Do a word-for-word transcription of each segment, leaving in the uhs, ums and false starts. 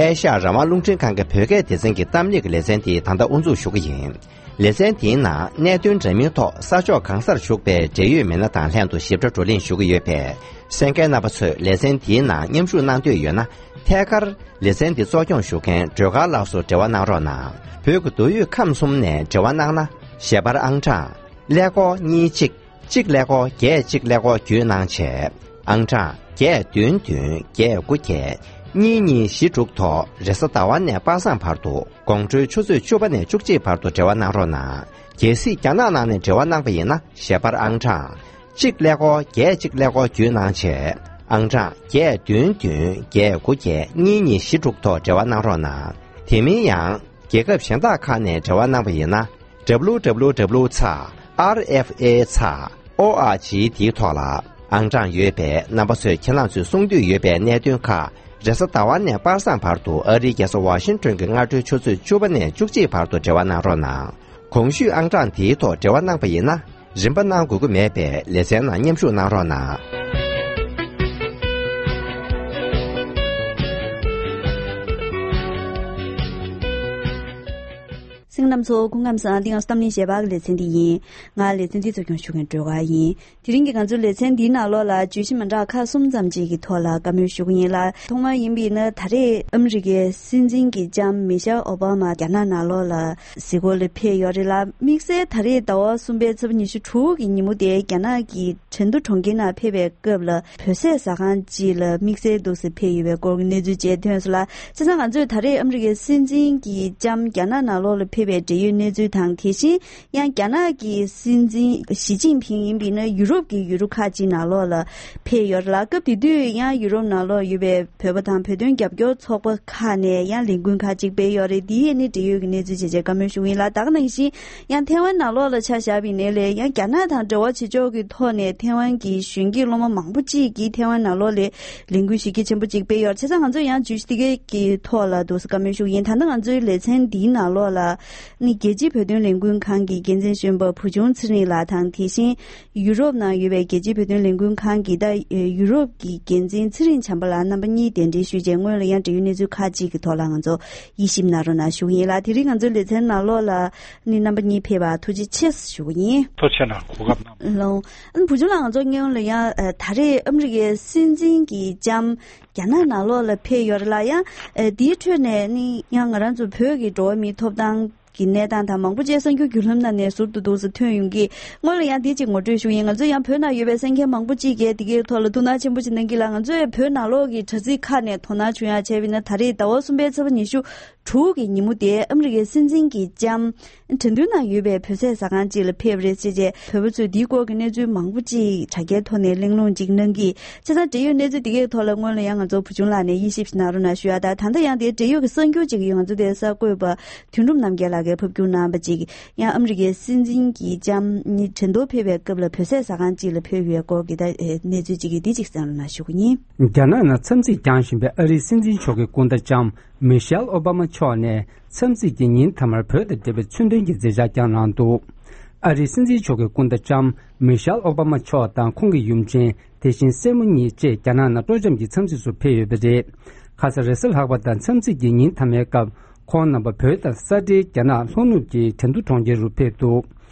ཨེ་ཤ་ཡ་རང་དབང་རླུང་འཕྲིན་ཁང་གི་བོད་སྐད་སྡེ་ཚན་གྱི་གཏམ་གླེང་གི་ལེ་ཚན་དེ་ད་ལྟ་དབུ་འཛུགས་ཞུ་གི་ཡིན། ལེ་ཚན་དེའི་ནང་གནད་དོན་འདྲ་མིན་ཐོག་ས་ཕྱོགས་གང་སར་བཞུགས་པའི་འབྲེལ་ཡོད་མི་སྣ་དང་ལྷན་དུ་ཞིབ་ཕྲ་བགྲོ་གླེང་ཞུ་གི་ཡོད་པས། གསན་མཁན་རྣམ་པ་ཚོས་ལེ་ཚན་དེའི་ནང་མཉམ་ཞུགས་གནང་འདོད་ཡོད་ན། ཐད་ཀར་ལེ་ཚན་འདི་གཙོ་སྐྱོང་ཞུ་མཁན་སྒྲོལ་དཀར་ལགས་སུ་འབྲེལ་བ་གནང་རོགས་གནང་། བོད་ཀྱི་མདོ་དབུས་ཁམས་གསུམ་ནས་འབྲེལ་བ་གནང་ན། ཞལ་པར་ཨང་གྲངས་ཀླད་ཀོར་གཉིས་གཅིག་གཅིག་ཀླད་ཀོར་བརྒྱད་གཅིག་ཀླད་ཀོར་བརྒྱུད་གནང་བྱས། ཨང་གྲངས་བརྒྱད་བདུན་བདུན་བརྒྱད་དགུ་བརྒྱད་གཉིས་གཉིས་བཞི་དྲུག་ཐོག་རེས་གཟའ་ཟླ་བ་ནས་པ་སངས་བར་དུ། དགོང་དྲོའི་ཆུ་ཚོད་བཅུ་པ་ནས་བཅུ་གཅིག་བར་དུ་འབྲེལ་བ་གནང་རོགས་གནང་། གལ་སྲིད་རྒྱ་ནག་ནང་ནས་འབྲེལ་བ་གནང་པ་ཡིན་ན། ཞལ་པར་ཨང་གྲངས་གཅིག་ཀླད་ཀོར་བརྒྱད་གཅིག་ཀླད་ཀོར་བརྒྱུད་གནང་བྱས། ཨང་གྲངས་བརྒྱད་བདུན་བདུན་བརྒྱད་དགུ་བརྒྱད་གཉིས་གཉིས་བཞི་དྲུག་ཐོག་འབྲེལ་བ་གནང་རོགས་གནང་། དེ་མིན་ཡང་། རྒྱལ་ཁབ་གཞན་དག་ཁག་ནས་འབྲེལ་བ་གནང་པ་ཡིན་ན། W W W ཚེག་R F A ཚེག་O R G འདིའི་ཐོག་ལ་ཨང་གྲངས་ཡོད་པས། རྣམ་པ་ཚོས་ཁྱེད་རང་ཚོས་གསུང་འདོད་ཡོད་པའི་གནད་དོན་ཁག་རེས་གཟའ་ཟླ་བ་ནས་པ་སངས་བར་དུ་ཨ་རིའི་རྒྱལ་ས་ཝ་ཤིང་ཏོན་གྱི་སྔ་དྲོའི་ཆུ་ཚོད་བཅུ་པ་ནས་བཅུ་གཅིག་བར་དུ་འབྲེལ་བ་གནང་རོགས་གནང་། གོང་ཞུས་ཨང་གྲངས་དེའི་ཐོག་འབྲེལ་བ་གནང་པ་ཡིན་ན། རིན་པ་གནང་དགོས་ཀྱི་མེད་པས་ལེ་ཚན་ནང་མཉམ་ཞུགས་གནང་རོགས་གནང་། གསན་མཁན་རྣམ་ཚོ་སྐུ་ཁམས་བཟང་། འདི་ང་ཚོ་གཏམ་གླེང་ཞལ་པར་གྱི་ལེ་ཚན་འདི་ཡིན། ང་ལེ་ཚན་འདི་གཙོ་སྐྱོང་ཞུ་མཁན་སྒྲོལ་དཀར་ཡིན། དེ་རིང་གི་ང་ཚོའི་ལེ་ཚན་འདིའི་ནང་ལོགས་ལ་བརྗོད་གཞི་མི་འདྲ་ཁག་གསུམ་ཙམ་ཅིག་གི་ཐོག་ལ་བཀའ་མོལ་ཞུ་གི་ཡིན་ལ། ཐོག་མར་ཡིན་པ་ཡིན་ན་ད་རེས་ཨ་མི་རི་ཀའི་སྲིད་འཛིན་གྱི་ལྕམ་མི་ཤེལ་ཨོ་བྷ་མ་རྒྱ་ནག་ནང་ལོགས་ལ་གཟིགས་སྐོར་ལ་ཕེབས་ཡོད་རེད་ལ། དམིགས་བསལ་ད་རེས་ཟླ་བ་གསུམ་པའི་ཚེས་པ་ཉི་ཤུ་དྲུག་གི་ཉིན་མོ་དེ་རྒྱ་ནག་གི་ཁྲེང་ཏུའུ་གྲོང་ཁྱེར་ནང་ཕེབས་པའི་སྐབས་ལ་བོད་ཟས་ཟ་ཁང་ཅིག་ལ་དམིགས་བསལ་འདུག་སེ་ཕེབས་ཡོད་པའི་སྐོར་གྱི་གནས་ཚུལ་བཅས་ཐོན་སོང་ལ། བྱས་ཙང་ང་ཚོས་ད་རེས་ཨ་མི་རི་ཀའི་སྲིད་འཛིན་གྱི་ལྕམ་རྒྱ་ནག་ནང་ལོགས་ལ་ཕེབས་པའི་འབྲེལ་ཡོད་གནས་ཚུལ་དང་། དེ་བཞིན་ཡང་རྒྱ་ནག་གི་སྲིད་འཛིན་ཞི་ཅིན་ཕིང་ཡིན་པ་ཡིན་ན་ཡུ་རོབ་ཀྱི་ཡུལ་གྲུ་ཁག་ཅིག་ནང་ལོགས་ལ་ཕེབས་ཡོད་རེད་ལ། སྐབས་དེ་དུས་ཡང་ཡུ་རོབ་ནང་ལོགས་ཡོད་པའི་བོད་པ་དང་བོད་དོན་རྒྱབ་སྐྱོར་ཚོགས་པ་ཁག་ནས་ཡང་ལས་འགུལ་ཁག་ཅིག་སྤེལ་ཡོད་རེད། འདི་ཡིས་ནི་འབྲེལ་ཡོད་ཀྱི་གནས་ཚུལ་བྱས་རྗེས་བཀའ་མོལ་ཞུ་གི་ཡིན་ལ། ད་ག་ནང་བཞིན་ཡང་ཐའེ་ཝན་ནང་ལོགས་ལ་ཆ་བཞག་པ་ཡིན་ནའི་ལས་ཡང་རྒྱ་ནག་དང་འབྲེལ་བ་བྱེད་ཕྱོགས་ཀྱི་ཐོག་ནས་ཐའེ་ཝན་གྱི་གཞོན་སྐྱེས་སློབ་མ་མང་པོ་ཅིག་གིས་ཐའེ་ཝན་ནང་ལོགས་ལ་ལས་འགུལ་གཞི་རྒྱ་ཆེན་པོ་ཅིག་སྤེལ་ཡོད་རེད། བྱས་ཙང་ང་ཚོས་ཡང་བརྗོད་གཞི་དེ་གའི་གི་ཐོག་ལ་འདུག་སེ་བཀའ་མོལ་ཞུ་གི་ཡིན། ད་ལྟ་ང་ཚོའི་ལེ་ཚན་འདིའི་ནང་ལོགས་ལ་ནི་རྒྱལ་སྤྱིའི་བོད་དོན་ལས་འགུལ་ཁང་གི་འགན་འཛིན་གཞོན་པ་བུ་ཆུང་ཚེ་རིང་ལགས་དང་། དེ་བཞིན་ཡུ་རོབ་ནང་ཡོད་པའི་རྒྱལ་སྤྱིའི་བོད་དོན་ལས་འགུལ་ཁང་གི་ད་ཡུ་རོབ་ཀྱི་འགན་འཛིན་ཚེ་རིང་བྱམས་པ་ལགས། རྣམ་པ་གཉིས་གདན་འདྲེན་ཞུས་རྗེས་སྔོན་ལ་ཡང་འབྲེལ་ཡོད་གནས་ཚུལ་ཁག་ཅིག་གི་ཐོག་ལ་ང་ཚོ་དབྱེ་ཞིབ་གནང་རོགས་གནང་ཞུ་གི་ཡིན་ལ། དེ་རིང་ང་ཚོའི་ལེ་ཚན་ནང་ལོགས་ལ་ནི་རྣམ་པ་གཉིས་ཕེབས་པར་ཐུགས་རྗེ་ཆེ་ཞུ་གི་ཡིན། ཐུགས་རྗེ་གནང་། གོ་སྐབས་གནང་། ལོང་། ཨ་ནི་བུ་ཆུང་ལགས། ང་ཚོ་སྔོན་ལ་ཡང་ཨ་ད་རེས་ཨ་མི་རི་ཀའི་སྲིད་འཛིན་གྱི་ལྕམ་རྒྱ་ནག་ནང་ལོགས་ལ་ཕེབས་ཡོད་རེད་ལ། ཡང་ཨ་དེའི་ཁྲོད་ནས་ནི་ཡང་ང་རང་ཚོ་བོད་ཀྱི་འགྲོ་བ་མིའི་ཐོབ་ཐང་གི་གནས་སྟངས་དང་མང་པོ་ཅིག་གསར་འགྱུར་བརྒྱུད་ལམ་ནང་ནས་ཟུར་དུ་འདུག་སེ་ཐོན་ཡོང་གི། སྔོན་ལ་ཡང་དེ་ཅིག་ངོ་སྤྲོད་ཞུ་ཡིན། ང་ཚོ་ཡང་བོད་ནང་ཡོད་པའི་གསན་མཁན་མང་པོ་ཅིག་གིས་དེ་གའི་ཐོག་ལ་ཐུགས་སྣང་ཆེན་པོ་ཅིག་གནང་གི་ལ། ང་ཚོས་བོད་ནང་ལོགས་ཀྱི་དྲ་ཚིགས་ཁག་ནས་དོ་སྣང་བྱུང་ཡག་བྱས་པ་ཡིན་ན། ད་རེས་ཟླ་བ་གསུམ་པའི་ཚེས་པ་ཉི་ཤུ་དྲུག་གི་ཉིན་མོ་དེ་ཨ་མི་རི་ཀའི་སྲིད་འཛིན་གྱི་ལྕམ་ཁྲེང་ཏུའུ་ནང་ཡོད་པའི་བོད་ཟས་ཟ་ཁང་ཅིག་ལ་ཕེབས་རེད་ཟེར་རྗེས། བོད་པ་ཚོས་འདིའི་སྐོར་གྱི་གནས་ཚུལ་མང་པོ་ཅིག་དྲ་རྒྱའི་ཐོག་ནས་གླེང་སློང་ཅིག་གནང་གི། བྱས་ཙང་འབྲེལ་ཡོད་གནས་ཚུལ་འདི་གའི་ཐོག་ལ་སྔོན་ལ་ཡང་ང་ཚོ་བུ་ཆུང་ལགས་ནས་དབྱེ་ཞིབ་ཞིག་གནང་རོགས་གནང་ཞུ་ཡ་དང་། ད་ལྟ་ཡང་དེའི་འབྲེལ་ཡོད་ཀྱི་གསར་འགྱུར་ཅིག་ང་ཚོ་དེའི་གསར་འགོད་པ་དོན་གྲུབ་རྣམ་རྒྱལ་ལགས་ཀྱིས་ཕབ་སྒྱུར་གནང་བ་ཅིག་ཡང་ཨ་མི་རི་ཀའི་སྲིད་འཛིན་གྱི་ལྕམ་ནི་ཁྲེང་ཏུའུ་ཕེབས་པའི་སྐབས་ལ་བོད་ཟས་ཟ་ཁང་ཅིག་ལ་ཕེབས་ཡོད་སྐོར་གྱི་ད་གནས་ཚུལ་ཅིག་གིས་འདི་ཅིག་གསན་རོགས་གནང་ཞུ་གི་ཡིན། རྒྱ་ནག་ནང་འཚམས་གཟིགས་བསྐྱངས་བཞིན་པའི་ཨ་རིའི་སྲིད་འཛིན་མཆོག་གི་སྐུ་ཟླ་ལྕམ་མི་ཤེལ་ཨོ་བྷ་མ་མཆོག་ནས་འཚམས་གཟིགས་ཀྱི་ཉིན་མཐའ་མར་བོད་དང་འབྲེལ་བའི་མཚོན་དོན་གྱི་མཛད་འཆར་བསྐྱངས་གནང་འདུག་ཨ་རིའི་སྲིད་འཛིན་མཆོག་གི་སྐུ་ཟླ་ལྕམ་མི་ཤེལ་ཨོ་བྷ་མ་མཆོག་དང་ཁོང་གི་ཡུམ་ཆེན། དེ་བཞིན་སྲས་མོ་གཉིས་བཅས་རྒྱ་ནག་ནང་སྤྲོ་འཆམ་གྱི་འཚམས་གཟིགས་སུ་ཕེབས་ཡོད་པ་རེད། ཁ་ས་རེས་གཟའ་ལྷག་པ་དང་འཚམས་གཟིགས་ཀྱི་ཉིན་མཐའ་མའི་སྐབས། ཁོང་རྣམ་པ་བོད་དང་ས་འབྲེལ་རྒྱ་ནག་ལྷོ་ནུབ་ཀྱི་ཁྲེང་ཏུའུ་གྲོང་ཁྱེར་རུ་ཕེབས་འདུག་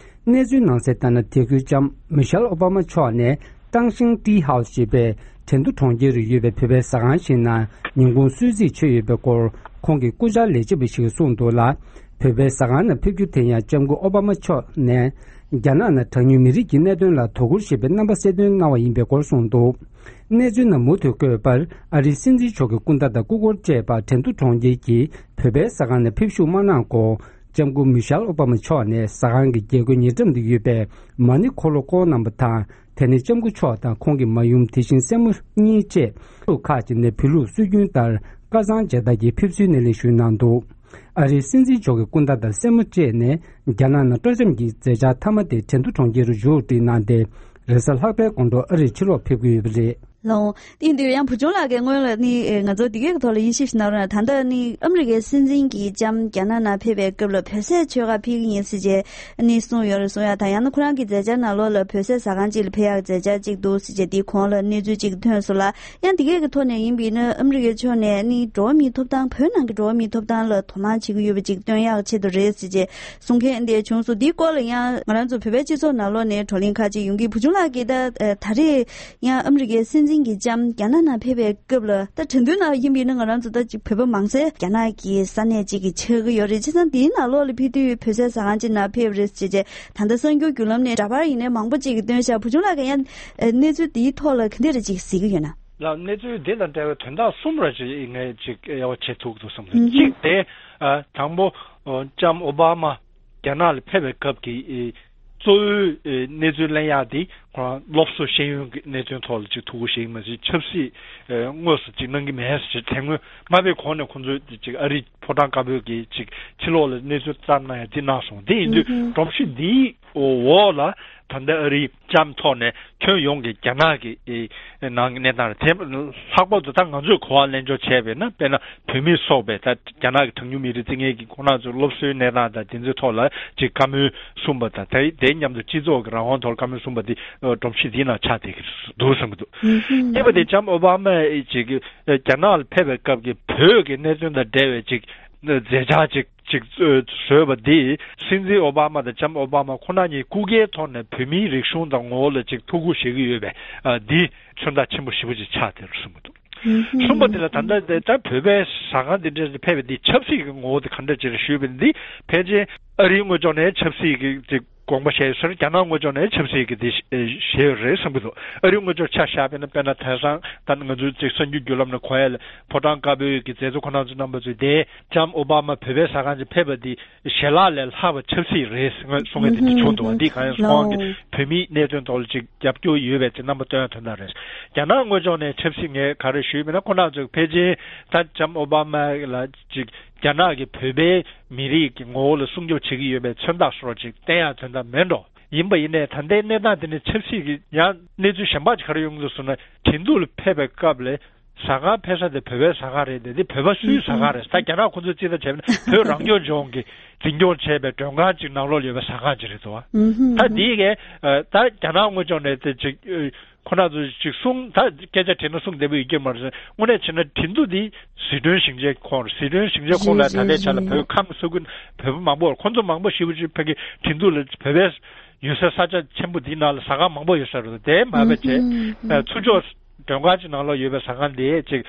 གནས་ཚུལ་ནང་གསལ་ལྟར་ན། དེ་ཁུལ་ལྕམ་མི་ཤེལ་ཨོ་བྷ་མ་མཆོག་ནས་ཀྲང་ཤིང་ཏི་ཧའོ་ཞེས་པའི་ཁྲེང་ཏུའུ་གྲོང་ཁྱེར་རུ་ཡོད་པའི་བོད་པའི་ཟ་ཁང་ཞིག་ནང་ཉིན་གུང་གསོལ་ཚིགས་མཆོད་ཡོད་པའི་སྐོར་ཁོང་གི་སྐུ་བཅར་ལས་བྱེད་པ་ཞིག་གིས་གསུངས་འདུག་ལ། བོད་པའི་ཟ་ཁང་ནང་ཕེབས་རྒྱུ་དེ་ཡང་ལྕམ་སྐུ་ཨོ་བྷ་མ་མཆོག་ནས་རྒྱ་ནག་ནང་གྲངས་ཉུང་མི་རིགས་ཀྱི་གནད་དོན་ལ་དོ་ཁུར་བྱེད་པའི་རྣམ་པ་གསལ་སྟོན་གནང་བ་ཡིན་པའི་སྐོར་གསུངས་འདུག་གནས་ཚུལ་ནང་མུ་མཐུད་བཀོད་པར། ཨ་རིའི་སྲིད་འཛིན་མཆོག་གི་སྐུ་ཟླ་དང་སྐུ་འཁོར་བཅས་པ་ཁྲེང་ཏུའུ་གྲོང་ཁྱེར་གྱི་བོད་པའི་ཟ་ཁང་ནང་ཕེབས་བཞུགས་མ་གནང་གོང་། ལྕམ་སྐུ་མི་ཤེལ་ཨོ་བྷ་མ་མཆོག་ནས་ཟ་ཁང་གི་རྒྱལ་སྒོའི་ཉེ་འགྲམ་དུ་ཡོད་པའི་མ་ཎི་འཁོར་ལོ་བསྐོར་གནང་བ་དང་། དེ་ནས་ལྕམ་སྐུ་མཆོག་དང་ཁོང་གི་མ་ཡུམ། དེ་བཞིན་སྲས་མོ་གཉིས་བཅས་ལུགས་ཁག་ཅིག་ནས་བོད་ལུགས་སྲོལ་རྒྱུན་ལྟར་དཀར་གཙང་མཇལ་དར་གྱིས་ཕེབས་བསུའི་སྣེ་ལེན་ཞུས་གནང་འདུག་ཨ་རིའི་སྲིད་འཛིན་མཆོག་གི་སྐུ་ཟླ་དང་སྲས་མོ་བཅས་ནས་རྒྱ་ནག་ནང་སྤྲོ་འཆམ་གྱི་མཛད་འཆར་མཐའ་མ་དེ་ཁྲེང་ཏུའུ་གྲོང་ཁྱེར་རུ་མཇུག་བསྒྲིལ་གནང་སྟེ། རེས་གཟའ་ལྷག་པའི་དགོང་དྲོ་ཨ་རིར་ཕྱིར་ལོག་ཕེབས་ཀྱི་ཡོད་པ་རེད། ལགས། དེ་ཡིན་དུས་ཡང་བུ་ཆུང་ལགས་ཀྱིས་སྔོན་ལ་ནི་ཨེ་ང་ཚོ་འདི་གའི་ཐོག་ལ་དབྱེ་ཞིབ་ཞིག་གནང་རོགས་གནང་། ད་ལྟ་ནི་ཨ་མི་རི་ཀའི་སྲིད་འཛིན་གྱི་ལྕམ་རྒྱ་ནག་ནང་ཕེབས་པའི་སྐབས་ལ་བོད་ཟས་མཆོད་གར་ཕེབས་ཀྱི་ཡིན་ཟེར་བྱས་ནི་གསུངས་ཡོད་རེད། གསུང་ཡ་དང་ཡང་ན་ཁོ་རང་གི་མཛད་འཆར་ནང་ལོགས་ལ་བོད་ཟས་ཟ་ཁང་ཅིག་ལ་ཕེབས་ཡག་མཛད་འཆར་ཅིག་འདུག་ཟེར་བྱས་དེའི་གོང་ལ་གནས་ཚུལ་ཅིག་ཐོན་སོང་ལ། ཡང་འདི་གའི་ཐོག་ནས་ཡིན་པ་ཡིན་ན་ཨ་མི་རི་ཀའི་ཕྱོགས་ནས་ནི་འགྲོ་བ་མིའི་ཐོབ་ཐང་བོད་ནང་གི་འགྲོ་བ་མིའི་ཐོབ་ཐང་ལ་དོ་སྣང་བྱེད་ཀྱི་ཡོད་པ་ཅིག་སྟོན་ཡག་ཆེད་དུ་རེད་ཟེར་བྱས་གསུང་མཁན་དེ་བྱུང་སོང་། འདིའི་སྐོར་ལ་ཡང་ང་རང་ཚོ་བོད་པའི་སྤྱི་ཚོགས་ནང་ལོགས་ནས་བགྲོ་གླེང་ཁག་ཅིག་ཡོང་གི། བུ་ཆུང་ལགས་ཀྱིས་ད་ད་རེས་ཡང་ཨ་མི་རི་ཀའི་སྲིད་འཛིན་གྱི་ལྕམ་རྒྱ་ནག་ནང་ཕེབས་པའི་སྐབས་ལ་ད་དྲན་དུས་ན་ཡིན་པ་ཡིན་ན་ང་རང་ཚོ་ད་ཅིག་བོད་པ་མང་སའི་རྒྱ་ནག་གི་ས་གནས་ཅིག་གི་ཆགས་ཀྱི་ཡོད་རེད། བྱས་ཙང་དེའི་ནང་ལོགས་ལ་ཕེབས་དུས་བོད་ཟས་ཟ་ཁང་ཅིག་ནང་ཕེབས་རེད་ཟེར་བྱས་ད་ལྟ་གསར་འགྱུར་བརྒྱུད་ལམ་ནས་འདྲ་པར་ཡིན་ནའི་མང་པོ་ཅིག་གིས་སྟོན་ཤག་བུ་ཆུང་ལགས་ཀྱིས་ཡང་གནས་ཚུལ་དེའི་ཐོག་ལ་ག་འདྲ་རེ་ཅིག་གཟིགས་ཀྱི་ཡོད་ན། ལགས། གནས་ཚུལ་འདི་དང་འབྲེལ་བའི་དོན་དག་གསུམ་རེ་ཅིག་ངས་ཅིག་དབྱེ་བ་ཕྱེ་ཐུབ་འདུག་བསམ་འདུག་ཨུ་ཧུ། གཅིག་དེ་ཨ་དང་པོ་ཨ་ལྕམ་ཨོ་བྷ་མ་རྒྱ་ནག་ལ་ཕེབས་པའི་སྐབས་ཀྱི་ཨེ་གཙོ་བོའི་ཨེ་གནས་ཚུལ་གླེང་ཡག་དེ་ཁོ་རང་སློབ་གསོ་ཤེས་ཡོན་གྱི་གནད་དོན་ཐོག་ལ་ཅིག་ཐུགས་ཁུར་བཞེས་ཀྱི་མེད་ཅིག་ཆབ་སྲིད་ཨེ་དངོས་སུ་ཅིག་གནང་གི་མེད་ཟེར་དེ་སྔོན་མ་ཕེབས་གོང་ནས་ཁོང་ཚོས་ཅིག་ཨ་རིའི་ཕོ་བྲང་དཀར་པོའི་གི་ཅིག་ཕྱི་ལོགས་ལ་གནས་ཚུལ་བཏང་གནང་ཡ་དེ་གནང་སོང་། དེ་ཡིན་དུས་ཨུ་ཧུ། སྒྲོམ་གཞི་འདིའི་འོག་ལ་ད་ལྟ་ཨ་རིའི་ལྕམ་ཐོག་ནས་ཁྱོན་ཡོངས་ཀྱི་རྒྱ་ནག་གི་ཨེ་ནང་གི་གནས་སྟངས་རེད། དེ་ལྷག་པར་དུ་ད་ང་ཚོས་གོ་བ་ལེན་ཕྱོགས་བྱས་པས་ན་དཔེར་ན་བོད་མི་སོགས་པས་ད་རྒྱ་ནག་གི་གྲངས་ཉུང་མི་རིགས་རྩིས་ངན་གྱིས་ཁོང་རྣམ་ཚོའི་སློབ་གསོའི་གནས་སྟངས་དང་དེ་ཚོའི་ཐོག་ལ་ཅིག་བཀའ་མོལ་གསུངས་པ་དང་དེ་དེ་མཉམ་དུ་སྤྱི་ཚོགས་ཀྱི་རང་དབང་ཐོག་བཀའ་མོལ་གསུངས་པ་འདི་སྒྲོམ་གཞི་འདིའི་ནང་ཆགས་བསྡད་ཀྱི་འདུག་བསམ་གྱི་འདུག་ཨུ་ཧུ། གཉིས་པ་དེ་ལྕམ་ཨོ་བྷ་མས་ཅིག་རྒྱ་ནག་ལ་ཕེབས་པའི་སྐབས་ཀྱི་བོད་ཀྱི་གནད་དོན་དང་འབྲེལ་བའི་ཅིག་མཛད་འཆར་ཅིག་ཅིག་བཟོས་པ་འདིས་སྲིད་འཛིན་ཨོ་བྷ་མ་དང་ལྕམ་ཨོ་བྷ་མ་ཁོ་ན་གཉིས་སྐུ་སྒེར་ཐོག་ནས་བོད་མིའི་རིག་གཞུང་དང་ངོ་བོ་ལ་ཅིག་ཐུགས་ཁུར་བཞེས་ཀྱི་ཡོད་པས་ཨ་འདི་མཚོན་རྟགས་ཆེན་པོ་ཞེ་པོ་ཅིག་ཆགས་བསྡད་རེད་གསུངས་པ་འདུག་གསུམ་པ་དེ་ལ་ད་ལྟ་དེ་ལྟར་བོད་པའི་ཟ་ཁང་འདི་འདྲ་ཞིག་ཕེབས་པ་འདི་ཆབ་སྲིད་ཀྱི་ངོ་བོ་དེ་ག་འདྲ་ཅིག་རེད་ཞུས་པ་འདི་ཕལ་ཆེར་ཨ་རིའི་ངོས་ཕྱོགས་ནས་ཆབ་སྲིད་ཀྱི་ཅིག་དགོངས་པ་བཞེས་ཡོད་ཟེར། རྒྱ་ནག་ངོས་ཕྱོགས་ནས་ཆབ་སྲིད་ཀྱི་དེ་བཞེས་ཡོད་རེད་བསམ་གྱི་འདུག་ཨ་རིའི་ངོས་ཕྱོགས་ཆ་བཞག་པ་ཡིན་ན་དཔེར་ན་དེང་སང་ད་ང་ཚོའི་ཅིག་གསར་འགྱུར་བརྒྱུད་ལམ་ནས་གོ་ཡ་ལ་ཕོ་བྲང་དཀར་པོའི་གི་མཛད་གཙོ་ཁོ་རང་ཚོ་རྣམ་པ་ཚོས་དེ་ལྕམ་ཨོ་བྷ་མ་བོད་པའི་ཟ་ཁང་ཅིག་ཕེབས་པ་འདི་ཞལ་ལག་ལས་ལྷག་པ་ཆབ་སྲིད་རེད་གསུང་ཡ་དེ་འདྲ་བྱུང་འདུག་འདི་གང་ཡིན་ཁོང་གིས་བོད་མིའི་གནད་དོན་ཐོག་ལ་ཅིག་རྒྱབ་སྐྱོར་ཡོད་པའི་ཅིག་རྣམ་པ་སྟོན་ཡ་དོན་དག་རེད། རྒྱ་ནག་ངོས་ཕྱོགས་ནས་ཆབ་སྲིད་ངས་ག་རེ་ཞུས་པ་ཡིན་ན་ཁོ་རང་ཚོས་ཕལ་ཆེར་ད་ལྕམ་ཨོ་བྷ་མ་ལ་ཅིག་རྒྱ་ནག་གིས་བོད་པའི་མི་རིགས་ཀྱི་ངོ་བོ་ལ་སྲུང་སྐྱོབ་བྱེད་ཀྱི་ཡོད་པའི་མཚོན་རྟགས་སོགས་ཅིག་བསྟན་ཡ་དོན་དག་མེད་འགྲོ། ཡིན་པ་ཡིན་ནའི་ད་ལྟའི་གནས་སྟངས་དེ་ནི་ཆབ་སྲིད་ཀྱི་ཡང་གནས་ཚུལ་གཞན་པ་ཅིག་ག་རེ་ཡོང་གི་འདུག་ཟེར་ན་ཁྲིན་ཏུའུ་ལ་ཕེབས་པའི་སྐབས་ལ་ཟ་ཁང་ཕེབས་ས་དེ་བོད་པའི་ཟ་ཁང་རེད་དེ་དེ་བོད་པ་སུའི་ཟ་ཁང་རེད། ད་རྒྱ་ནག་ཁོ་ཚོས་ཅི་ལྟར་བྱས་ན་བོད་རང་སྐྱོང་ལྗོངས་ཀྱི་འཛིན་སྐྱོང་བྱས་པའི་མགྲོན་ཁང་ཅིག་ནང་ལོགས་ཡོད་པའི་ཟ་ཁང་ཅིག་རེད་དོ། ད་དེའི་གས་ད་རྒྱ་ནག་ངོས་ཕྱོགས་ནས་དེ་ཅིག་ཁོ་རང་ཚོ་ཅིག་གསུང་ད་སྐད་ཆ་དྲིས་ན་གསུང་བདེ་པོ་ཡོད་ཀྱི་མ་རེད། དངོས་གནས་བྱས་ན་ཁྲིན་ཏུའུ་འདི་ཟི་ཁྲོན་ཞིང་ཆེན་ཁོངས་རེད། ཟི་ཁྲོན་ཞིང་ཆེན་ཁོངས་ལ་ད་ལྟའི་ཆ་ལ་བོད་ཁམས་ས་ཁུལ་བོད་པ་མང་པོ་ཁོང་ཚོ་མང་པོ་ཞེ་པོ་ཅིག་ཕ་གི་ཁྲིན་ཏུའུ་ལ་བོད་པའི་ཡོད་སའི་ས་ཆ་ཆེན་པོ་འདིའི་ནང་ལ་ཟ་ཁང་མང་པོ་ཡོད་ས་རེད། དེ་མ་བས་བྱས་ཚུར་ཕྱོགས་མགྲོན་ཁང་ཅིག་ནང་ལོགས་ཡོད་པའི་ཟ་ཁང་དེ་ཅིག་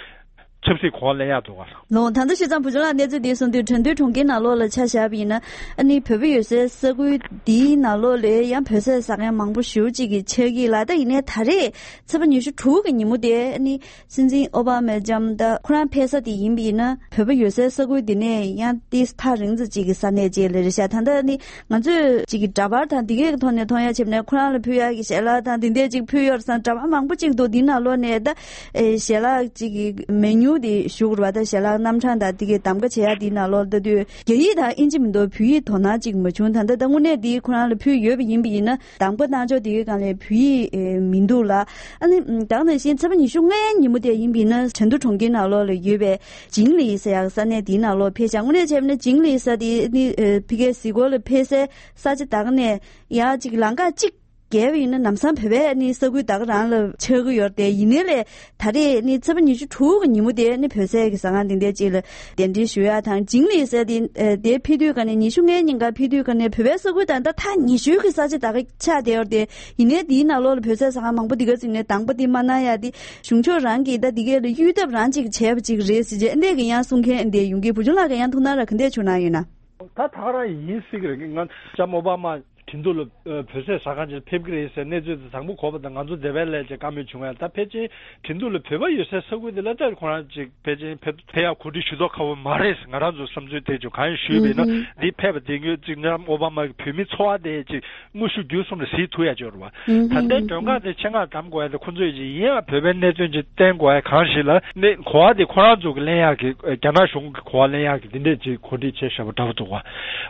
ཆབ་སྲིད་གོ་བ་ལེན་ཡག་འདུག་ག་ལོ། ད་ལྟ་བཤད་ཙང་བུ་ཆུང་ལགས་གནས་ཚུལ་འདི་གསུངས་དུས་ཁྲིན་ཏུའུ་གྲོང་ཁྱེར་ནང་ལོགས་ལ་ཆ་བཞག་པ་ཡིན་ན་ཨ་ནི་བོད་པ་ཡོད་སའི་ས་ཁུལ་འདིའི་ནང་ལོགས་ལ་ཡང་བོད་ཟས་ཟ་མཁན་མང་པོ་ཞེ་པོ་ཅིག་གི་ཆགས་ཀྱི་ལ། ད་ཡིན་ནའི་ད་རེས་ཚེས་པ་ཉི་ཤུ་དྲུག་གི་ཉིན་མོ་དེ་ཨ་ནི་སྲིད་འཛིན་ཨོ་བྷ་མའི་ལྕམ་ད་ཁོ་རང་ཕེབས་ས་དེ་ཡིན་པ་ཡིན་ན་བོད་པ་ཡོད་སའི་ས་ཁུལ་འདི་ནས་ཡང་ཏིས་ཐག་རིང་ཙམ་ཅིག་གི་ས་གནས་ཅིག་ལ་རེད་ཤག་ད་ལྟ་ནི་ང་ཚོས་ཅིག་གི་འདྲ་པར་དང་འདི་གའི་ཐོག་ནས་མཐོང་ཡ་བྱས་ནས་ཁོ་རང་ལ་ཕུལ་ཡ་གི་ཞལ་ལག་དང་འདི་འདྲས་ཅིག་ཕུལ་ཡོད་རེད་བསམ། འདྲ་པར་མང་པོ་ཅིག་འདུག་འདི་ནང་ལོགས་ནས་ད་ཨེ་ཞལ་ལག་ཅིག་གི་མེ་ནིའུ་དེ་ཞུ་དགོས་རེད་བ། ད་ཞལ་ལག་རྣམ་གྲངས་དང་འདི་གའི་གདམ་ག་བྱེད་ཡ་འདི་ནང་ལོགས་ལྟ་དུས་རྒྱ་ཡིག་དང་ཨིན་ཇི་མི་འདུག་བོད་ཡིག་དོ་སྣང་ཅིག་མ་བྱུང་། ད་ལྟ་ད་དངོས་གནས་འདི་ཁོ་རང་ལ་ཕུལ་ཡོད་པ་ཡིན་པ་ཡིན་ན་གདམ་ག་གནང་ཕྱོགས་འདི་གའི་སྒང་ལ་བོད་ཡིག་ཨེ་མི་འདུག་ལ། ཨ་ནི་ད་ག་ནང་བཞིན་ཚེས་པ་ཉི་ཤུ་ལྔའི་ཉིན་མོ་དེ་ཡིན་པ་ཡིན་ན་ཁྲིན་ཏུའུ་གྲོང་ཁྱེར་ནང་ལོགས་ལ་ཡོད་པའི་ཇིང་ལི་ཟེར་ཡག་ས་གནས་དེའི་ནང་ལོགས་ཕེབས་ཤག་དངོས་གནས་བྱས་ན་ཇིང་ལི་ས་དེ་ནི་ཨ་ཕ་གིའི་གཟིགས་སྐོར་ལ་ཕེབས་སའི་ས་ཆ་ད་ག་ནས་ཡང་ཅིག་ལམ་ཁ་གཅིག་བརྒལ་བ་ཡིན་ན་ལམ་སང་བོད་པའི་ནི་ས་ཁུལ་ད་ག་རང་ལ་ཆགས་ཀྱི་ཡོད་རེད་དེ། ཡིན་ནའི་ལས་ད་རེས་ནི་ཚེས་པ་ཉི་ཤུ་དྲུག་གི་ཉིན་མོ་དེ་ནི་བོད་ཟས་ཀྱི་ཟ་ཁང་དེ་འདྲ་ཅིག་ལ་གདན་འདྲེན་ཞུ་ཡག་དང་ཇིང་ལི་ཟེར་དེ་ཨ་དེ་ཕེབས་དུས་ག་ནས་ཉི་ཤུ་ལྔའི་ཉིན་ཀ་ཕེབས་དུས་ག་ནས་བོད་པའི་ས་ཁུལ་དང་ད་ཐག་ཉེ་ཤོས་ཀྱི་ས་ཆ་ད་ག་ཆགས་བསྡད་ཡོད་རེད་དེ། ཡིན་ནའི་དེའི་ནང་ལོགས་ལ་བོད་ཟས་ཟ་ཁང་མང་པོ་འདི་ག་ཅིག་ནས་གདམ་ག་དེ་མ་གནང་ཡ་དེ། གཞུང་ཕྱོགས་རང་གིས་ད་འདི་གས་ལ་གཡོལ་ཐབས་རང་ཅིག་བྱས་པ་ཅིག་རེད་ཟེར་བྱས་ཨ་འདྲས་ཀྱི་ཡང་གསུང་མཁན་འདི་ཡོང་གི། བུ་ཆུང་ལགས་ཀྱིས་ཡང་ཐུགས་སྣང་ར་ག་འདྲས་བྱུང་གནང་ཡོད་ན། ད་ད་ག་རང་ཡིན་སྲིད་ཀྱི་རེད། ང་ལྕམ་ཨོ་བྷ་མ་ཁྲིན་ཏུའུ་ལ་བོད་ཟས་ཟ་ཁང་ཅིག་ཕེབས་ཀྱི་རེད་ཟེར་གནས་ཚུལ་དེ་དང་པོ་གོ་བ་དང་ང་ཚོ་འདི་པའི་ལས་ཀྱི་བཀའ་མོལ་བྱུང་བས། ད་ཕལ་ཆེར་ཁྲིན་ཏུའུ་ལ་བོད་པ་ཡོད་སའི་ས་ཁུལ་དེ་ལ་ད་ཁོ་རང་ཅིག་ཕལ་ཆེར་ཕེབས་ཕེབས་ཡག་གོ་སྒྲིག་ཞུ་མདོག་ཁ་པོ་མ་རེད། ང་རང་ཚོ་བསམ་ཚུལ་དེ་ཅིག་གང་ཡིན་ཞུས་པས་ན་འདི་ཕེབས་པ་དེ་ངོས་ཅིག་ལྕམ་ཨོ་བྷ་མ་གི་བོད་མི་ཚོ་བ་དེ་ཅིག་དངོས་ཤུགས་བརྒྱུད་གསུམ་ལ་གཟིགས་ཐུབ་ཡ་ཅིག་ཡོད་རེད་བ། ད་ལྟའི་མགྲོན་ཁང་དེ་ཆེད་མངགས་གདམ་དགོས་ཡ་དེ་ཁོ་ཚོས་ཅིག་ཡིན་ཡང་བོད་པའི་གནད་དོན་ཅིག་བསྟན་དགོས་ཡ་གང་ཞིག་ལ་ནི་གོ་བ་དེ་ཁོ་རང་ཚོ་གི་ལེན་ཡག་གི་རྒྱ་ནག་གཞུང་གི་གོ་བ་ལེན་ཡག་གི་འདི་འདྲས་ཅིག་གོ་སྒྲིག་བྱས་བཞག་པ་འདྲ་པོ་འདུག་བ།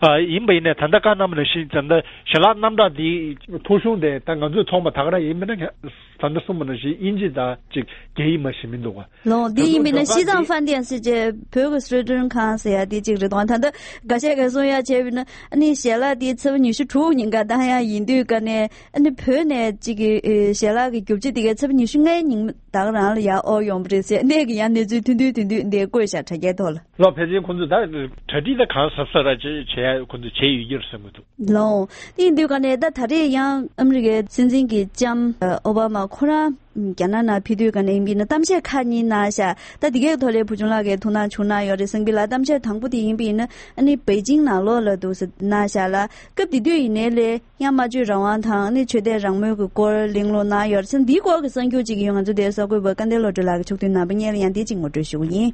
ཨ་ཡིན་པ་ཡིན་ནའི་ད་ལྟ་བཀའ་གནང་བ་ནང་བཞིན་ད་ལྟ་ ཞལ་ལག་རྣམ་གྲངས་འདི་ཐོ་གཞུང་དེ་ད་ང་ཚོས་མཐོང་པ་ད་ག་རང་ཡིན་མིན་ན། ད་ལྟ་གསུངས་པ་ནང་བཞིན་དབྱིན་ཇི་དང་གཅིག་རྒྱ་ཡིག་མ་ཞིག་མི་འདུག་ག་ལོ། འདི་ཡིན་མིན་ན་ཞི་ཙང་ཧྥན་ཏེ་ཟེར་བྱས་བོད་ཀྱི་སི་ཀྲུའུ་ཀྲུང་ཁང་ཟེར་ཡ་དེ་གཅིག་རེད་དོ། ད་ལྟ་འགའ་ཤས་ཀྱིས་གསུང་ཡ་བྱས་པ་ཡིན་ན་ཨ་ནི་ཞལ་ལག་དེ་ཚེས་པ་ཉི་ཤུ་དྲུག་ཉིན་ཀ་བཏང་ཡ་ཡིན་དུས་ཀ་ནས་ཨ་ནི་བོད་ནས་གཅིག་གི་ཞལ་ལག་གི་རྒྱུ་ཆ་དེ་གའི་ཚེས་པ་ཉི་ཤུ་ལྔའི་ཉིན་ད་ག་རང་ལ་ཡར་འོར་ཡོང་པ་རེད་ཟེར། འདི་གི་ཡང་གནས་ཚུལ་ཐུང་ཐུང་ཐུང་ཐུང་འདི་བཀོད་བཞག་དྲ་རྒྱའི་ཐོག་ལ། ལོ། ཕལ་ཆེར་ཁོང་ཚོས་ད་གྲ་སྒྲིག་ད་གང་གཟབ་གཟབ་ར་བྱེད་བྱེད་ཡ་ཁོང་ཚོས་བྱས་ཡོད་ཀྱི་རེད་བསམ་གྱི་འདུག་ལོ། དེ་ཡིན་དུས་ཀ་ནས་ད་ད་རེས་ཡང་ཨ་མི་རི་ཀའི་སྲིད་འཛིན་གྱི་ལྕམ་ཨོ་བྷ་མ་ཁོ་རང་རྒྱ་ནག་ནང་ཕེབས་དུས་ཀ་ནས་ཡིན་པ་ཡིན་ན་གཏམ་བཤད་ཁག་གཉིས་གནང་ཤག་ད་འདི་གའི་ཐོག་ལ་བུ་ཆུང་ལགས་ཀྱིས་ཐུགས་སྣང་བྱུང་གནང་ཡོད་རེད་བསམ་གྱི་ལ། གཏམ་བཤད་དང་པོ་དེ་ཡིན་པ་ཡིན་ན་ཨ་ནི་པེ་ཅིང་ནང་ལོགས་ལ་འདུག་སེ་གནང་ཤག་ལ། སྐབས་དེ་དུས་ཡིན་ནའི་ལས་ཡང་སྨྲ་བརྗོད་རང་དབང་དང་ཨ་ནི་ཆོས་དད་རང་མོས་ཀྱི་སྐོར་གླེང་སློང་གནང་ཡོད་རེད་བསམ། འདིའི་སྐོར་གྱི་གསར་འགྱུར་ཅིག་ཡོད། ང་ཚོ་དེའི་གསར་འགོད་པ་སྐལ་ལྡན་བློ་གྲོས་ལགས་ཀྱིས་ཕྱོགས་བསྡུས་ནང་པ་སྙན་ལ་ཡང་དེ་གཅིག་ངོ་སྤྲོད་ཞུ་གི་ཡིན།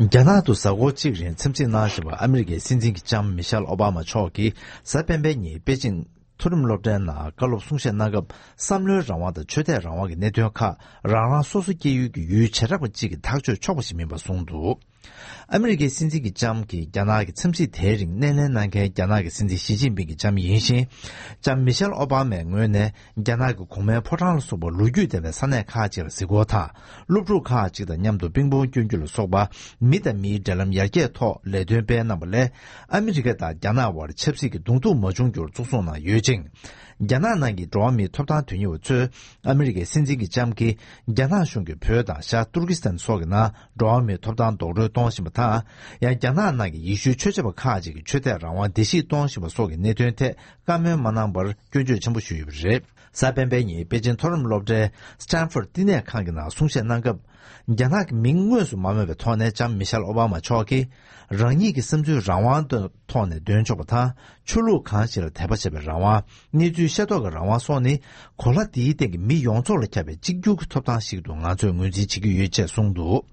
རྒྱ་ནག་ཏུ་གཟའ་འཁོར་གཅིག་རིང་འཚམས་གཟིགས་གནང་བཞིན་པ་ཨ་མི་རི་ཀའི་སྲིད་འཛིན་གྱི་ལྕམ་མི་ཤེལ་ཨོ་བྷ་མ་མཆོག་གིས་གཟའ་སྤེན་པའི་ཉིན་པེ་ཅིང་མཐོ་རིམ་སློབ་གྲྭའི་ནང་བཀའ་སློབ་གསུང་བཤད་གནང་སྐབས། བསམ་བློའི་རང་དབང་དང་ཆོས་དད་རང་དབང་གི་གནད་དོན་ཁག་རང་རང་སོ་སོ་སྐྱེ་ཡུལ་གྱི་ཡུལ་བྱེ་བྲག་པ་གཅིག་གིས་ཐག་གཅོད་ཆོག་པ་ཞིག་མིན་པ་གསུངས་འདུག་ཨ་མི་རི་ཀའི་སྲིད་འཛིན་གྱི་ལྕམ་གྱིས་རྒྱ་ནག་གི་འཚམས་གཟིགས་དེའི་རིང་སྣེ་ལེན་གནང་མཁན་རྒྱ་ནག་གི་སྲིད་འཛིན་ཞི་ཅིན་ཕིང་གི་ལྕམ་ཡིན་ཞིང་། ལྕམ་མི་ཤེལ་ཨོ་བྷ་མའི་ངོས་ནས་རྒྱ་ནག་གི་གོང་མའི་ཕོ་བྲང་ལ་སོགས་པ་ལོ་རྒྱུས་ལྡན་པའི་ས་གནས་ཁག་ཅིག་ལ་གཟིགས་སྐོར་དང་། སློབ་ཕྲུག་ཁག་ཅིག་དང་མཉམ་དུ་པིང་པོང་སྐྱོན་རྒྱུ་ལ་སོགས་པ་མི་དང་མིའི་འབྲེལ་ལམ་ཡར་རྒྱས་ཐོག་ལས་དོན་སྤེལ་གནང་བ་ལས། ཨ་མི་རི་ཀ་དང་རྒྱ་ནག་དབར་ཆབ་སྲིད་ཀྱི་གདོང་ཐུག་མ་བྱུང་རྒྱུར་གཙོ་བཟུང་གནང་ཡོད་ཅིང་། རྒྱ་ནག་ནང་གི་འགྲོ་བ་མིའི་ཐོབ་ཐང་དོན་གཉེར་བ་ཚོས་ཨ་མི་རི་ཀའི་སྲིད་འཛིན་གྱི་ལྕམ་གྱིས་རྒྱ་ནག་གཞུང་གིས་བོད་དང་ཤར་ཏུར་ཀི་སི་ཐན་སོགས་ཀྱི་ནང་འགྲོ་བ་མིའི་ཐོབ་ཐང་རྡོག་རོལ་གཏོང་བཞིན་པ་དང་། ཡང་རྒྱ་ནག་ནང་གི་ཡེ་ཤུའི་ཆོས་བྱེད་པ་ཁག་ཅིག་གི་ཆོས་དད་རང་དབང་བརྡལ་བཤིག་གཏོང་བཞིན་པ་སོགས་ཀྱི་གནད་དོན་ཐད་བཀའ་མོལ་མ་གནང་པར་སྐྱོན་བརྗོད་ཆེན་པོ་ཞུས་ཡོད་པ་རེད། གཟའ་སྤེན་པའི་ཉིན་པེ་ཅིན་མཐོ་རིམ་སློབ་གྲྭའི་སི་ཊན་ཕོར་བསྟི་གནས་ཁང་གི་ནང་གསུང་བཤད་གནང་སྐབས། རྒྱ་ནག་གི་མིང་དངོས་སུ་མ་སྨོས་པའི་ཐོག་ནས་ལྕམ་མི་ཤེལ་ཨོ་བྷ་མ་མཆོག་གིས། རང་ཉིད་ཀྱི་བསམ་ཚུལ་རང་དབང་དུ་ཐོག་ནས་འདོན་ཆོག་པ་དང་། ཆོས་ལུགས་གང་ཞིག་ལ་དད་པ་བྱེད་པའི་རང་དབང་། གནས་ཚུལ་ཤེས་རྟོགས་ཀྱི་རང་དབང་སོགས་ནི། གོ་ལ་འདིའི་སྟེང་གི་མི་ཡོངས་རྫོགས་ལ་ཁྱབ་པའི་གཅིག་གྱུར་གྱི་ཐོབ་ཐང་ཞིག་ཏུ་ང་ཚོས་ངོས་འཛིན་བྱེད་ཀྱི་ཡོད་ཅེས་གསུངས་འདུག་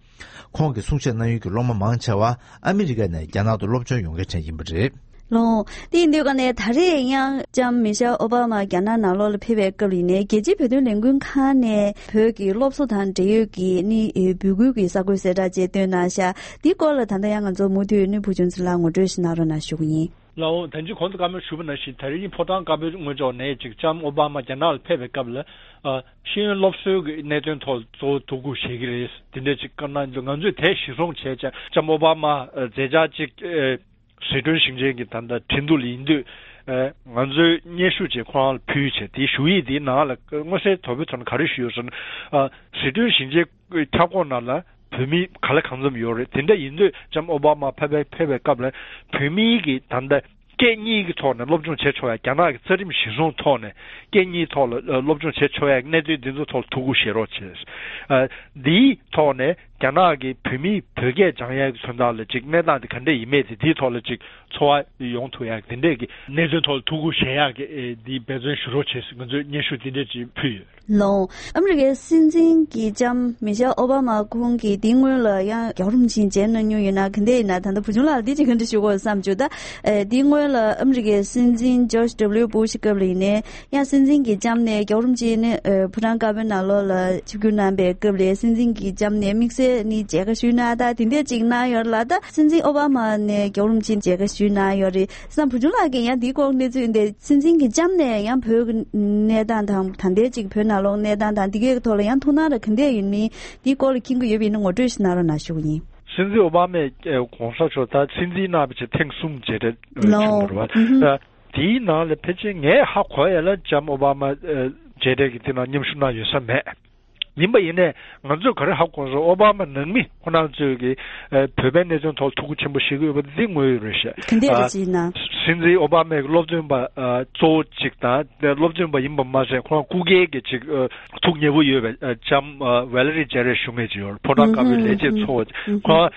ཁོང་གི་གསུང་བཤད་གནང་ཡུལ་གྱི་སློབ་མ་མང་ཆེ་བ་ཨ་མི་རི་ཀ་ནས་རྒྱ་ནག་ཏུ་སློབ་སྦྱོང་ཡོང་མཁན་གྲས་ཡིན་པ་རེད། ལོ། དེ་ཡིན་དུས་ཀ་ནས་ད་རེས་ཡང་ལྕམ་མི་ཤེལ་ཨོ་བྷ་མ་རྒྱ་ནག་ནང་ལོགས་ལ་ཕེབས་པའི་སྐབས་ལ་ཡིན་ནའི་རྒྱལ་སྤྱིའི་བོད་དོན་ལས་འགུལ་ཁང་ནས་བོད་ཀྱི་སློབ་གསོ་དང་འབྲེལ་ཡོད་ཀྱི་ནི་འབོད་སྐུལ་གྱི་གསར་འགོད་གསལ་བསྒྲགས་བཅས་བཏོན་གནང་ཤག་འདིའི་སྐོར་ལ་ད་ལྟ་ཡང་ང་ཚོ་མུ་མཐུད་ནས་བུ་ཆུང་ཚེ་ལགས་ངོ་སྤྲོད་ཞིག་གནང་རོགས་གནང་ཞུ་གི་ཡིན། ལགས་འོང་། ད་ཅི་གོང་དུ་བཀའ་མོལ་ཞུས་པ་ནང་བཞིན་ད་རེས་ནི་ཕོ་བྲང་དཀར་པོའི་ངོས་ཕྱོགས་ནས་ཅིག་ལྕམ་ཨོ་བྷ་མ་རྒྱ་ནག་ལ་ཕེབས་པའི་སྐབས་ལ་ཨ་ཤེས་ཡོན་སློབ་གསོའི་གི་གནད་དོན་ཐོག་གཙོ་བོ་ཐུགས་ཁུར་བཞེས་ཀྱི་རེད། དེ་འདྲ་ཅིག་བཀའ་གནང་འདུག་ང་ཚོས་དེ་གཞིར་བཟུང་བྱས་ཀྱང་ལྕམ་ཨོ་བྷ་མ་ཨ་མཛད་འཆར་ཅིག་ཨ་ཟི་ཁྲོན་ཞིང་ཆེན་གྱི་ད་ལྟ་ཁྲིན་ཏུ་ལ་ཡིན་དུས། ཨ་ང་ཚོས་སྙན་ཞུ་བྱས་ཁོ་རང་ལ་ཕུལ་བྱས། དེའི་ཞུ་ཡིག་དེའི་ནང་ལ་མངོན་གསལ་དོད་པོའི་ཐོག་ནས་ག་རེ་ཞུས་ཡོད་ཟེར་ན། ཨ་ཟི་ཁྲོན་ཞིང་ཆེན་ཁྱབ་ཁོངས་ནང་ལ་བོད་མི་ག་ལ་གང་འཚམ་ཡོད་རེད། དེ་འདྲ་ཡིན་དུས་ལྕམ་ཨོ་བྷ་མ་ཕེབས་པའི་ཕེབས་པའི་སྐབས་ལ་བོད་མིའི་གི་ད་ལྟ་སྐད་གཉིས་ཀྱི་ཐོག་ནས་སློབ་སྦྱོང་བྱེད་ཆོག་ཡ། རྒྱ་ནག་གི་རྩ་ཁྲིམས་གཞིར་བཟུང་ཐོག་ནས་སྐད་གཉིས་ཐོག་ལ་ཨ་སློབ་སྦྱོང་བྱེད་ཆོག་ཡ་གནད་དོན་འདི་ཚོ་ཐོག་ལ་ཐུགས་ཁུར་བཞེས་རོགས་བྱས། ཨ་འདིའི་ཐོག་ནས་རྒྱ་ནག་གི་བོད་མིས་བོད་སྐད་སྦྱང་ཡ་གི་དོན་དག་ལ་ཅིག་གནས་སྟངས་དེ་ག་འདྲ་ཡིན་མིན་དེ་འདིའི་ཐོག་ལ་ཅིག་ཚོར་བ་ཡོང་ཐུབ་ཡ་དེ་འདྲས་ཀྱི་གནད་དོན་ཐོག་ལ་ཐུགས་ཁུར་བཞེས་ཡག་གི་ཨེ་འདི་འབད་བརྩོན་ཞུ་རོགས་བྱེད་ཟེར་ང་ཚོས་སྙན་ཞུ་འདི་འདྲས་ཅིག་ཕུལ་ཡོད། ལོ། ཨ་མི་རི་ཀའི་སྲིད་འཛིན་གྱི་ལྕམ་མི་ཤེལ་ཨོ་བྷ་མ་ཁོང་གིས་འདིའི་སྔོན་ལ་ཡང་རྒྱལ་བ་རིན་པོ་ཆེ་མཇལ་གནང་མྱོང་ཡོད་ན། ག་འདྲས་ཡིན་ན། ད་ལྟ་བུ་ཆུང་ལགས་ལ་འདི་ཅིག་ག་འདྲ་ཞུ་དགོས་བསམ་བྱུང་། ད་ཨེ་འདིའི་སྔོན་ལ་ཨ་མི་རི་ཀའི་སྲིད་འཛིན་ཇོརྗ་ཌབ་ལིའུ་བྷུ་ཤ་སྐབས་ལ་ཡིན་ནའི། ཡང་སྲིད་འཛིན་གྱི་ལྕམ་ནས་རྒྱལ་བ་རིན་པོ་ཆེ་ནི་ཨ་ཕོ་བྲང་དཀར་པོའི་ནང་ལོགས་ལ་ཆིབས་བསྒྱུར་གནང་པའི་སྐབས་ལ་སྲིད་འཛིན་གྱི་ལྕམ་ནས་དམིགས་བསལ་ནི་མཇལ་ཁ་ཞུས་གནང་། ད་དེ་འདྲས་ཅིག་གནང་ཡོད་ལ། ད་སྲིད་འཛིན་ཨོ་བྷ་མ་ནས་རྒྱལ་བ་རིན་པོ་ཆེ་མཇལ་ཁ་ཞུས་གནང་ཡོད་རེད་བསམ། བུ་ཆུང་ལགས་ཀྱིས་ཡང་འདིའི་སྐོར་གནས་ཚུལ་འདི་སྲིད་འཛིན་གྱི་ལྕམ་ནས་ཡང་བོད་ཀྱི་གནས་སྟངས་དང་ད་ལྟའི་ཅིག་བོད་ནང་ལོགས་གནས་སྟངས་དང་འདི་གའི་ཐོག་ལ་ཡང་ཐུགས་སྣང་ར་ག་འདྲས་ཡིན་མིན་འདིའི་སྐོར་ལ་མཁྱེན་གྱི་ཡོད་པ་ཡིན་ན་ངོ་སྤྲོད་ཞིག་གནང་རོགས་གནང་ཞུ་གི་ཡིན། སྲིད་འཛིན་ཨོ་བྷ་མས་ཨེ་གོང་ས་མཆོག་ད་སྲིད་འཛིན་གནང་བའི་ཆེད་ཐེངས་གསུམ་མཇལ་འཕྲད་ཨེ་ལོ། བྱུང་བ་རེད་པ། ཨུ་ཧུ། ད་དེའི་ནང་ལ་ཕལ་ཆེར་ངས་ཧ་གོ་ཡ་ལ་ལྕམ་ཨོ་བྷ་མ་ཨེ་མཇལ་འཕྲད་ཀྱི་དེ་ནང་མཉམ་ཞུགས་གནང་ཡོད་ས་མེད། ཡིན་པ་ཡིན་ནའི་ང་ཚོས་ག་རེ་ཧ་གོ་སོང་། ཨོ་བྷ་མ་ནང་མི་ཁོ་རང་ཚོས་ཀྱི་ཨེ་བོད་པའི་གནད་དོན་ཐོག་ཐུགས་ཁུར་ཆེན་པོ་བཞེས་ཀྱི་ཡོད་པ་འདི་དངོས་ཡོད་རེད་ཤག་ག་འདྲས་རེད་ཅེ་ན། ཨ་སྲིད་འཛིན་ཨོ་བྷ་མའི་སློབ་སྟོན་པ་ཨ་གཙོ་བོ་གཅིག་དང་། སློབ་སྟོན་པ་ཡིན་པ་མ་ཟད་ཁོ་རང་སྐུ་སྒེར་གྱི་ཅིག་ཨ་ཐུགས་མཉེས་པོ་ཡོད་པའི་ཨ་ལྕམ་ཨ་ཝེ་ལེ་རི་ཇེ་རེ་ཞུ་མཁན་ཅིག་ཡོད་རེད། ཕོ་བྲང་དཀར་པོའི་ལས་བྱེད་གཙོ་བོ། ཁོ་རང་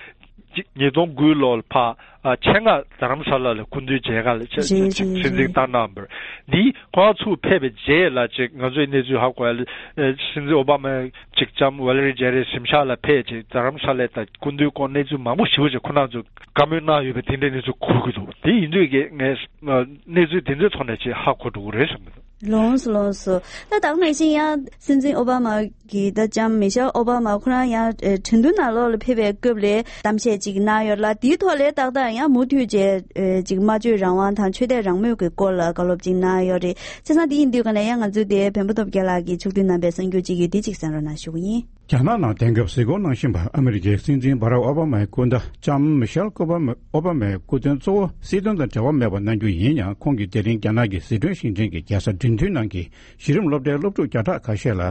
ཅིག་ཉིས་སྟོང་དགུ་ལོ་ལ་ཕར་ཨ་ཆེད་མངགས་རྡ་རམ་ས་ལ་ལ་སྐུ་མདུན་མཇལ་ཁ་ལ་ཆ་རེད། ཆ་རེད། ཆ་རེད། སྲིད་འཛིན་བཏང་གནང་བར། འདིའི་ཁོ་རང་ཚུར་ཕེབས་པའི་རྗེས་ལ་ཅིག་ང་ཚོས་གནས་ཚུལ་ཧ་གོ་ཡ་ལ་ཨ་སྲིད་འཛིན་ཨོ་བྷ་མ་ཅིག་ལྕམ་ཝེ་ལེ་རི་ཇེ་རེ་གཟིམ་ཤག་ལ་ཕེབས་ཅིག་རྡ་རམ་ས་ལའི་ད་སྐུ་མདུན་སྐོར་གནས་ཚུལ་མང་པོ་ཞེ་པོ་ཅིག་ཁོ་རང་ཚོས་བཀའ་མོལ་གནང་ཡོད་པའི་དེ་འདྲའི་གནས་ཚུལ་གོ་གི་འདུག་དེ་ཡིན་དུས་ཀྱི་ངས་ཨ་གནས་ཚུལ་དེ་ཚོའི་ཐོག་ནས་ཅིག་ཧ་གོ་འགྲོ་གི་རེད་བསམ་གྱི་འདུག་ལོངས་སུ་ལོངས་སུ། ད་ད་ག་ནང་བཞིན་ཡང་སྲིད་འཛིན་ཨོ་བྷ་མ་གི་ད་ལྕམ་མི་ཤེལ་ཨོ་བྷ་མ་ཁོ་རང་ཡང་ཨེ་ཁྲིན་ཏུའུ་ནང་ལོགས་ལ་ཕེབས་པའི་སྐབས་ལ་གཏམ་བཤད་ཅིག་གནང་ཡོད་ལ། དེའི་ཐོག་ལ་ཏག་ཏག་ཡང་མུ་མཐུད་བྱས་ཨེ་ཅིག་སྨྲ་བརྗོད་རང་དབང་དང་ཆོས་དད་རང་མོས་ཀྱི་སྐོར་ལ་བཀའ་སློབ་ཅིག་གནང་ཡོད་རེད། བྱས་ཙང་དེ་ཡིན་དུས་ག་ནས་ཡང་ང་ཚོའི་དེ་བོན་པོ་སྟོབས་རྒྱལ་ལགས་ཀྱིས་ཕྱོགས་བསྡུས་གནང་པའི་གསར་འགྱུར་ཅིག་ཡོད། དེ་ཅིག་གསན་རོགས་གནང་ཞུ་གི་ཡིན། རྒྱ་ནག་ནང་དེང་སྐབས་གཟིགས་སྐོར་གནང་བཞིན་པ་ཨ་མི་རི་ཀའི་སྲིད་འཛིན་བྷ་རག་ཨོ་བྷ་མའི་སྐུ་ཟླ་ལྕམ་མི་ཤེལ་ཨོ་བྷ་མ་ཨོ་བྷ་མའི་སྐུ་མདུན་གཙོ་བོ་སྲིད་དོན་དང་འབྲེལ་བ་མེད་པ་གནང་རྒྱུ་ཡིན་ཡང་། ཁོང་གིས་དེ་རིང་རྒྱ་ནག་གི་ཟི་ཁྲོན་ཞིང་ཆེན་གྱི་རྒྱལ་ས་ཁྲིན་ཏུའུ་ནང་གི་གཞི་རིམ་སློབ་གྲྭའི་སློབ་ཕྲུག་བརྒྱ་ཕྲག་ཁ་ཤས་ལ་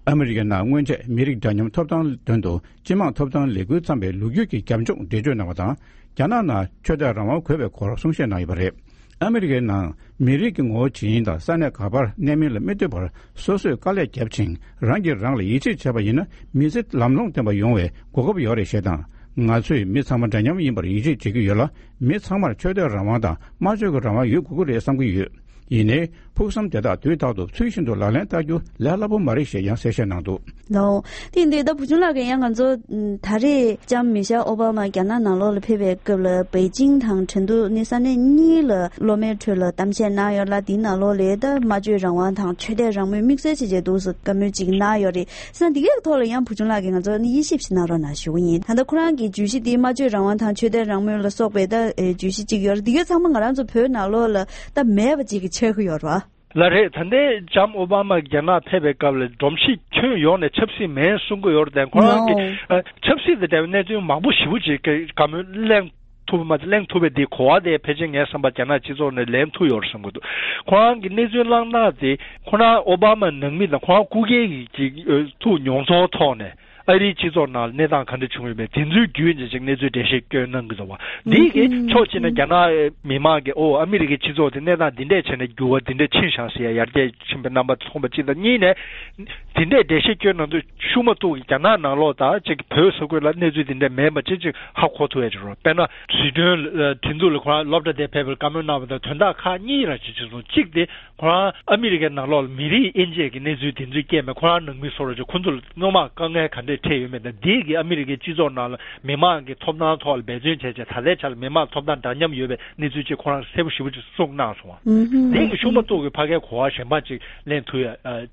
ཨ་མི་རི་ཀའི་ནང་སྔོན་ཆད་མི་རིགས་འདྲ་མཉམ་ཐོབ་ཐང་དོན་དུ་སྤྱི་དམངས་ཐོབ་ཐང་ལས་འགུལ་བརྩམས་པའི་ལོ་རྒྱུས་ཀྱི་རྒྱབ་ལྗོངས་འགྲེལ་བརྗོད་གནང་བ་དང་། རྒྱ་ནག་ནང་ཆོས་དད་རང་དབང་དགོས་པའི་སྐོར་གསུང་བཤད་གནང་ཡོད་པ་རེད། ཨ་མི་རི་ཀའི་ནང་མི་རིགས་ཀྱི་ངོ་བོ་ཇི་ཡིན་དང་ས་གནས་ག་པར་གནས་མིན་ལ་མི་ལྟོས་པར་སོ་སོས་དཀའ་ལས་བརྒྱབ་ཅིང་རང་གིས་རང་ལ་ཡིད་ཆེས་བྱས་པ་ཡིན་ན། མི་ཚེ་ལམ་ལྷོང་ལྡན་པ་ཡོང་བའི་གོ་སྐབས་ཡོད་རེད་ཞེས་དང་། ང་ཚོས་མི་ཚང་མ་འདྲ་མཉམ་ཡིན་པར་ཡིད་ཆེས་བྱེད་ཀྱི་ཡོད་ལ། མི་ཚང་མར་ཆོས་དད་རང་དབང་དང་སྨྲ་བརྗོད་ཀྱི་རང་དབང་ཡོད་དགོས་ཀྱི་རེད་བསམ་གྱི་ཡོད། ཡིན་ནའི་ཕུགས་བསམ་དེ་དག་དུས་རྟག་ཏུ་ཚུལ་བཞིན་དུ་ལག་ལེན་བསྟར་རྒྱུ་ལས་སླ་པོ་མ་རེད་ཞེས་ཡང་གསལ་བཤད་གནང་འདུག། ལགས། དེ་ཡིན་དུས་ད་བུ་ཆུང་ལགས་ཀྱིས་ཡང་ང་ཚོ་ད་རེས་ལྕམ་མི་ཤེལ་ཨོ་བྷ་མ་རྒྱ་ནག་ནང་ལོགས་ལ་ཕེབས་པའི་སྐབས་ལ་པེ་ཅིང་དང་ཁྲིན་ཏུའུ་ནི་ས་གནས་གཉིས་ལ་སློབ་མའི་ཁྲོད་ལ་གཏམ་བཤད་གནང་ཡོད་ལ། དེའི་ནང་ལོགས་ལ་ད་སྨྲ་བརྗོད་རང་དབང་དང་ཆོས་དད་རང་མོས་དམིགས་བསལ་བྱས་བྱས་འདུག་སེ་བཀའ་མོལ་ཅིག་གནང་ཡོད་རེད། བྱས་ཙང་འདི་གའི་ཐོག་ལ་ཡང་བུ་ཆུང་ལགས་ཀྱིས་ང་ཚོ་ནི་དབྱེ་ཞིབ་ཞིག་གནང་རོགས་གནང་ཞུ་གི་ཡིན། ད་ལྟ་ཁོ་རང་གི་བརྗོད་གཞི་འདི་སྨྲ་བརྗོད་རང་དབང་དང་ཆོས་དད་རང་མོས་ལ་སོགས་པའི་ད་ཨེ་བརྗོད་གཞི་ཅིག་ཡོད་རེད། འདི་གའི་ཚང་མ་ང་རང་ཚོ་བོད་ནང་ལོགས་ལ་ད་མེད་པ་ཅིག་གི་ཆགས་ཀྱི་ཡོད་རེད་བ། ལགས་རེད། ད་ལྟའི་ལྕམ་ཨོ་བྷ་མ་རྒྱ་ནག་ཕེབས་པའི་སྐབས་ལ་སྒྲོམ་གཞི་ཁྱོན་ཡོངས་ནས་ཆབ་སྲིད་མིན་གསུང་གི་ཡོད་རེད་དེ། ཁོ་རང་གིས་ཨ་ཆབ་སྲིད་དང་འབྲེལ་བའི་གནད་དོན་མང་པོ་ཞེ་པོ་ཅིག་གི་བཀའ་མོལ་གླེང་ཐུབ་པ་མ་ཚད་གླེང་ཐུབ་པའི་དེ་གོ་བ་དེ་ཕལ་ཆེར་ངའི་བསམ་པར་རྒྱ་ནག་སྤྱི་ཚོགས་ནས་ལེན་ཐུབ་ཡོད་རེད་བསམ་གྱི་འདུག། ཁོ་རང་གི་གནས་ཚུལ་བསླངས་སྟངས་དེ་ཁོ་རང་ཨོ་བྷ་མ་ནང་མི་དང་ཁོ་རང་སྐུ་སྒེར་གྱི་ཅིག་ཨ་ཐུགས་མྱོང་ཚོར་ཐོག་ནས། ཨ་རིའི་སྤྱི་ཚོགས་ནང་གནས་སྟངས་ག་འདྲ་བྱུང་ཡོད་མེད་དེ་ཚོའི་བརྒྱུད་ནས་ཅིག་གནས་ཚུལ་འགྲེལ་བཤད་སྐྱོན་གནང་གི་འདུག་བ། འདིས་ཀྱི་ཕྱོགས་གཅིག་ནས་རྒྱ་ནག་མི་མང་གིས་ཨོ་ཨ་མི་རི་ཀའི་སྤྱི་ཚོགས་དེ་གནས་སྟངས་འདི་འདྲས་བྱས་ནས་འགྱུར་བ་འདི་འདྲས་ཕྱིན་བཞག་ཟེར་ཡ་ཡར་རྒྱས་ཕྱིན་པའི་རྣམ་པ་མཐོང་པ་གཅིག་དང་། གཉིས་ནས་དེ་འདྲས་འགྲེལ་བཤད་སྐྱོན་གནང་དུས་ཤུགས་མ་གཏོགས་ཀྱི་རྒྱ་ནག་ནང་ལོགས་དང་ཅིག་བོད་ས་ཁུལ་ལ་གནས་ཚུལ་དེ་འདྲས་མེད་པ་ཅིག་ཅིག་ཧ་གོ་ཐུབ་ཡ་ཅིག་རེད། དཔེར་ན་ཟི་ཁྲོན་ཁྲིན་ཏུའུ་ལ་ཁོ་རང་སློབ་གྲྭ་དེ་ཕེབས་པར་བཀའ་མོལ་གནང་བ་དང་དོན་དག་ཁག་གཉིས་རང་ཅིག་ཅིག་སོང་། གཅིག་དེ་ཁོ་རང་ཨ་མི་རི་ཀའི་ནང་ལོགས་ལ་མི་རིགས་དབྱེ་འབྱེད་ཀྱི་གནས་ཚུལ་དེ་ཚོའི་རྐྱེན་པས་ཁོ་རང་ནང་མི་ཚོར་ཅིག་ཁོ་ཚོ་ལ་སྣུམ་མ་དཀའ་ངལ་ག་འདྲས་འཕྲད་ཡོད་མེད་དང་། འདིས་ཀྱི་ཨ་མི་རི་ཀའི་སྤྱི་ཚོགས་ནང་ལ་མི་མང་གི་ཐོབ་ཐང་ཐོག་ལ་འབད་བརྩོན་བྱས་བྱས་ད་ལྟའི་ཆ་ལ་མི་མང་ཐོབ་ཐང་འདྲ་མཉམ་ཡོད་པའི་གནས་ཚུལ་ཅིག་ཁོ་རང་གསལ་པོ་ཞེ་པོ་ཅིག་གསུངས་གནང་སོང་བ། འདིས་ཀྱི་ཤུགས་མ་གཏོགས་ཀྱི་ཕ་གའི་གོ་བ་གཞན་པ་ཅིག་ལེན་ཐུབ་ཡ་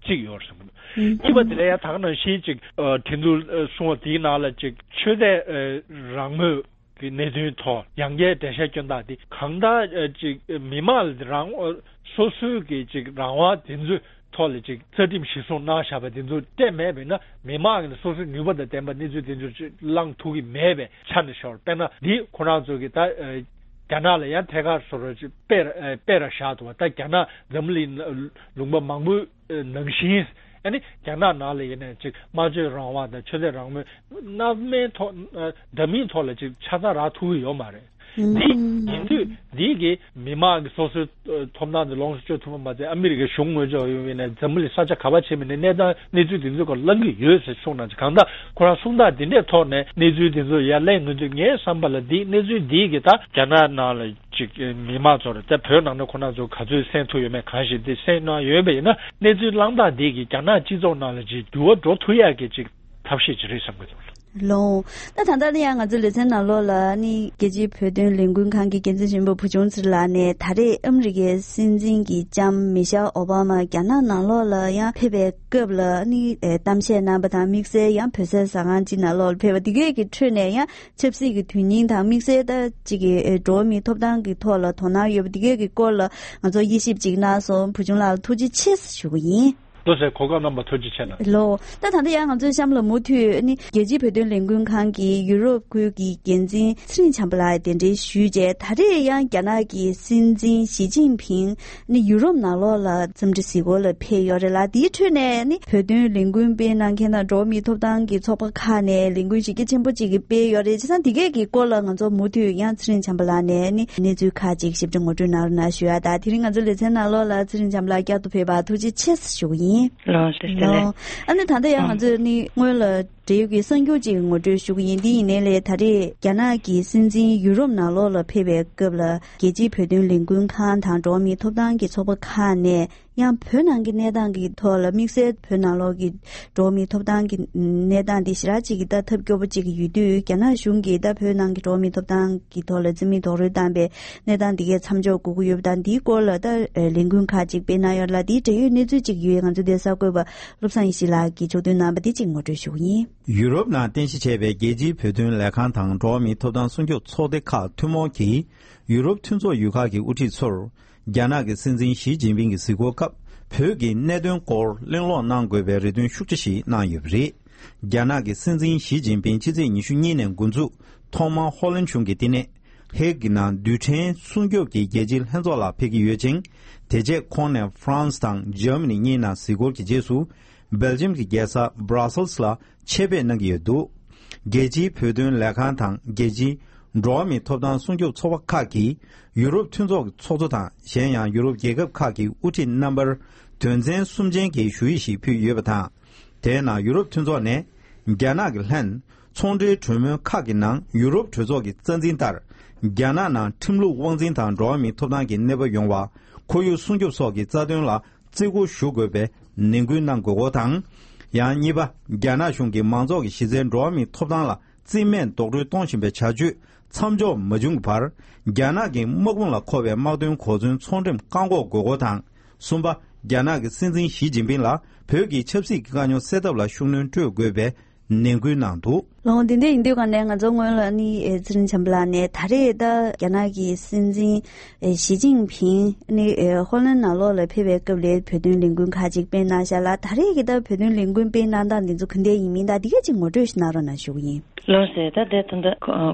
ཅིག་ཡོད་རེད་བསམ་གྱི་འདུག། གཉིས་པ་དེ་ལ་ཡང་ད་ག་ནང་བཞིན་ཅིག་ཁྲིན་ཏུའུ་གསུངས་པ་དེའི་ནང་ལ་ཅིག་ཆོས་དད་རང་མོས་གི་གནད་དོན་ཐོག་ཡང་བསྐྱར་འགྲེལ་བཤད་སྐྱོན་སྟངས་དེ་གང་ལྟར་ཨ་ཅིག་མི་མང་ལ་རང་སོ་སོའི་གི་ཅིག་རང་དབང་དེ་ཚོའི་ཐོག་ལ་ཅིག་རྩ་ཁྲིམས་གཞིར་བཟུང་གནང་བཞག་པ་དེ་ཚོ་སྤྲད་མེད་པས་ན། མི་མང་གི་སོ་སོའི་ནུས་པ་དང་ལྡན་པ་གནས་ཚུལ་དེ་ཚོ་ཅིག་བླང་ཐུབ་ཀྱི་མེད་པའི་ཆ་ནས་ཤོར། དཔེར་ན་འདི་ཁོ་རང་ཚོ་གི་ད་ཨ་རྒྱ་ནག་ལ་ཡང་ཐད་ཀར་བཟོ་འདྲ་ཅིག་སྤེལ་ར་ཨ་སྤེལ་ར་བཞག་འདུག་བ། ད་རྒྱ་ནག་འཛམ་བུ་གླིང་ལུང་པ་མང་པོའི་ནང་བཞིན། ཨ་ནི་རྒྱ་ནག་ནང་ལ་ཡིན་ནའི་ཅིག་སྨྲ་བརྗོད་རང་དབང་དང་ཆོས་དད་རང་མོས་སྣ་མིན་ཐོག་འདྲ་མིན་ཐོག་ལ་ཅིག་ཆ་ཚང་རག་ཐུབ་ཀྱི་ཡོད་མ་རེད། འདི་ཡིན་དུས་འདི་གི་མི་མང་གི་སོ་སོའི་ཐོབ་ཐང་དེ་ལོངས་སུ་སྤྱོད་ཐུབ་པ་མ་ཚད། ཨ་མི་རི་ཀའི་གཞུང་ངོས་ཕྱོགས་ཡོང་བའི་ནས་འཛམ་བུ་གླིང་ས་ཆ་ག་པར་ཕྱིན་པའི་ནས་གནས་སྟངས་གནས་ཚུལ་དེ་ཚོའི་སྐོར་གླེང་གི་ཡོད་ཟེར་གསུངས་གནང་ཅིག། གང་ལྟར་ཁོ་རང་གསུང་སྟངས་འདི་འདྲའི་ཐོག་ནས་གནས་ཚུལ་དེ་ཚོ་ཡར་གླེང་ཡོང་དུས་ངའི་བསམ་པ་ལ་འདི་གནས་ཚུལ་འདི་གི་ད་རྒྱ་ནག་ནང་ལ་ཅིག་མི་མང་ཚོར་ད་བོད་ནང་ནས་ཁོ་རང་ཚོ་ག་ཚོད་གསན་ཐུབ་ཡོད་མེད་གང་ཞིག་འདི་གསན་གནང་ཡོད་པ་ཡིན་ན། གནས་ཚུལ་བསླངས་སྟངས་འདི་གིས་རྒྱ་ནག་སྤྱི་ཚོགས་ནང་ལ་ཅིག་འགྱུར་བ་འགྲོ་ཐུབ་ཡག་གི་ཅིག་ཐབས་ཤེས་ཅིག་རེད་བསམ་གྱི་འདུག། ལོང་། ད་ད་ལྟ་ནི་ཡང་ང་ཚོའི་ལེ་ཚན་ནང་ལོགས་ལ་ནི་རྒྱལ་སྤྱིའི་བོད་དོན་ལས་འགུལ་ཁང་གི་འགན་འཛིན་ཆེན་པོ་བུ་ཆུང་ཚེ་རིང་ལགས་ནས་ད་རེས་ཨ་མི་རི་ཀའི་སྲིད་འཛིན་གྱི་ལྕམ་མི་ཤལ་ཨོ་བྷ་མ་རྒྱ་ནག་ནང་ལོགས་ལ་ཡང་ཕེབས་པའི་སྐབས་ལ་ནི་ཨེ་གཏམ་བཤད་གནང་པ་དང་། དམིགས་བསལ་ཡང་བོད་ཟས་ཟ་ཁང་གཅིག་ནང་ལོགས་ལ་ཕེབས་པ་འདི་གས་ཀྱི་ཁྲོད་ནས་ཡང་ཆབ་སྲིད་ཀྱི་དོན་སྙིང་དང་། དམིགས་བསལ་ད་ཅིག་གི་ཨེ་འགྲོ་བ་མིའི་ཐོབ་ཐང་གི་ཐོག་ལ་དོ་སྣང་ཡོད་པ་འདི་གས་ཀྱི་སྐོར་ལ་ང་ཚོ་དབྱེ་ཞིབ་ཅིག་གནང་སོང་། བུ་ཆུང་ལགས་ལ་ཐུགས་རྗེ་ཆེ་ཞུ་གི་ཡིན། ལོ་ཟེར་གོ་སྐབས་གནང་བ་ཐུགས་རྗེ་ཆེ་གནང་། ལོ། ད་ད་ལྟ་ཡང་ང་ཚོའི་གཤམ་ལ་མུ་མཐུད་ནི་རྒྱལ་སྤྱིའི་བོད་དོན་ལས་འགུལ་ཁང་གི་ཡུ་རོབ་ཁུལ་གྱི་འགན་འཛིན་ཚེ་རིང་བྱམས་པ་ལགས་གདན་འདྲེན་ཞུས་རྗེས། ད་རེས་ཡང་རྒྱ་ནག་གི་སྲིད་འཛིན་ཞི་ཅིན་ཕིང་ནི་ཡུ་རོབ་ནང་ལོགས་ལ་འཚམས་འདྲི་གཟིགས་སྐོར་ལ་ཕེབས་ཡོད་རེད་ལ། དེའི་ཁྲོད་ནས་ནི་བོད་དོན་ལས་འགུལ་སྤེལ་གནང་མཁན་དང་འགྲོ་བ་མིའི་ཐོབ་ཐང་གི་ཚོགས་པ་ཁག་ནས་ལས་འགུལ་གཞི་རྒྱ་ཆེན་པོ་ཅིག་གི་སྤེལ་ཡོད་རེད། བྱས་ཙང་འདི་གས་ཀྱི་སྐོར་ལ་ང་ཚོ་མུ་མཐུད་ཡང་ཚེ་རིང་བྱམས་པ་ལགས་ནས་ནི་གནས་ཚུལ་ཁག་ཅིག་ཞིབ་ཕྲ་ངོ་སྤྲོད་གནང་རོགས་གནང་ཞུ་ཡ། ད་དེ་རིང་ང་ཚོའི་ལེ་ཚན་ནང་ལོགས་ལ་ཚེ་རིང་བྱམས་པ་ལགས་བསྐྱར་དུ་ཕེབས་པར་ཐུགས་རྗེ་ཆེ་ཞུ་གི་ཡིན། ལགས་སོ། ལགས་སོ། ཨ་ནི་ད་ལྟ་ཡང་ང་ཚོས་ནི་སྔོན་ལ་འབྲེལ་ཡོད་ཀྱི་གསར་འགྱུར་ཅིག་ངོ་སྤྲོད་ཞུ་གི་ཡིན། འདི་ཡིན་ནའི་ལས་ད་རེས་རྒྱ་ནག་གི་སྲིད་འཛིན་ཡུ་རོབ་ནང་ལོགས་ལ་ཕེབས་པའི་སྐབས་ལ་རྒྱལ་སྤྱིའི་བོད་དོན་ལས་འགུལ་ཁང་དང་འགྲོ་བ་མིའི་ཐོབ་ཐང་གི་ཚོགས་པ་ཁག་ནས་ ཡང་བོད་ནང་གི་གནས་སྟངས་ཀྱི་ཐོག་ལ་དམིགས་བསལ་བོད་ནང་ལོགས་ཀྱི་འགྲོ་བ་མིའི་ཐོབ་ཐང་གི་གནས་སྟངས་དེ་ཞེ་དྲག་ཅིག་གི་ད་ཐབས་སྐྱོ་པོ་ཅིག་གི་ཡོད་དུས། རྒྱ་ནག་གཞུང་གིས་ད་བོད་ནང་གི་འགྲོ་བ་མིའི་ཐོབ་ཐང་གི་ཐོག་ལ་རྩིས་མེད་རྡོག་རོལ་བཏང་པའི་གནས་སྟངས་དེ་གས་མཚམས་འཇོག་དགོས་ཀྱི་ཡོད་པ་དང་། འདིའི་སྐོར་ལ་ད་ལས་འགུལ་ཁག་ཅིག་སྤེལ་གནང་ཡོད་ལ། དེའི་འབྲེལ་ཡོད་གནས་ཚུལ་ཅིག་ཡོད། ང་ཚོ་དེ་གསར་འགོད་པ་བློ་བཟང་ཡེ་ཤེས་ལགས་ཀྱིས་ཕྱོགས་བསྡུས་གནང་བ་དེ་ཅིག་ངོ་སྤྲོད་ཞུ་གི་ཡིན། ཡུ་རོབ་ནང་རྟེན་གཞི་བྱས་པའི་རྒྱལ་སྤྱིའི་བོད་དོན་ལས་ཁང་དང་འགྲོ་བ་མིའི་ཐོབ་ཐང་སྲུང་སྐྱོབ་ཚོགས་སྡེ་ཁག་ཐུན་མོང་གིས། ཡུ་རོབ་མཐུན་ཚོགས་ཡུལ་ཁག་གི་དབུ་ཁྲིད་ཚོར། རྒྱ་ནག་གི་སྲིད་འཛིན་ཞི་ཅིན་ཕིང་གི་གཟིགས་སྐོར་སྐབས། བོད་ཀྱི་གནད་དོན་སྐོར་གླེང་སློང་གནང་དགོས་པའི་རེ་འདུན་ཤུགས་ཆེ་ཞིག་གནང་ཡོད་པ་རེད། རྒྱ་ནག་གི་སྲིད་འཛིན་ཞི་ཅིན་ཕིང་ཕྱི་ཚེས་ཉི་ཤུ་གཉིས་ནས་འགོ་འཛུགས། ཐོག་མར་ཧོ་ལན་གཞུང་གི་བསྟི་གནས་ཧེག་གི་ནང་རྡུལ་ཕྲན་སྲུང་སྐྱོབ་ཀྱི་རྒྱལ་སྤྱིའི་ལྷན་ཚོགས་ལ་ཕེབས་ཀྱི་ཡོད་ཅིང་། དེ་རྗེས་ཁོང་ནས་ཧྥ་རན་སི་དང་འཇར་མ་ནི་གཉིས་ནང་གཟིགས་སྐོར་གྱི་རྗེས་སུ། སྦེལ་ཇམ་གྱི་རྒྱལ་ས་Brussels་ལ་ཆེད་ཕེབས་གནང་གི་ཡོད་འདུག་རྒྱལ་སྤྱིའི་བོད་དོན་ལས་ཁང་དང་རྒྱལ་སྤྱིའི་འགྲོ་བ་མིའི་ཐོབ་ཐང་སྲུང་སྐྱོབ་ཚོགས་པ་ཁག་གིས། ཡུ་རོབ་མཐུན་ཚོགས་ཀྱི་ཚོགས་གཙོ་དང་། གཞན་ཡང་ཡུ་རོབ་རྒྱལ་ཁབ་ཁག་གི་དབུ་ཁྲིད་རྣམ་པར་དོན་ཚན་གསུམ་ཅན་གྱི་ཞུ་ཡིག་ཞིག་ཕུལ་ཡོད་པ་དང་། དེའི་ནང་ཡུ་རོབ་མཐུན་ཚོགས་ནས། རྒྱ་ནག་གི་ལྷན་ཚོང་འབྲེལ་གྲོས་མོལ་ཁག་གི་ནང་ཡུ་རོབ་གྲོས་ཚོགས་ཀྱི་རྩ་འཛིན་ལྟར། རྒྱ་ནག་ནང་ཁྲིམས་ལུགས་དབང་འཛིན་དང་འགྲོ་བ་མིའི་ཐོབ་ཐང་གི་གནས་བབ་ཡོང་བ། ཁོར་ཡུག་སྲུང་སྐྱོབ་སོགས་ཀྱི་རྩ་དོན་ལ་བརྩི་བཀུར་ཞུ་དགོས་པའི་ནན་སྐུལ་གནང་དགོས་སྐོར་དང་། ཡང་གཉིས་པ། རྒྱ་ནག་གཞུང་གིས་མང་ཚོགས་ཀྱི་གཞི་རྩའི་འགྲོ་བ་མིའི་ཐོབ་ཐང་ལ་རྩིས་མེད་རྡོག་རོལ་གཏོང་བཞིན་པའི་བྱ་སྤྱོད་མཚམས་འཇོག་མ་བྱུང་གི་བར། རྒྱ་ནག་གི་དམག་དཔུང་ལ་མཁོ་བའི་དམག་དོན་གོ་མཚོན་ཚོང་འགྲེམས་བཀག་འགོག་དགོས་སྐོར་དང་། གསུམ་པ། རྒྱ་ནག་གི་སྲིད་འཛིན་ཞི་ཅིན་ཕིང་ལ་བོད་ཀྱི་ཆབ་སྲིད་ཀྱི་དཀའ་རྙོག་སེལ་ཐབས་ལ་ཤུགས་སྣོན་སྤྲོད་དགོས་པའི་ནན་སྐུལ་གནང་འདུག་ལགས། འོ་དེ་འདྲ་ཡིན་དུས་ག་ནས་ང་ཚོ་སྔོན་ལ་ནི་ཨེ་ཚེ་རིང་བྱམས་པ་ལགས་ནས་ད་རེས་ད་རྒྱ་ནག་གི་སྲིད་འཛིན་ཨེ་ཞི་ཅིན་ཕིང་ནི་ཨེ་ཧོ་ལན་ནང་ལོགས་ལ་ཕེབས་པའི་སྐབས་ལ་བོད་དོན་ལས་འགུལ་ཁག་ཅིག་སྤེལ་གནང་བཞག་ལ། ད་རེས་ཀྱི་ད་བོད་དོན་ལས་འགུལ་སྤེལ་གནང་སྟངས་འདི་ཚོ་ག་འདྲ་ཡིན་མིན་དང་འདི་ག་ཅིག་ངོ་སྤྲོད་ཞིག་གནང་རོགས་གནང་ཞུ་གི་ཡིན། ལགས་སོ། ད་དེ་ད་ལྟ་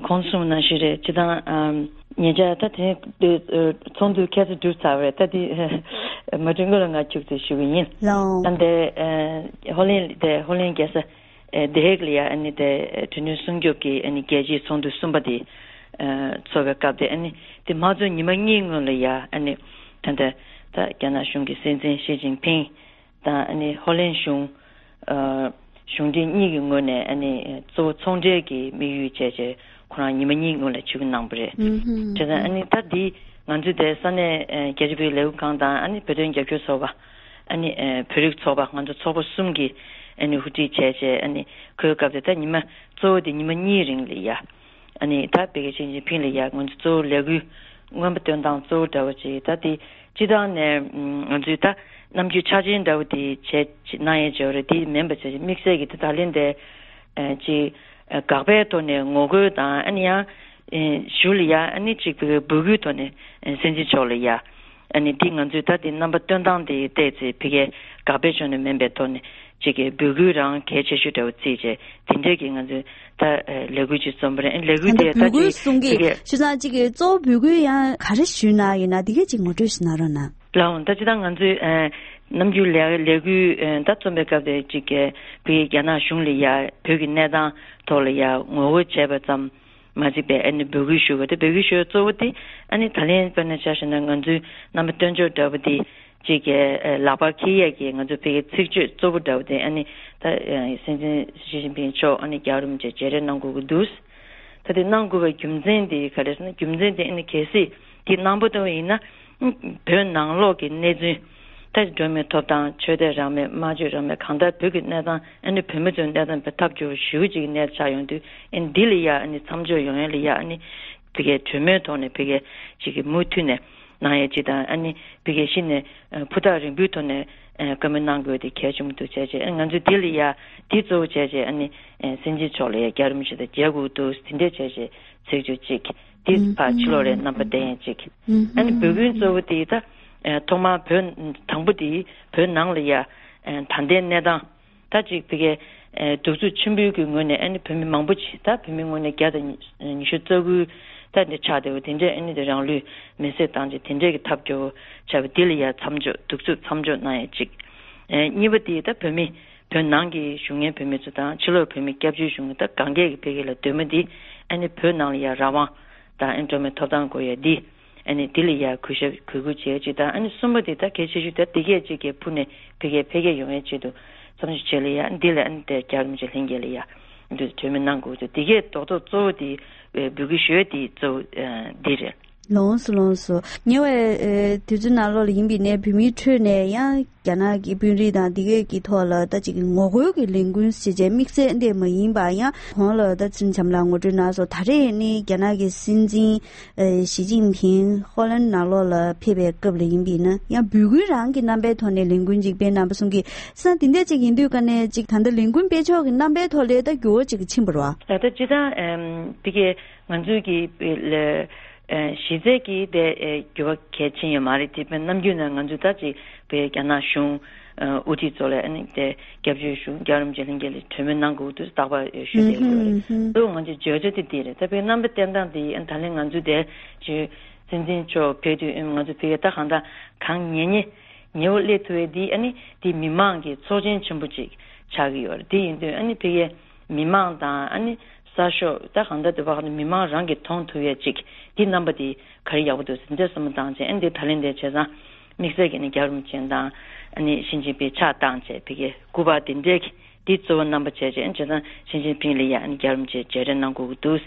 ཁོང་གསུངས་ནང་བཞིན་རེད། སྤྱིར་བཏང་ཉེ་ཆར་ད་དེ་ཚོགས་འདུ་ཁ་སང་གྲུབ་ཚར་བ་རེད། ད་དེ་མ་གྲོན་སྐོར་ལ་ང་ཁྱུག་ཙམ་ཞུ་གི་ཡིན། ལགས། ད་འདི་ཧོ་ལན་དེ་ཧོ་ལན་རྒྱལ་ས་དེ་ཧེག་ལ་ཡ་ཨ་ནི་དེ་གྲོས་མཐུན་སྲུང་སྐྱོབ་ཀྱི་ཨ་ནི་རྒྱལ་སྤྱིའི་ཚོགས་འདུ་གསུམ་པ་དེ་ཚོགས་པའི་སྐབས་དེ་ཨ་ནི་དེ་མ་ཚོགས་ཉི་མ་གཉིས་སྔོན་ལ་ཡ་ཨ་ནི་ད་ལྟ་ད་རྒྱ་ནག་གཞུང་གི་སྲིད་འཛིན་ཞི་ཅིན་ཕིང་དང་ཨ་ནི་ཧོ་ལན་གཞུང་གཞུང་འབྲེལ་གཉིས་ཀྱི་ངོས་ནས་ཨ་ནི་གཙོ་བོ་ཚོང་འབྲེལ་གྱི་དམིགས་ཡུལ་བྱས་བྱས་ཁོ་རང་ཉི་མ་གཉིས་སྔོན་ལ་ཆིབས་བསྒྱུར་གནང་བ་རེད། བྱས་ཙང་ཨ་ནི་ད་འདི་ང་ཚོའི་དེ་ས་གནས་རྒྱ་རིག་པའི་ལས་འགུལ་ཁང་དང་ཨ་ནི་བོད་དོན་རྒྱབ་སྐྱོར་ཚོགས་པ་ཨ་ནི་བོད་རིགས་ཚོགས་པ་ང་ཚོ་ཚོགས་པ་གསུམ་གྱིས་ཨ་ནི་ཧུར་ཁྲིད་བྱས་བྱས་ཨ་ནི་ཁོའི་སྐབས་དེ་ད་ཉི་མ་གཙོ་བོ་དེ་ཉི་མ་གཉིས་རིང་ལ་ཡ། ཨ་ནི་ད་བོད་ཀྱི་ཞི་ཅིན་ཕིང་ལ་ཡ་ང་ཚོ་གཙོ་བོ་ལས་འགུལ་མངོན་པ་སྟོན་སྟངས་གཙོ་བོ་འདྲ་བོ་ཅིག་ད་དེ་སྤྱི་བཏང་ནས་ང་ཚོའི་ད་རྣམ་འགྱུར་ཆགས་ཅན་འདྲ་བོ་དེ་བྱས་གནང་ཡས་བྱས་པ་རེད། དེ་མིན་པ་བྱས་དམིགས་བསལ་གྱི་ད་ད་ལན་དེ་ཅིག་དགག་པའི་ཐོག་ནས་ངོ་རྒོལ་དང་ཨ་ནི་ཡང་ཞུ་ལ་ཡ་ཨ་ནི་ཅིག་བོད་སྐུའི་ཐོག་ནས་སྲིད་འཛིན་མཆོག་ལ་ཡ་ཨ་ནི་དེ་ང་ཚོའི་ད་དེ་རྣམ་པ་སྟོན་སྟངས་དེ་བལྟས་ཚེ་ཕ་གིའི་དགག་པའི་ཕྱོགས་ནས་མིན་པའི་ཐོག་ནས། གཅིག་གི་འབོད་སྐུལ་རང་གལ་ཆེ་ཤོས་འདྲ་བོ་བརྩིས་བྱས་དེ་འདྲས་ཀྱི་ང་ཚོས་ད་ལས་འགུལ་ཅིག་རྩོམ་པ་རེད། ལས་འགུལ་ད་དེ་ལྟ་འབོད་སྐུལ་གཅིག་གསུང་གི་དེ་གས་ཞུ་ཙང་གཅིག་གི་གཙོ་བོ་འབོད་སྐུལ་ཡང་ག་རེ་ཞུས་གནང་ཡོད་ན་དེ་གས་ཅིག་ངོ་སྤྲོད་ཞུ་གནང་རོགས་གནང་། ལགས་འོང་། ད་ཅི་ད་ང་ཚོས་ཨ་ནམ་རྒྱུན་ལས་ལས་འགུལ་ཨ་ད་རྩོམ་པའི་སྐབས་དེ་གཅིག་གི་བོད་ཀྱི་རྒྱ་ནག་གཞུང་ལ་ཡ་བོད་ཀྱི་གནས་སྟངས་ཐོག་ལ་ཡ་ངོ་རྒོལ་བྱས་པ་ཙམ་མ་གཅིག་པའི་ཨ་ནི་འབོད་སྐུལ་ཞུ་བ་དེ་འབོད་སྐུལ་ཞུ་བའི་གཙོ་བོ་དེ་ཨ་ནི་ད་ལན་དཔེར་ན་ཆ་བཞག་ན་ང་ཚོའི་རྣམ་པ་སྟོན་ཕྱོགས་འདྲ་བོ་དེ། གཅིག་གི་ལག་པར་འཁྱེར་ཡས་ཀྱི་ང་ཚོ་བོད་ཀྱི་ཚིག་བརྗོད་གཙོ་བོ་འདྲ་བོ་དེ་ཨ་ནི་ད་སྲིད་འཛིན་ཞི་ཅིན་ཕིང་མཆོག་ཨ་ནི་རྒྱལ་བ་རིན་པོ་ཆེ་མཇལ་འཕྲད་གནང་དགོས་ཀྱི་འདུག་ད་དེ་གནང་དགོས་པའི་རྒྱུ་མཚན་དེ་ག་རེ་ཟེར་ན་རྒྱུ་མཚན་དེ་ཨ་ནི་གལ་སྲིད་དེ་གནང་པ་ལྟ་བུ་ཡིན་ན་བོད་ནང་ལོགས་ཀྱི་གནས་ཚུལ་ད་འགྲོ་མིའི་ཐོབ་ཐང་ཆོས་དད་རང་མོས་སྨྲ་བརྗོད་རང་མོས་གང་ལྟར་བོད་ཀྱི་གནས་སྟངས་ཨ་ནི་བོད་མི་ཚོའི་གནས་སྟངས་ཐབས་སྐྱོ་བོ་ཞེ་པོ་ཅིག་གི་གནས་ཆགས་ཡོང་དུས་ཨ་ནི་འདི་ལ་ཡ་ཨ་ནི་མཚམས་འཇོག་ཡོང་ཡས་ལ་ཡ་ཨ་ནི་བོད་ཀྱི་གྲོས་མོལ་ཐོག་ནས་བོད་ཀྱི་ཅིག་གི་མུ་མཐུད་ནས། གནང་ཡས་ཅིག་དང་ཨ་ནི་བོད་ཀྱི་གཞི་ནས་ཕུ་ཐག་རིང་པོའི་ཐོག་ནས་བཀའ་མོལ་གནང་དགོས་དེ་གལ་ཆེན་པོ་འདུག་བྱས་རྗེས་ང་ཚོས་དེ་ལ་ཡ་དེ་གཙོ་བོ་བྱས་རྗེས་ཨ་ནི་སྲིད་འཛིན་མཆོག་ལ་ཡ་རྒྱལ་བ་རིན་པོ་ཆེ་དང་མཇལ་དགོས་འདུག་དེ་འདྲས་བྱས་རྗེས་ཚིག་བརྗོད་ཅིག་དེ་ཕར་ཕྱི་ལོགས་ལ་རྣམ་པ་བསྟན་ཡས་ཅིག་ཨ་ནི་འབོད་སྐུལ་གཙོ་བོ་དེ་ད་ཐོག་མར་བོད་དང་པོ་དེ་བོད་ནང་ལ་ཡ་ད་ལྟའི་གནས་སྟངས། ད་ཅིག་བོད་ཀྱི་གདུག་རྩུབ་ཆེན་པོའི་གི་ངོས་ནས་ཨ་ནི་བོད་མི་མང་པོ་ཅིག་ད་བོད་མི་ངོས་ནས་བརྒྱ་དང་ཉི་ཤུ་རྩ་དགུ་ད་འདི་ཆགས་བསྡད་པ་དེ་འདྲས་ཨ་ནི་དེ་རང་ལུས་མེར་སྲེག་བཏང་ཅིག་དེ་འདྲས་ཀྱི་ཐབས་སྐྱོ་བོ་ཆགས་པ་འདི་ལ་ཡ་མཚམས་འཇོག་གདུག་རྩུབ་མཚམས་འཇོག་གནང་ཡ་ཅིག་གཉིས་པ་དེ་ད་བོད་མི་བོད་ནང་གི་བཞུགས་མཁན་བོད་མི་ཚོ་དང་ཕྱི་ལོགས་བོད་མི་སྐྱབས་བཅོལ་བཞུགས་མཁན་ད་གང་གས་ཀྱི་བོད་སྐད་ལ་འདོད་མོས་འདི་ཨ་ནི་བོད་ནང་ལ་ཡ་རང་དབང་དང་ཨ་ནི་འགྲོ་བ་མིའི་ཐོབ་ཐང་དགོས་ཡ་འདི། ཨ་ནི་འདི་ལ་ཡ་གུས་ཞབས་གུས་བཀུར་བྱེད་ཡ་ཅིག་དང་ཨ་ནི་གསུམ་པ་དེ་ད་གལ་ཆེ་ཤོས་ད་འདི་གས་ཅིག་གི་ཕུ་ནས་བོད་སྐད་འཕེལ་རྒྱས་ཡོང་ཡ་ཆེད་དུ་བསམ་ཞིབ་བྱེད་ལ་ཡ་འདི་ལ་ཨ་ནི་དེ་རྒྱལ་བ་རིན་པོ་ཆེ་ལྷན་རྒྱས་ལ་ཡ་འདི་གྲོས་མོལ་གནང་དགོས་འདུག་འདི་གས་རྡོག་རྡོག་གཙོ་བོ་དེ་འབོད་སྐུལ་ཞུ་ཡ་དེ་གཙོ་བོ་འདི་རེད། ལོངས་སུ་ལོངས་སུ། ཉེ་བའི་ཨེ་དུས་ཚོད་ནང་ལོགས་ལ་ཡིན་པའི་ནས་བོད་མིའི་ཁྲོད་ནས་ཡང་རྒྱ་ནག་གི་དཔོན་རིགས་དང་འདི་གས་ཀྱི་ཐོག་ལ་ད་ཅིག་ངོ་རྒོལ་གྱི་ལས་འགུལ་ཞེས་བྱས་དམིགས་བསལ་འདི་མ་ཡིན་པ་ཡང་གོང་ལ་ད་ཚུན་ཆམ་ལ་ངོ་སྤྲོད་གནང་སོང་། ད་རེས་ནི་རྒྱ་ནག་གི་སྲིད་འཛིན་ཨེ་ཞི་ཅིན་ཕིང་ཧོ་ལན་ནང་ལོགས་ལ་ཕེབས་པའི་སྐབས་ལ་ཡིན་པས་ན་ཡང་འབོད་སྐུལ་རང་གི་རྣམ་པའི་ཐོག་ནས་ལས་འགུལ་ཅིག་སྤེལ་གནང་པ་གསུང་གི་ས་འདི་འདྲ་ཅིག་ཡིན་དུས་ཀ་ནས་ཅིག་ད་ལྟ་ལས་འགུལ་སྤེལ་ཕྱོགས་ཀྱི་རྣམ་པའི་ཐོག་ལས་ད་འགྱུར་བ་ཅིག་ཕྱིན་པ་རེད་བ། ད་ལྟ་སྤྱིར་བཏང་ཨེམ་ཕ་གིའི་ང་ཚོའི་གི་ལ་ཨེ་གཞི་རྩའི་གི་དེ་ཨེ་འགྱུར་བ་གལ་ཆེན་ཡོད་མ་རེད། དེ་དཔེར་ནམ་རྒྱུན་ནས་ང་ཚོས་ད་ཅིག་དཔེ་རྒྱ་ནག་གཞུང་ཨེ་དབུ་ཁྲིད་ཚོ་ལ་ཨ་ནི་དེ་སྐྱབས་བཅོལ་གཞུང་རྒྱལ་བ་རིན་པོ་ཆེ་ལྷན་རྒྱས་ལ་གྲོས་མོལ་གནང་དགོས་འདུག་རྟག་པར་ཨེ་ཞུ་བསྡད་ཡོད་རེད། ཨུ་ང་ཚོའི་བརྗོད་བྱ་དེ་དེ་རེད། ད་དཔེ་རྣམ་པ་བསྟན་སྟངས་དེ་ཨ་ད་ལན་ང་ཚོས་དེ་ཅིག་སྲིད་འཛིན་མཆོག་ཕེབས་དུས་ཨེ་ང་ཚོ་ཕ་གིར་ད་གང་ལྟར་གང་ཉེ་ཉེ་ཉེ་བོ་སླེབས་ཐུབ་པའི་འདི་ཨ་ནི་འདི་མི་མང་གི་ཚོགས་ཆེན་ཆེན་པོ་ཅིག་ཆགས་ཀྱི་ཡོད་རེད། དེ་ཡིན་དུས་ཨ་ནི་ཕ་གིའི་མི་མང་དང་ཨ་ནི་གསར་ཤོག་ད་གང་ལྟར་དུ་བ་གང་ལྟར་མི་མང་རང་གིས་མཐོང་ཐུབ་ཡས་ཅིག་འདི་རྣམ་པ་འདི་ག་རེ་ཡག་པོ་འདུག་ཟེར་འདི་བསམ་བློ་བཏང་བྱས་ཨ་ནི་འདི་ད་ལན་འདི་བྱས་ཙང་དམིགས་བསལ་གྱི་ནི་རྒྱལ་བ་རིན་པོ་ཆེ་དང་ཨ་ནི་ཞི་ཅིན་ཕིང་ཕྱག་བཏང་བྱས་ཕ་གིའི་སྐུ་པར་འདི་འདྲའི་འདི་གཙོ་བོ་རྣམ་པ་བྱས་བྱས་བྱས་ཙང་ཞི་ཅིན་ཕིང་ལ་ཡ་ཨ་ནི་རྒྱལ་བ་རིན་པོ་ཆེ་མཇལ་འཕྲད་གནང་དགོས་ཀྱི་འདུག་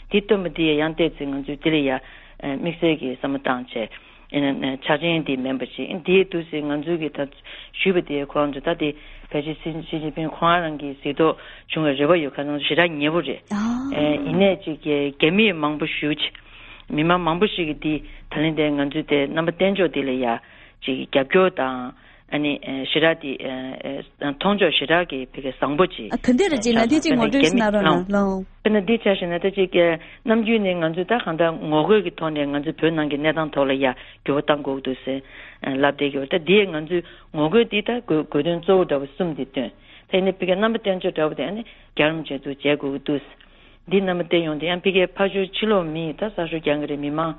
འདི་སྟོན་པ་འདི་ཡ་ཡང་བལྟས་ཚེ་ང་ཚོས་འདི་ལ་ཡ་དམིགས་བསལ་གྱི་བསམ་བློ་བཏང་བྱས་ཆ་རྐྱེན་འདི་མིན་པ་ཞིག་འདིའི་འདུག་སེ་ང་ཚོའི་གི་ད་ཞུས་པ་དེ་ཁོ་རང་ཚོ་ད་དེ་ཕལ་ཆེར་ཞི་ཅིན་ཕིང་ཁོ་རང་གི་གཟིགས་རྟོག་བྱུང་བའི་རེ་བ་ཡོད་ཁ་སང་ཞེ་དྲག་ཉེ་པོ་རེད། ཨ་ཡིན་ནའི་ཅིག་གི་རྒྱ་མི་མང་པོ་ཞིག་ཅིག་མི་མང་མང་པོ་ཞིག་གིས་འདི་ད་ལན་དེ་ང་ཚོའི་དེ་རྣམ་པ་བསྟན་ཕྱོགས་འདི་ལ་ཡ་ཅིག་རྒྱབ་སྐྱོར་དང་། ཨ་ནི་ཨེ་ཞེ་དྲག་དེ་ཨེ་ཨེ་མཐོང་ཕྱོགས་ཞེ་དྲག་གི་ཕ་གི་བཟང་པོ་ཅིག་ཨ་ག་འདྲ་རེད་ཅེ་ན་དེ་ཅིག་ངོ་སྤྲོད་ཞིག་གནང་རོགས་གནང་། དཔེར་ན་འདི་ཆ་བཞག་ན་ད་ཅིག་གི་ནམ་རྒྱུན་ནས་ང་ཚོས་ད་གང་ལྟར་ངོ་རྒོལ་གྱི་ཐོག་ནས་ང་ཚོའི་བོད་ནང་གི་གནས་སྟངས་ཐོག་ལ་ཡ་འགྱུར་བ་གཏང་དགོས་འདུག་ཟེར་ལབ་བསྡད་ཀྱི་ཡོད། ད་འདི་ང་ཚོའི་ངོ་རྒོལ་འདི་ད་དགོས་དགོས་དོན་གཙོ་བོ་འདྲ་བོ་གསུམ་འདི་བཏོན། ད་ཡིན་ནའི་ཕ་གི་རྣམ་པ་བསྟན་ཕྱོགས་འདྲ་བོ་དེ་ཨ་ནི་རྒྱལ་བ་རིན་པོ་ཆེ་ཚོ་མཇལ་དགོས་ཀྱི་འདུག་འདི་རྣམ་པ་བསྟན་ཡོང་དུས་ཡང་ཕ་གིའི་ཕར་ཕྱོགས་ཕྱི་ལོགས་མི་ད་གསར་ཤོག་རྒྱག་གི་རེད། མི་མང་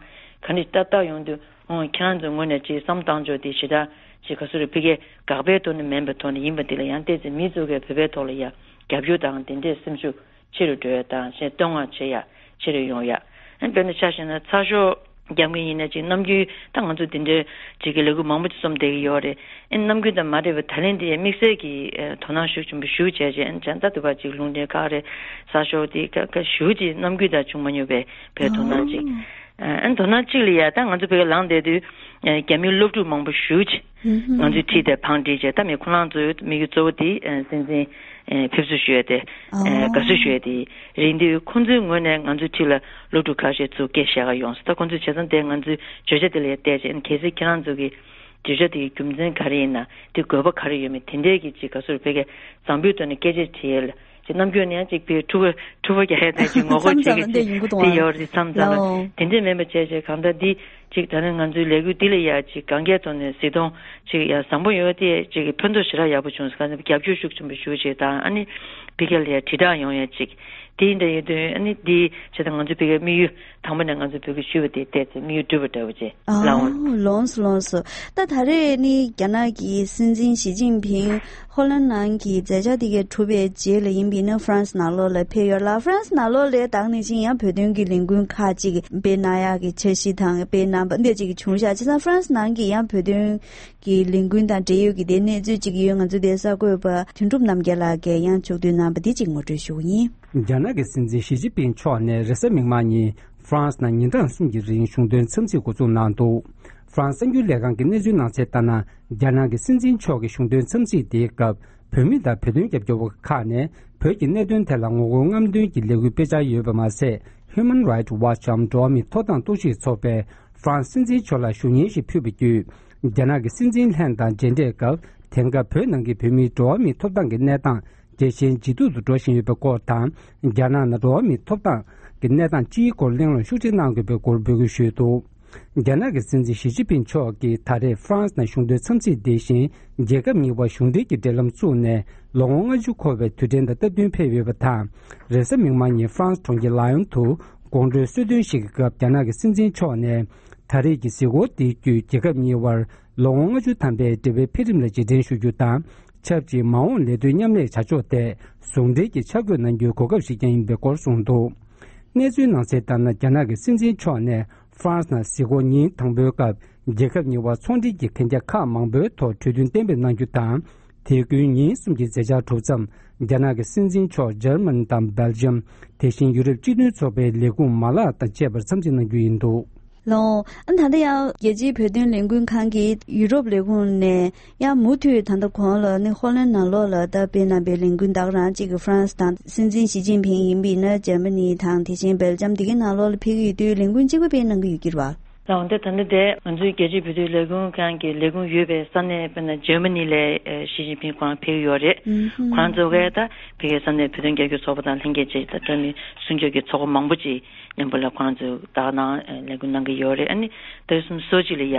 ག་འདྲ་ལྟ་ལྟ་ཡོང་དུས་ཨོ་ཁྱེད་རང་ཚོའི་ངོས་ནས་ཅིག་བསམ་བཏང་ཕྱོགས་དེ་ཞེ་དྲག་ཅིག་ག་ཚོད་རེད། ཕ་གིའི་དགག་པའི་ཐོག་ནས་མིན་པའི་ཐོག་ནས་ཡིན་པ་དེ་ལ་ཡང་བལྟས་ཚེ་མི་ཚོ་གིས་བོད་པའི་ཐོག་ལ་ཡ་རྒྱབ་སྐྱོར་དང་དེ་འདྲའི་སེམས་ཤུགས་ཆེ་རུ་འགྲོ་ཡ་དང་ཞེས་བསྟོད་བསྔགས་བྱེད་ཡ་ཆེ་རུ་ཡོང་ཡ། ཨ་དཔེར་ན་ཆ་བཞག་ན་ཚགས་ཤོག་རྒྱབ་མཁན་ཡིན་ན་ཅིག་ནམ་རྒྱུན་ད་ང་ཚོ་དེ་འདྲའི་ཅིག་གི་ལས་འགུལ་མང་པོ་ཅིག་རྩོམ་བསྡད་ཀྱི་ཡོད་རེད། ཨེ་ནམ་རྒྱུན་དང་མ་འདྲ་བའི་ད་ལན་དེ་དམིགས་བསལ་གྱི་ཨེ་དོ་སྣང་ཤུགས་ཆེན་པོ་ཞུ་བྱས་རྗེས་ཨེ་བྱས་ད་དུ་བ་ཅིག་ལུང་འདྲེན་ཁག་རེད། གསར་ཤོག་དེ་ཁ་ཁ་ཞུ་ཅིག་ནམ་རྒྱུན་དང་བྱུང་མ་མྱོང་བའི་བོད་དོ་སྣང་ཅིག་ཨེ་དོ་སྣང་གཅིག་ལ་ཡ་ད་ང་ཚོ་བོད་ལ་ལངས་བསྡད་དུས་ཨེ་རྒྱ་མིའི་སློབ་ཕྲུག་མང་པོ་ཞུ་ཅིག་ང་ཚོའི་ཁྲིད་དེ་བང་བསྒྲིགས་བྱས་ད་མི་ཁོ་རང་ཚོའི་དམིགས་ཡུལ་གཙོ་བོ་དེ་ཨེ་སྲིད་འཛིན་ཨེ་ཕེབས་བསུ་ཞུ་ཡ་དེ་ཨེ་དགའ་བསུ་ཞུ་ཡ་དེ་རེད་འདུག་ཁོང་ཚོའི་ངོས་ནས་ང་ཚོའི་ཁྲིད་ལ་སློབ་ཕྲུག་ཁ་ཤས་ཚུར་སྐད་བཤད་ག་ཡོང་སོང་། ད་ཁོང་ཚོས་བྱས་ཙང་དེ་ང་ཚོའི་བརྗོད་བྱ་དེ་ལ་ཡ་བལྟས་བྱས་གལ་སྲིད་ཁྱེད་རང་ཚོ་གི་བརྗོད་བྱ་དེ་གི་རྒྱུ་མཚན་ག་རེ་ཡིན་ན་དེ་དགོས་པ་ག་རེ་ཡོད་མེད་དེ་འདྲས་ཀྱི་ཅིག་ག་ཚོད་ཕ་གི་བཟང་པོའི་ཐོག་ནས་སྐད་ཆ་དྲིས་ཡས་ལ་ཅིག་ནམ་རྒྱུན་ནས་ཡང་ཅིག་ཕའི་ཕྲུ་གུ་ཕྲུ་གུ་རྒྱག་ཡས་དང་ཅིག་ངོ་རྒོལ་བྱེད་མཚམས་མཚམས་འདི་ཡིན་གྱི་འདུག་དེ་ཡོད་རེད། མཚམས་མཚམས་ལའོ། དེ་འདྲས་མིན་པ་བྱས་བྱས་གང་ལྟར་འདི་ཅིག་ད་ནི་ང་ཚོའི་ལས་འགུལ་འདི་ལ་ཡ་ཅིག་གང་གའི་ཐོག་ནས་གཟིགས་མཐོང་ཅིག་ཡ་བཟང་པོ་ཡོད་དེ་ཅིག་ཕན་ཐོགས་ཞེ་དྲག་ཡག་པོ་བྱུང་སོང་། གང་ལྟར་རྒྱབ་སྐྱོར་ཤུགས་ཆེན་པོ་ཞུ་བྱས་དང་ཨ་ནི་ཕ་གི་ལ་ཡ་དྲིལ་བསྒྲགས་ཡོང་ཡ་ཅིག་དེ་འདྲ་ཡོད་དུས་ཨ་ནི་འདི་བྱས་ཙང་ང་ཚོའི་ཕ་གིའི་དམིགས་ཡུལ་དང་པོ་ནས་ང་ཚོའི་བོད་སྐད་ཞུས་པ་དེ་བལྟས་ཚེ་དམིགས་ཡུལ་འགྲུབ་པ་འདྲ་བོ་བྱས་ཨ་ལའོ། ལོངས་སུ་ལོངས་སུ། ད་ད་རེས་ནི་རྒྱ་ནག་གི་སྲིད་འཛིན་ཞི་ཅིན་ཕིང་ཧོ་ལན་ནང་གི་མཛད་འཆར་དེ་གའི་གྲུབ་པའི་རྗེས་ལ་ཡིན་པས་ན་ཧྥ་རན་སི་ནང་ལོགས་ལ་ཕེབས་ཡོད་ལ། ཧྥ་རན་སི་ནང་ལོགས་ལ་ད་ག་ནང་བཞིན་ཡང་བོད་དོན་གྱི་ལས་འགུལ་ཁག་ཅིག་སྤེལ་གནང་ཡག་གི་འཆར་གཞི་དང་སྤེལ་གནང་པ་འདི་ཅིག་བྱུང་ཤག་བྱས་ཙང་ཧྥ་རན་སི་ནང་གི་ཡང་བོད་དོན་གྱི་ལས་འགུལ་དང་འབྲེལ་ཡོད་ཀྱི་དེ་གནས་ཚུལ་ཅིག་ཡོད། ང་ཚོ་དེ་གསར་འགོད་པ་དོན་གྲུབ་རྣམ་རྒྱལ་ལགས་ཀྱིས་ཡང་ཕྱོགས་བསྡུས་གནང་པ་འདི་ཅིག་ངོ་སྤྲོད་ཞུ་གི་ཡིན། རྒྱ་ནག་གི་སྲིད་འཛིན་ཞི་ཅིན་ཕིང་མཆོག་ནས་རེས་གཟའ་མིག་དམར་ཉིན་ཧྥ་རན་སི་ནང་ཉིན་གྲངས་གསུམ་གྱི་རིང་གཞུང་དོན་འཚམས་གཟིགས་འགོ་འཛུགས་གནང་འདུག་ཧྥ་རན་སི་གསར་འགྱུར་ལས་ཁང་གི་གནས་ཚུལ་ནང་གསལ་ལྟར་ན། རྒྱ་ནག་གི་སྲིད་འཛིན་མཆོག་གི་གཞུང་དོན་འཚམས་གཟིགས་དེའི་སྐབས་བོད་མི་དང་བོད་དོན་རྒྱབ་སྐྱོར་བ་ཁག་ནས་བོད་ཀྱི་གནད་དོན་ཐད་ལ་ངོ་རྒོལ་རྔམ་སྟོན་གྱི་ལས་འགུལ་སྤེལ་འཆར་ཡོད་པ་མ་ཟད། Human Rights Watch འམ་འགྲོ་བ་མིའི་ཐོབ་ཐང་གཏོར་བཤིག་ཚོགས་པས་ཧྥ་རན་སི་སྲིད་འཛིན་མཆོག་ལ་ཞུ་སྙན་ཞིག་ཕུལ་བ་བརྒྱུད། རྒྱ་ནག་གི་སྲིད་འཛིན་ལྷན་དང་མཇལ་འཕྲད་སྐབས་དེང་སྐབས་བོད་ནང་གི་བོད་མིའི་འགྲོ་བ་མིའི་ཐོབ་ཐང་གི་གནས་སྟངས་རྒྱས་ཤིང་ཇེ་སྡུག་ཏུ་འགྲོ་བཞིན་ཡོད་པའི་སྐོར་དང་། རྒྱ་ནག་ནང་འགྲོ་བ་མིའི་ཐོབ་ཐང་གི་གནས་སྟངས་སྤྱིའི་སྐོར་གླེང་སློང་ཤུགས་ཆེ་གནང་དགོས་པའི་སྐོར་འབོད་སྐུལ་ཞུས་འདུག་རྒྱ་ནག་གི་སྲིད་འཛིན་ཞི་ཅིན་ཕིང་མཆོག་གིས་ད་རེས་ཧྥ་རན་སི་ནང་གཞུང་དོན་འཚམས་གཟིགས་འདི་བཞིན་རྒྱལ་ཁབ་གཉིས་དབར་གཞུང་འབྲེལ་གྱི་འབྲེལ་ལམ་བཙུགས་ནས་ལོ་ངོ་ལྔ་བཅུ་འཁོར་བའི་དུས་དྲན་དང་སྟབས་བསྟུན་ཕེབས་ཡོད་པ་དང་། རེས་གཟའ་མིག་དམར་ཉིན་ཧྥ་རན་སི་གྲོང་ཁྱེར་ལ་ཡོན་དུ་དགོང་དྲོའི་གསོལ་སྟོན་ཞིག་གི་སྐབས་རྒྱ་ནག་གི་སྲིད་འཛིན་མཆོག་ནས་ད་རེས་ཀྱི་གཟིགས་སྐོར་དེ་བརྒྱུད་རྒྱལ་ཁབ་གཉིས་དབར་ལོ་ངོ་ལྔ་བཅུ་ཐམ་པའི་འབྲེལ་བའི་འཕེལ་རིམ་ལ་རྗེས་དྲན་ཞུ་རྒྱུ་དང་། ཆབས་ཅིག་མ་འོངས་ལས་དོན་མཉམ་ལས་བྱ་ཕྱོགས་ཐད་ཟུང་འབྲེལ་གྱི་འཆར་འགོད་གནང་རྒྱུའི་གོ་སྐབས་ཤིག་ཀྱང་ཡིན་པའི་སྐོར་གསུངས་འདུག་གནས་ཚུལ་ནང་གསལ་ལྟར་ན། རྒྱ་ནག་གི་སྲིད་འཛིན་མཆོག་ནས་ཧྥ་རན་སི་ནང་གཟིགས་སྐོར་ཉིན་དང་པོའི་སྐབས་རྒྱལ་ཁབ་གཉིས་དབར་ཚོང་འབྲེལ་གྱི་གན་རྒྱ་ཁག་མང་པོའི་ཐོག་གྲོས་མཐུན་གཏན་འབེབས་གནང་རྒྱུ་དང་། དེ་ཀུན་ཉིན་གསུམ་གྱི་མཛད་འཆར་གྲུབ་མཚམས། རྒྱ་ནག་གི་སྲིད་འཛིན་མཆོག་འཇར་མ་ནི་དང་སྦེལ་ཇམ། དེ་བཞིན་ཡུ་རོབ་སྤྱི་མཐུན་ཚོགས་པའི་ལས་ཁུངས་མ་ལག་དང་བཅས་པར་འཚམས་གཟིགས་གནང་རྒྱུ་ཡིན་འདུག་ལགས། ཨ་ད་ལྟ་ཡང་རྒྱལ་སྤྱིའི་བོད་དོན་ལས་འགུལ་ཁང་གིས་ཡུ་རོབ་ལས་ཁུངས་ནས་ཡང་མུ་མཐུད་ད་ལྟ་གོང་ལ་ནི་ཧོ་ལན་ནང་ལོགས་ལ་ད་སྤེལ་གནང་པའི་ལས་འགུལ་ད་ག་རང་གཅིག་གི་ཧྥ་རན་སི་དང་སྲིད་འཛིན་ཞི་ཅིན་ཕིང་ཡིན་པ་ཡིན་ན་འཇར་མ་ནི་དང་དེ་བཞིན་སྦེལ་ཇམ་དེ་གའི་ནང་ལོགས་ལ་ཕེབས་ཀྱི་ཡོད་དུས་ལས་འགུལ་གཅིག་པ་སྤེལ་གནང་གི་ཡོད་ཀྱི་རེད་བ། ལགས། འོན་ཏེ་ད་ལྟ་དེ་ང་ཚོའི་རྒྱལ་སྤྱིའི་བོད་དོན་ལས་འགུལ་ཁང་གི་ལས་ཁུངས་ཡོད་པའི་ས་གནས་དཔེར་ན་འཇར་མ་ནི་ལ་ཞི་ཅིན་ཕིང་ཁོ་རང་ཕེབས་ཀྱི་ཡོད་རེད། ཁོ་རང་ཚོ་གས་ད་ཕ་གིའི་ས་གནས་བོད་དོན་རྒྱབ་སྐྱོར་ཚོགས་པ་དང་ལྷན་རྒྱས་བཅས་ད་འགྲོ་བ་མིའི་སྲུང་སྐྱོབ་ཀྱི་ཚོགས་པ་མང་པོ་ཅིག་མཉམ་པོ་ལ་ཁོ་རང་ཚོས་ད་ག་ནང་ལས་འགུལ་གནང་གི་ཡོད་རེད། ཨ་ནི་ད་རེས་སོ་གཅིག་ལ་ཡ་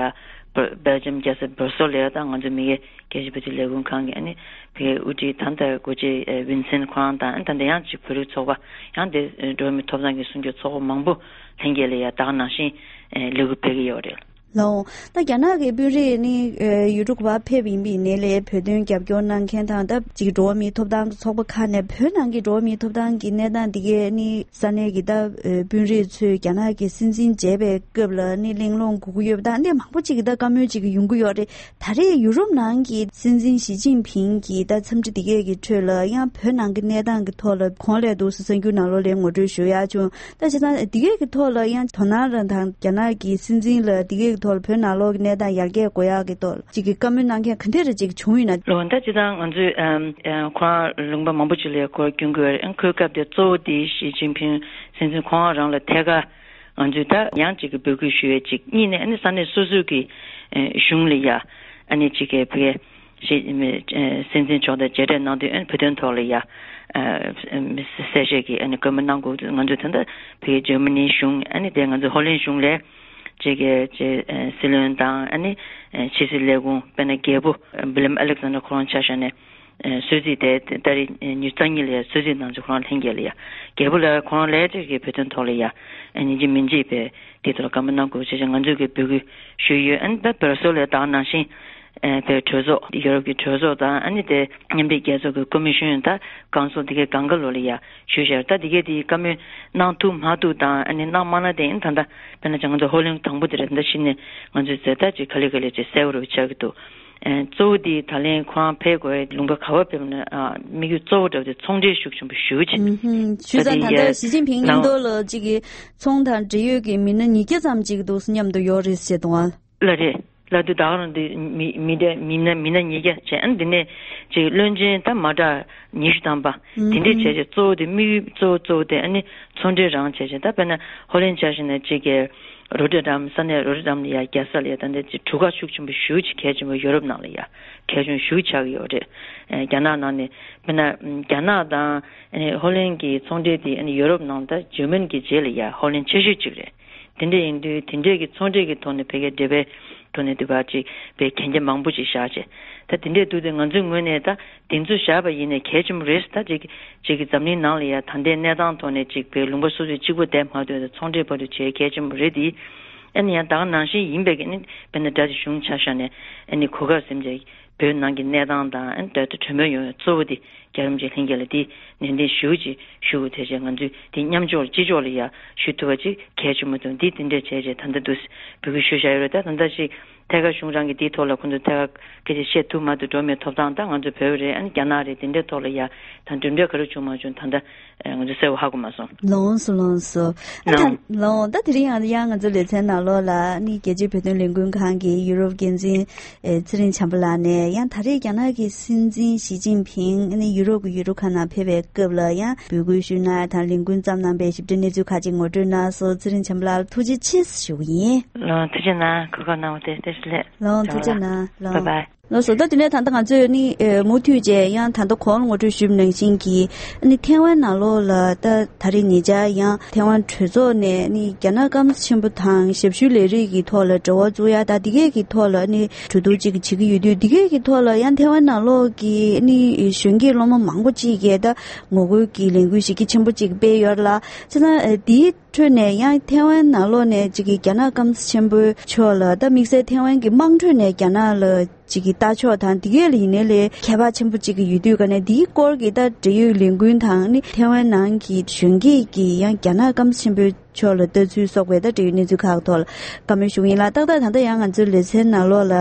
སྦེལ་ཇམ་རྒྱལ་ས་སྦར་སེལ་ལ་ཡ་ད་ང་ཚོ་མི་སྒེར་རྒྱལ་སྤྱིའི་བོད་དོན་ལས་ཁུངས་ཁང་གི་ཨ་ནི་ཕ་གིའི་དབུ་ཁྲིད་ད་ལྟ་འགོ་ཁྲིད་ཝིན་སེན་ཁོ་རང་དང་ཨ་ནི་ད་ལྟ་ཡང་ཅིག་བོད་རིགས་ཚོགས་པ་ཡང་དེ་འགྲོ་བ་མིའི་ཐོབ་ཐང་གི་སྲུང་སྐྱོབ་ཚོགས་པ་མང་པོ་ལྷན་རྒྱས་ལ་ཡ་ད་ག་ནང་བཞིན་ལས་འགུལ་སྤེལ་གི་ཡོད་རེད། ལགས། ད་རྒྱ་ནག་གི་དཔོན་རིགས་ནི་ཡུལ་གྲུ་ག་པར་ཕེབས་ཡིན་པའི་ནས་ལས་བོད་དོན་རྒྱབ་སྐྱོར་གནང་མཁན་དང་ད་ཅིག་འགྲོ་བ་མིའི་ཐོབ་ཐང་གི་ཚོགས་པ་ཁག་ནས་བོད་ནང་གི་འགྲོ་བ་མིའི་ཐོབ་ཐང་གི་གནས་སྟངས་འདི་གའི་ནི་ས་གནས་ཀྱི་ད་དཔོན་རིགས་ཚོས་རྒྱ་ནག་གི་སྲིད་འཛིན་མཇལ་བའི་སྐབས་ལ་ནི་གླེང་སློང་དགོས་ཀྱི་ཡོད་པ་དང་འདི་མང་པོ་ཅིག་གི་ད་བཀའ་མོལ་ཅིག་གི་ཡོང་གི་ཡོད་རེད། ད་རེས་ཡུ་རོབ་ནང་གི་སྲིད་འཛིན་ཞི་ཅིན་ཕིང་གི་ད་འཚམས་འདྲི་འདི་གའི་གི་ཁྲོད་ལ་ཡང་བོད་ནང་གི་གནས་སྟངས་ཀྱི་ཐོག་ལ་གོང་ལས་འདུག་སེ་གསར་འགྱུར་ནང་ལོགས་ལ་ངོ་སྤྲོད་ཞུ་ཡག་བྱུང་། ད་བྱས་ཙང་འདི་གས་ཀྱི་ཐོག་ལ་ཡང་དོ་སྣང་རང་དང་རྒྱ་ནག་གི་སྲིད་འཛིན་ལ་འདི་གས་ཀྱི་ཐོག་ལ་བོད་ནང་ལོགས་ཀྱི་གནས་སྟངས་ཡར་རྒྱས་འགྲོ་ཡག་གི་ཐོག་ལ་ཅིག་གི་བཀའ་མོལ་གནང་མཁན་ག་འདྲ་རེ་ཅིག་བྱུང་ཡོད་ན། ལོ་ད་སྤྱིར་བཏང་ང་ཚོས་ཨམ་ཨམ་ཁོ་རང་ལུང་པ་མང་པོ་ཅིག་ལ་ཁོ་སྐྱོན་གྱི་ཡོད་རེད། ཁོའི་སྐབས་དེ་གཙོ་བོ་དེ་ཞི་ཅིན་ཕིང་སྲིད་འཛིན་ཁོ་རང་རང་ལ་ཐད་ཀར་ང་ཚོས་ད་ཡང་ཅིག་གི་འབོད་སྐུལ་ཞུ་ཡས་ཅིག་གཉིས་ནས་ཨ་ནི་ས་གནས་སོ་སོའི་གི་ཨེ་གཞུང་ལ་ཡ་ཨ་ནི་ཅིག་གི་བོད་སྲིད་འཛིན་མཆོག་དང་མཇལ་འཕྲད་གནང་དུས་ཨ་ནི་བོད་དོན་ཐོག་ལ་ཡ་ཨ་གསལ་བཤད་ཀྱི་ཨ་ནི་བཀའ་མོལ་གནང་དགོས། ང་ཚོས་ད་ལྟ་བོད་འཇར་མ་ནི་གཞུང་ཨ་ནི་དེ་ང་ཚོ་ཧོ་ལན་གཞུང་ལ་ཅིག་གི་ཅིག་ཨེ་སྲིད་བློན་དང་ཨ་ནི་ཨེ་ཕྱི་སྲིད་ལས་ཁུངས་དཔེར་ན་རྒྱལ་པོ་ཨེ་ཝི་ལི་ཡམ་ཨ་ལེག་ཛན་ཌར་ཁོ་རང་ཆ་བཞག་ནས་ཨེ་གསོལ་ཚིགས་དེ་ད་རེས་ཉི་ཤུ་རྩ་གཉིས་ལ་ཡ་གསོལ་ཚིགས་གནང་ཚེ་ཁོ་རང་ལྷན་རྒྱས་ལ་ཡ་རྒྱལ་པོ་ལ་ཁོ་རང་ལས་ཅིག་གི་བོད་དོན་ཐོག་ལ་ཡ་ཨེ་ཉིན་གཅིག་མིན་གཅིག་བས་དེ་ཐོག་ལ་བཀའ་མོལ་གནང་དགོས་ཞེས་ང་ཚོས་ཀྱི་འབོད་སྐུལ་ཞུས་ཡོད། ཨ་ནི་ད་སྦར་སེལ་ལ་ད་ག་ནང་བཞིན་ཨེ་བོད་གྲོས་ཚོགས་ཡུ་རོབ་ཀྱི་གྲོས་ཚོགས་དང་ཨ་ནི་དེ་མཉམ་འབྲེལ་རྒྱལ་ཚོགས་ཀྱི་ཀོ་མི་ཤོན་དང་ཀའུན་སིལ་དེ་གའི་སྒང་ག་ལོགས་ལ་ཡ་ཞུས་བཞག་ད་དེ་གའི་དེ་བཀའ་མོལ་གནང་ཐུབ་མ་ཐུབ་དང་ཨ་ནི་གནང་མ་གནང་དེ་ཨ་ནི་ད་ལྟ་དཔེར་ན་ང་ཚོ་ཧོ་ལན་དང་པོ་དེ་རེད། ད་གཞི་ནས་ང་ཚོས་ཟེར་ད་ཅིག་ག་ལེ་ག་ལེ་ཅིག་གསལ་པོ་རུ་ཆགས་ཀྱི་འདུག་ཨེ་གཙོ་བོ་དེ་ད་ལན་ཁོ་རང་ཕེབས་དགོས་ལུང་པ་ག་པར་ཕེབས་ན་ཨ་དམིགས་ཡུལ་གཙོ་བོ་འདྲ་བོ་དེ་ཚོང་འབྲེལ་ཤུགས་ཆེན་པོ་ཞེ་པོ་ཅིག་ཨུ་ཧུམ། ཞུས་ཙང་ད་ད་ལྟ་ཞི་ཅིན་ཕིང་མཉམ་དུ་ལ་གཅིག་གི་ཚོང་དང་འབྲེལ་ཡོད་ཀྱི་མི་སྣ་ཉིས་བརྒྱ་ཙམ་ཅིག་འདུག་སེ་མཉམ་དུ་ཡོད་རེད་ཟེར་འདུག་ཨ། ལ་རེད། ལ་དུ་ད་ག་རང་དུ་མི་མི་འདྲ་མི་སྣ་མི་སྣ་ཉིས་བརྒྱ་བྱས་ཨ་འདི་ནས་ཅིག་བློན་ཆེན་ད་མ་འདྲ་ཉི་ཤུ་ཐམ་པ་དེ་འདྲས་བྱས་ཅིག་གཙོ་བོ་དེ་དམིགས་ཡུལ་གཙོ་བོ་གཙོ་བོ་དེ་ཨ་ནི་ཚོང་འབྲེལ་རང་བྱས་ཅིག་ད་དཔེར་ན་ཧོ་ལན་ཆ་བཞག་ན་ཅིག་གི་རོ་ཊར་ཌམ་ས་གནས་རོ་ཊར་ཌམ་ལ་ཡ་རྒྱལ་ས་ལ་ཡ་ད་འདི་ཅིག་གྲུ་ཁ་ཤུགས་ཆེན་པོ་ཞེ་པོ་ཅིག་གལ་ཆེན་པོ་ཡོ་རོབ་ནང་ལ་ཡ་གལ་ཆེན་ཞེ་པོ་ཆགས་ཀྱི་ཡོད་རེད། ཨེ་རྒྱ་ནག་ནང་ནས་དཔེར་ན་རྒྱ་ནག་དང་ཨེ་ཧོ་ལན་གྱི་ཚོང་འབྲེལ་དེ་ཨ་ནི་ཡོ་རོབ་ནང་ད་འཇར་མན་གྱི་རྗེས་ལ་ཡ་ཧོ་ལན་ཆེ་ཤོས་གཅིག་རེད། དེ་འདྲ་ཡིན་དུས་དེ་འདྲས་ཀྱི་ཚོང་འབྲེལ་གྱི་ཐོག་ནས་བོད་ཀྱི་འབྲེལ་བའི་ཐོག་ནས་དུས་བར་ཅིག་བོད་གན་རྒྱ་མང་པོ་ཅིག་བཞག་བྱས། ད་དེ་འདྲས་འདུག་དུས་ང་ཚོའི་ངོས་ནས་ད་དེ་ཚོ་བཞག་པ་ཡིན་ནའི་གལ་ཆེན་པོ་རེད། ད་ཅིག་ཅིག་གི་འཛམ་གླིང་ནང་ལ་ཡ་ད་ལྟའི་གནས་སྟངས་ཐོག་ནས་ཅིག་བོད་ལུང་པ་སོ་སོའི་གཅིག་པོ་བསྡད་མ་ཐུབ་ད་ཚོང་འབྲེལ་བར་དུ་བྱེད་གལ་ཆེན་པོ་རེད་དེ། ཨ་ནི་ཡང་ད་ག་ནང་བཞིན་ཡིན་པས་ཀྱི་ཨ་ནི་དཔེར་ན་དགྲ་དེ་གཞུང་ཆ་བཞག་ནས་ཨ་ནི་གོ་སྐབས་ཟིན་བྱས། བོད་ནང་གི་གནས་སྟངས་དང་ཨ་ནི་ད་ལྟ་གྲོས་མོལ་ཡོང་བའི་གཙོ་བོ་དེ་རྒྱ་རིམ་གྱི་ལྷན་རྒྱས་ལ་དེ་ནན་ཏན་ཞུ་ཅིག་ཞུ་དགོས་དེ་བྱས་ང་ཚོས་དེ་མཉམ་འཇོག་ལ་སྤྱི་ཕྱོགས་ལ་ཡ་ཞུ་ཐུབ་པ་ཅིག་གལ་ཆེན་པོ་འདུག་འདི་དེ་འདྲས་བྱས་བྱས་ད་ལྟ་འདུག་འབོད་སྐུལ་ཞུ་བཞག་ཡོད་རེད། ད་ད་ལྟ་ཅིག་ཐད་ཀར་གཞུང་རང་གི་དེའི་ཐོག་ལ་ཁོང་ཚོ་ཐད་ཀར་སྐད་ཆ་བཤད་ཐུབ་མ་ཐུབ་འགྲོ་མེད་ཐོབ་ཐང་ད་ང་ཚོ་བོད་རེད་ཨ་ནི་རྒྱ་ནག་རེད་དེ་འདྲས་ཐོག་ལ་ཡ་ད་གྲུབ་འབྲས་ག་རེ་བྱུང་མ་བྱུང་ད་ལྟ་ང་ཚོ་གསལ་པོ་ཧ་གོ་མ་སོང་། ལོངས་སུ་ལོངས་སུ། ཨ་ད་ལོངས། ལོངས་ད་དེ་རིང་ཡང་ཡང་ང་ཚོ་ལེ་ཚན་ནང་ལོགས་ལ་ནི་རྒྱལ་སྤྱིའི་བོད་དོན་ལས་འགུལ་ཁང་གི་ཡུ་རོབ་འགན་འཛིན་ཨེ་ཚེ་རིང་བྱམས་པ་ལགས་ནས་ཡང་ད་རེས་རྒྱ་ནག་གི་སྲིད་འཛིན་ཞི་ཅིན་ཕིང་ནི་ཡུ་རོབ་ཀྱི་ཡུལ་གྲུ་ཁག་ནང་ཕེབས་པའི་སྐབས་ལ་ཡང་འབོད་སྐུལ་ཞུས་གནང་དང་ལས་འགུལ་བརྩམས་གནང་པའི་ཞིབ་ཕྲའི་གནས་ཚུལ་ཁག་ཅིག་ངོ་སྤྲོད་གནང་སོང་། ཚེ་རིང་བྱམས་པ་ལགས་ལ་ཐུགས་རྗེ་ཆེ་ཞུ་གི་ཡིན། ལོངས་ཐུགས་རྗེ་གནང་གོ་སྐབས་གནང་བ་དེ་བཀྲ་ཤིས་བདེ་ལེགས། ལོངས་ཐུགས་རྗེ་གནང་། ལོངས། བྷའི་བྷའི། ལགས་སོ། ད་དེ་ནས་ད་ལྟ་ང་ཚོས་ནི་ཨེ་མུ་མཐུད་བྱས་ཡང་ད་ལྟ་གོང་ལ་ངོ་སྤྲོད་ཞུས་པ་ནང་བཞིན་གྱི་ནི་ཐེ་ཝན་ནང་ལོགས་ལ་ད་ད་རེས་ཉེ་ཆར་ཡང་ཐེ་ཝན་གྲོས་ཚོགས་ནས་ནི་རྒྱ་ནག་སྐམ་ས་ཆེན་པོ་དང་ཞབས་ཞུའི་ལས་རིགས་ཀྱི་ཐོག་ལ་འབྲེལ་བ་བཙུགས་ཡ་ད་འདི་གས་ཀྱི་ཐོག་ལ་ནི་གྲོས་བསྡུར་ཅིག་བྱེད་ཀྱི་ཡོད་དུས་འདི་གས་ཀྱི་ཐོག་ལ་ཡང་ཐེ་ཝན་ནང་ལོགས་ཀྱི་ནི་གཞོན་སྐྱེས་སློབ་མ་མང་པོ་ཅིག་གིས་ད་ངོ་རྒོལ་གྱི་ལས་འགུལ་ཞེ་གལ་ཆེན་པོ་ཅིག་སྤེལ་ཡོད་ལ་བྱས་ཙང་ཨེ་འདིའི་ཁྲོད་ནས་ཡང་ཐེ་ཝན་ནང་ལོགས་ནས་ཅིག་གི་རྒྱ་ནག་སྐམ་ས་ཆེན་པོའི་ཕྱོགས་ལ་ད་དམིགས་བསལ་ཐེ་ཝན་གྱི་དམངས་ཁྲོད་ནས་རྒྱ་ནག་ལ་ཅིག་གི་ལྟ་ཕྱོགས་དང་འདི་གས་ལ་ཡིན་ནའི་ལས་ཁྱད་པར་ཆེན་པོ་ཅིག་གི་ཡོད་དུས་ག་ནས་འདིའི་སྐོར་གྱི་ད་འབྲེལ་ཡོད་ལས་འགུལ་དང་ནི་ཐེ་ཝན་ནང་གི་གཞོན་སྐྱེས་ཀྱི་ཡང་རྒྱ་ནག་སྐམ་ས་ཆེན་པོའི་ ཕྱོགས་ལ་ལྟ་ཚུལ་སོགས་པའི་ད་འབྲེལ་ཡོད་གནས་ཚུལ་ཁག་ཐོག་ལ་བཀའ་མོལ་ཞུ་གི་ཡིན་ལ། ཏག་ཏག་ད་ལྟ་ཡང་ང་ཚོའི་ལེ་ཚན་ནང་ལོགས་ལ་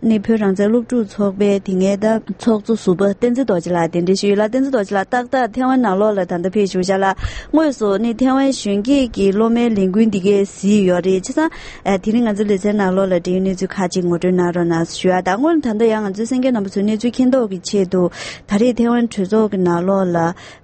ནི་བོད་རང་བཙན་སློབ་ཕྲུག་ཚོགས་པའི་དེ་སྔའི་ད་ཚོགས་གཙོ་ཟུར་པ་བསྟན་འཛིན་རྡོ་རྗེ་ལགས་གདན་འདྲེན་ཞུས་ཡོད་ལ། བསྟན་འཛིན་རྡོ་རྗེ་ལགས་ཏག་ཏག་ཐེ་ཝན་ནང་ལོགས་ལ་ད་ལྟ་ཕེབས་བཞུགས་བཞག་ལ། དངོས་སུ་ནི་ཐེ་ཝན་གཞོན་སྐྱེས་ཀྱི་སློབ་མའི་ལས་འགུལ་འདི་གའི་གཟིགས་ཡོད་རེད། བྱས་ཙང་ཨ་དེ་རིང་ང་ཚོའི་ལེ་ཚན་ནང་ལོགས་ལ་འབྲེལ་ཡོད་གནས་ཚུལ་ཁག་ཅིག་ངོ་སྤྲོད་གནང་རོགས་གནང་ཞུ་ཡ་དང་། སྔོན་ད་ལྟ་ཡང་ང་ཚོའི་གསན་མཁན་རྣམ་པ་ཚོའི་གནས་ཚུལ་མཁྱེན་རྟོགས་ཀྱི་ཆེད་དུ་ད་རེས་ཐེ་ཝན་གྲོས་ཚོགས་ཀྱི་ནང་ལོགས་ལ་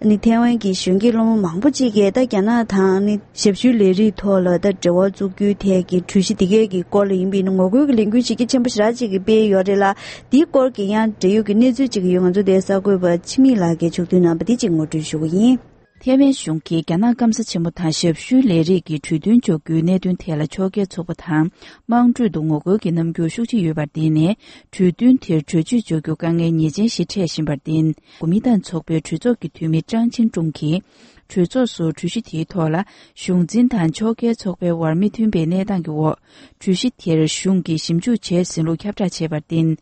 ནི་ཐེ་ཝན་གྱི་གཞོན་སྐྱེས་སློབ་མ་མང་པོ་ཅིག་གིས་ད་རྒྱ་ནག་དང་ནི་ཞབས་ཞུའི་ལས་རིགས་ཐོག་ལ་ད་འབྲེལ་བ་བཙུགས་རྒྱུའི་ཐད་ཀྱི་གྲོས་གཞི་འདི་གའི་གི་སྐོར་ལ་ཡིན་པའི་ནི་ངོ་རྒོལ་གྱི་ལས་འགུལ་ཞིག་གི་ཆེན་པོ་ཞེ་དྲག་ཅིག་གི་སྤེལ་ཡོད་རེད་ལ། དེའི་སྐོར་གྱི་ཡང་འབྲེལ་ཡོད་ཀྱི་གནས་ཚུལ་ཅིག་ཡོད། ང་ཚོ་དེའི་གསར་འགོད་པ་འཆི་མེད་ལགས་ཀྱིས་ཕྱོགས་བསྡུས་གནང་བ་འདི་གཅིག་ངོ་སྤྲོད་ཞུ་གི་ཡིན། ཐེ་ཝན་གཞུང་གིས་རྒྱ་ནག་སྐམ་ས་ཆེན་པོ་དང་ཞབས་ཞུའི་ལས་རིགས་ཀྱི་གྲོས་མཐུན་འཇོག་རྒྱུའི་གནད་དོན་ཐད་ལ་ཕྱོགས་འགལ་ཚོགས་པ་དང་དམངས་ཁྲོད་དུ་ངོ་རྒོལ་གྱི་རྣམ་འགྱུར་ཤུགས་ཆེ་ཡོད་པར་བརྟེན་ནས། གྲོས་མཐུན་དེར་གྲོས་ཆོད་འཇོག་རྒྱུ་དཀའ་ངལ་ངེས་ཅན་ཞིག་འཕྲད་བཞིན་པར་བརྟེན། གོ་མིན་ཏང་ཚོགས་པའི་གྲོས་ཚོགས་ཀྱི་འཐུས་མི་ཀྲང་ཆིན་ཀྲུང་གིས། གྲོས་ཚོགས་སུ་གྲོས་གཞི་དེའི་ཐོག་ལ་གཞུང་འཛིན་དང་ཕྱོགས་འགལ་ཚོགས་པའི་དབར་མི་མཐུན་པའི་གནས་སྟངས་ཀྱི་འོག་གྲོས་གཞི་དེར་གཞུང་གིས་ཞིབ་འཇུག་བྱས་ཟིན་ལུགས་ཁྱབ་བསྒྲགས་བྱས་པར་བརྟེན།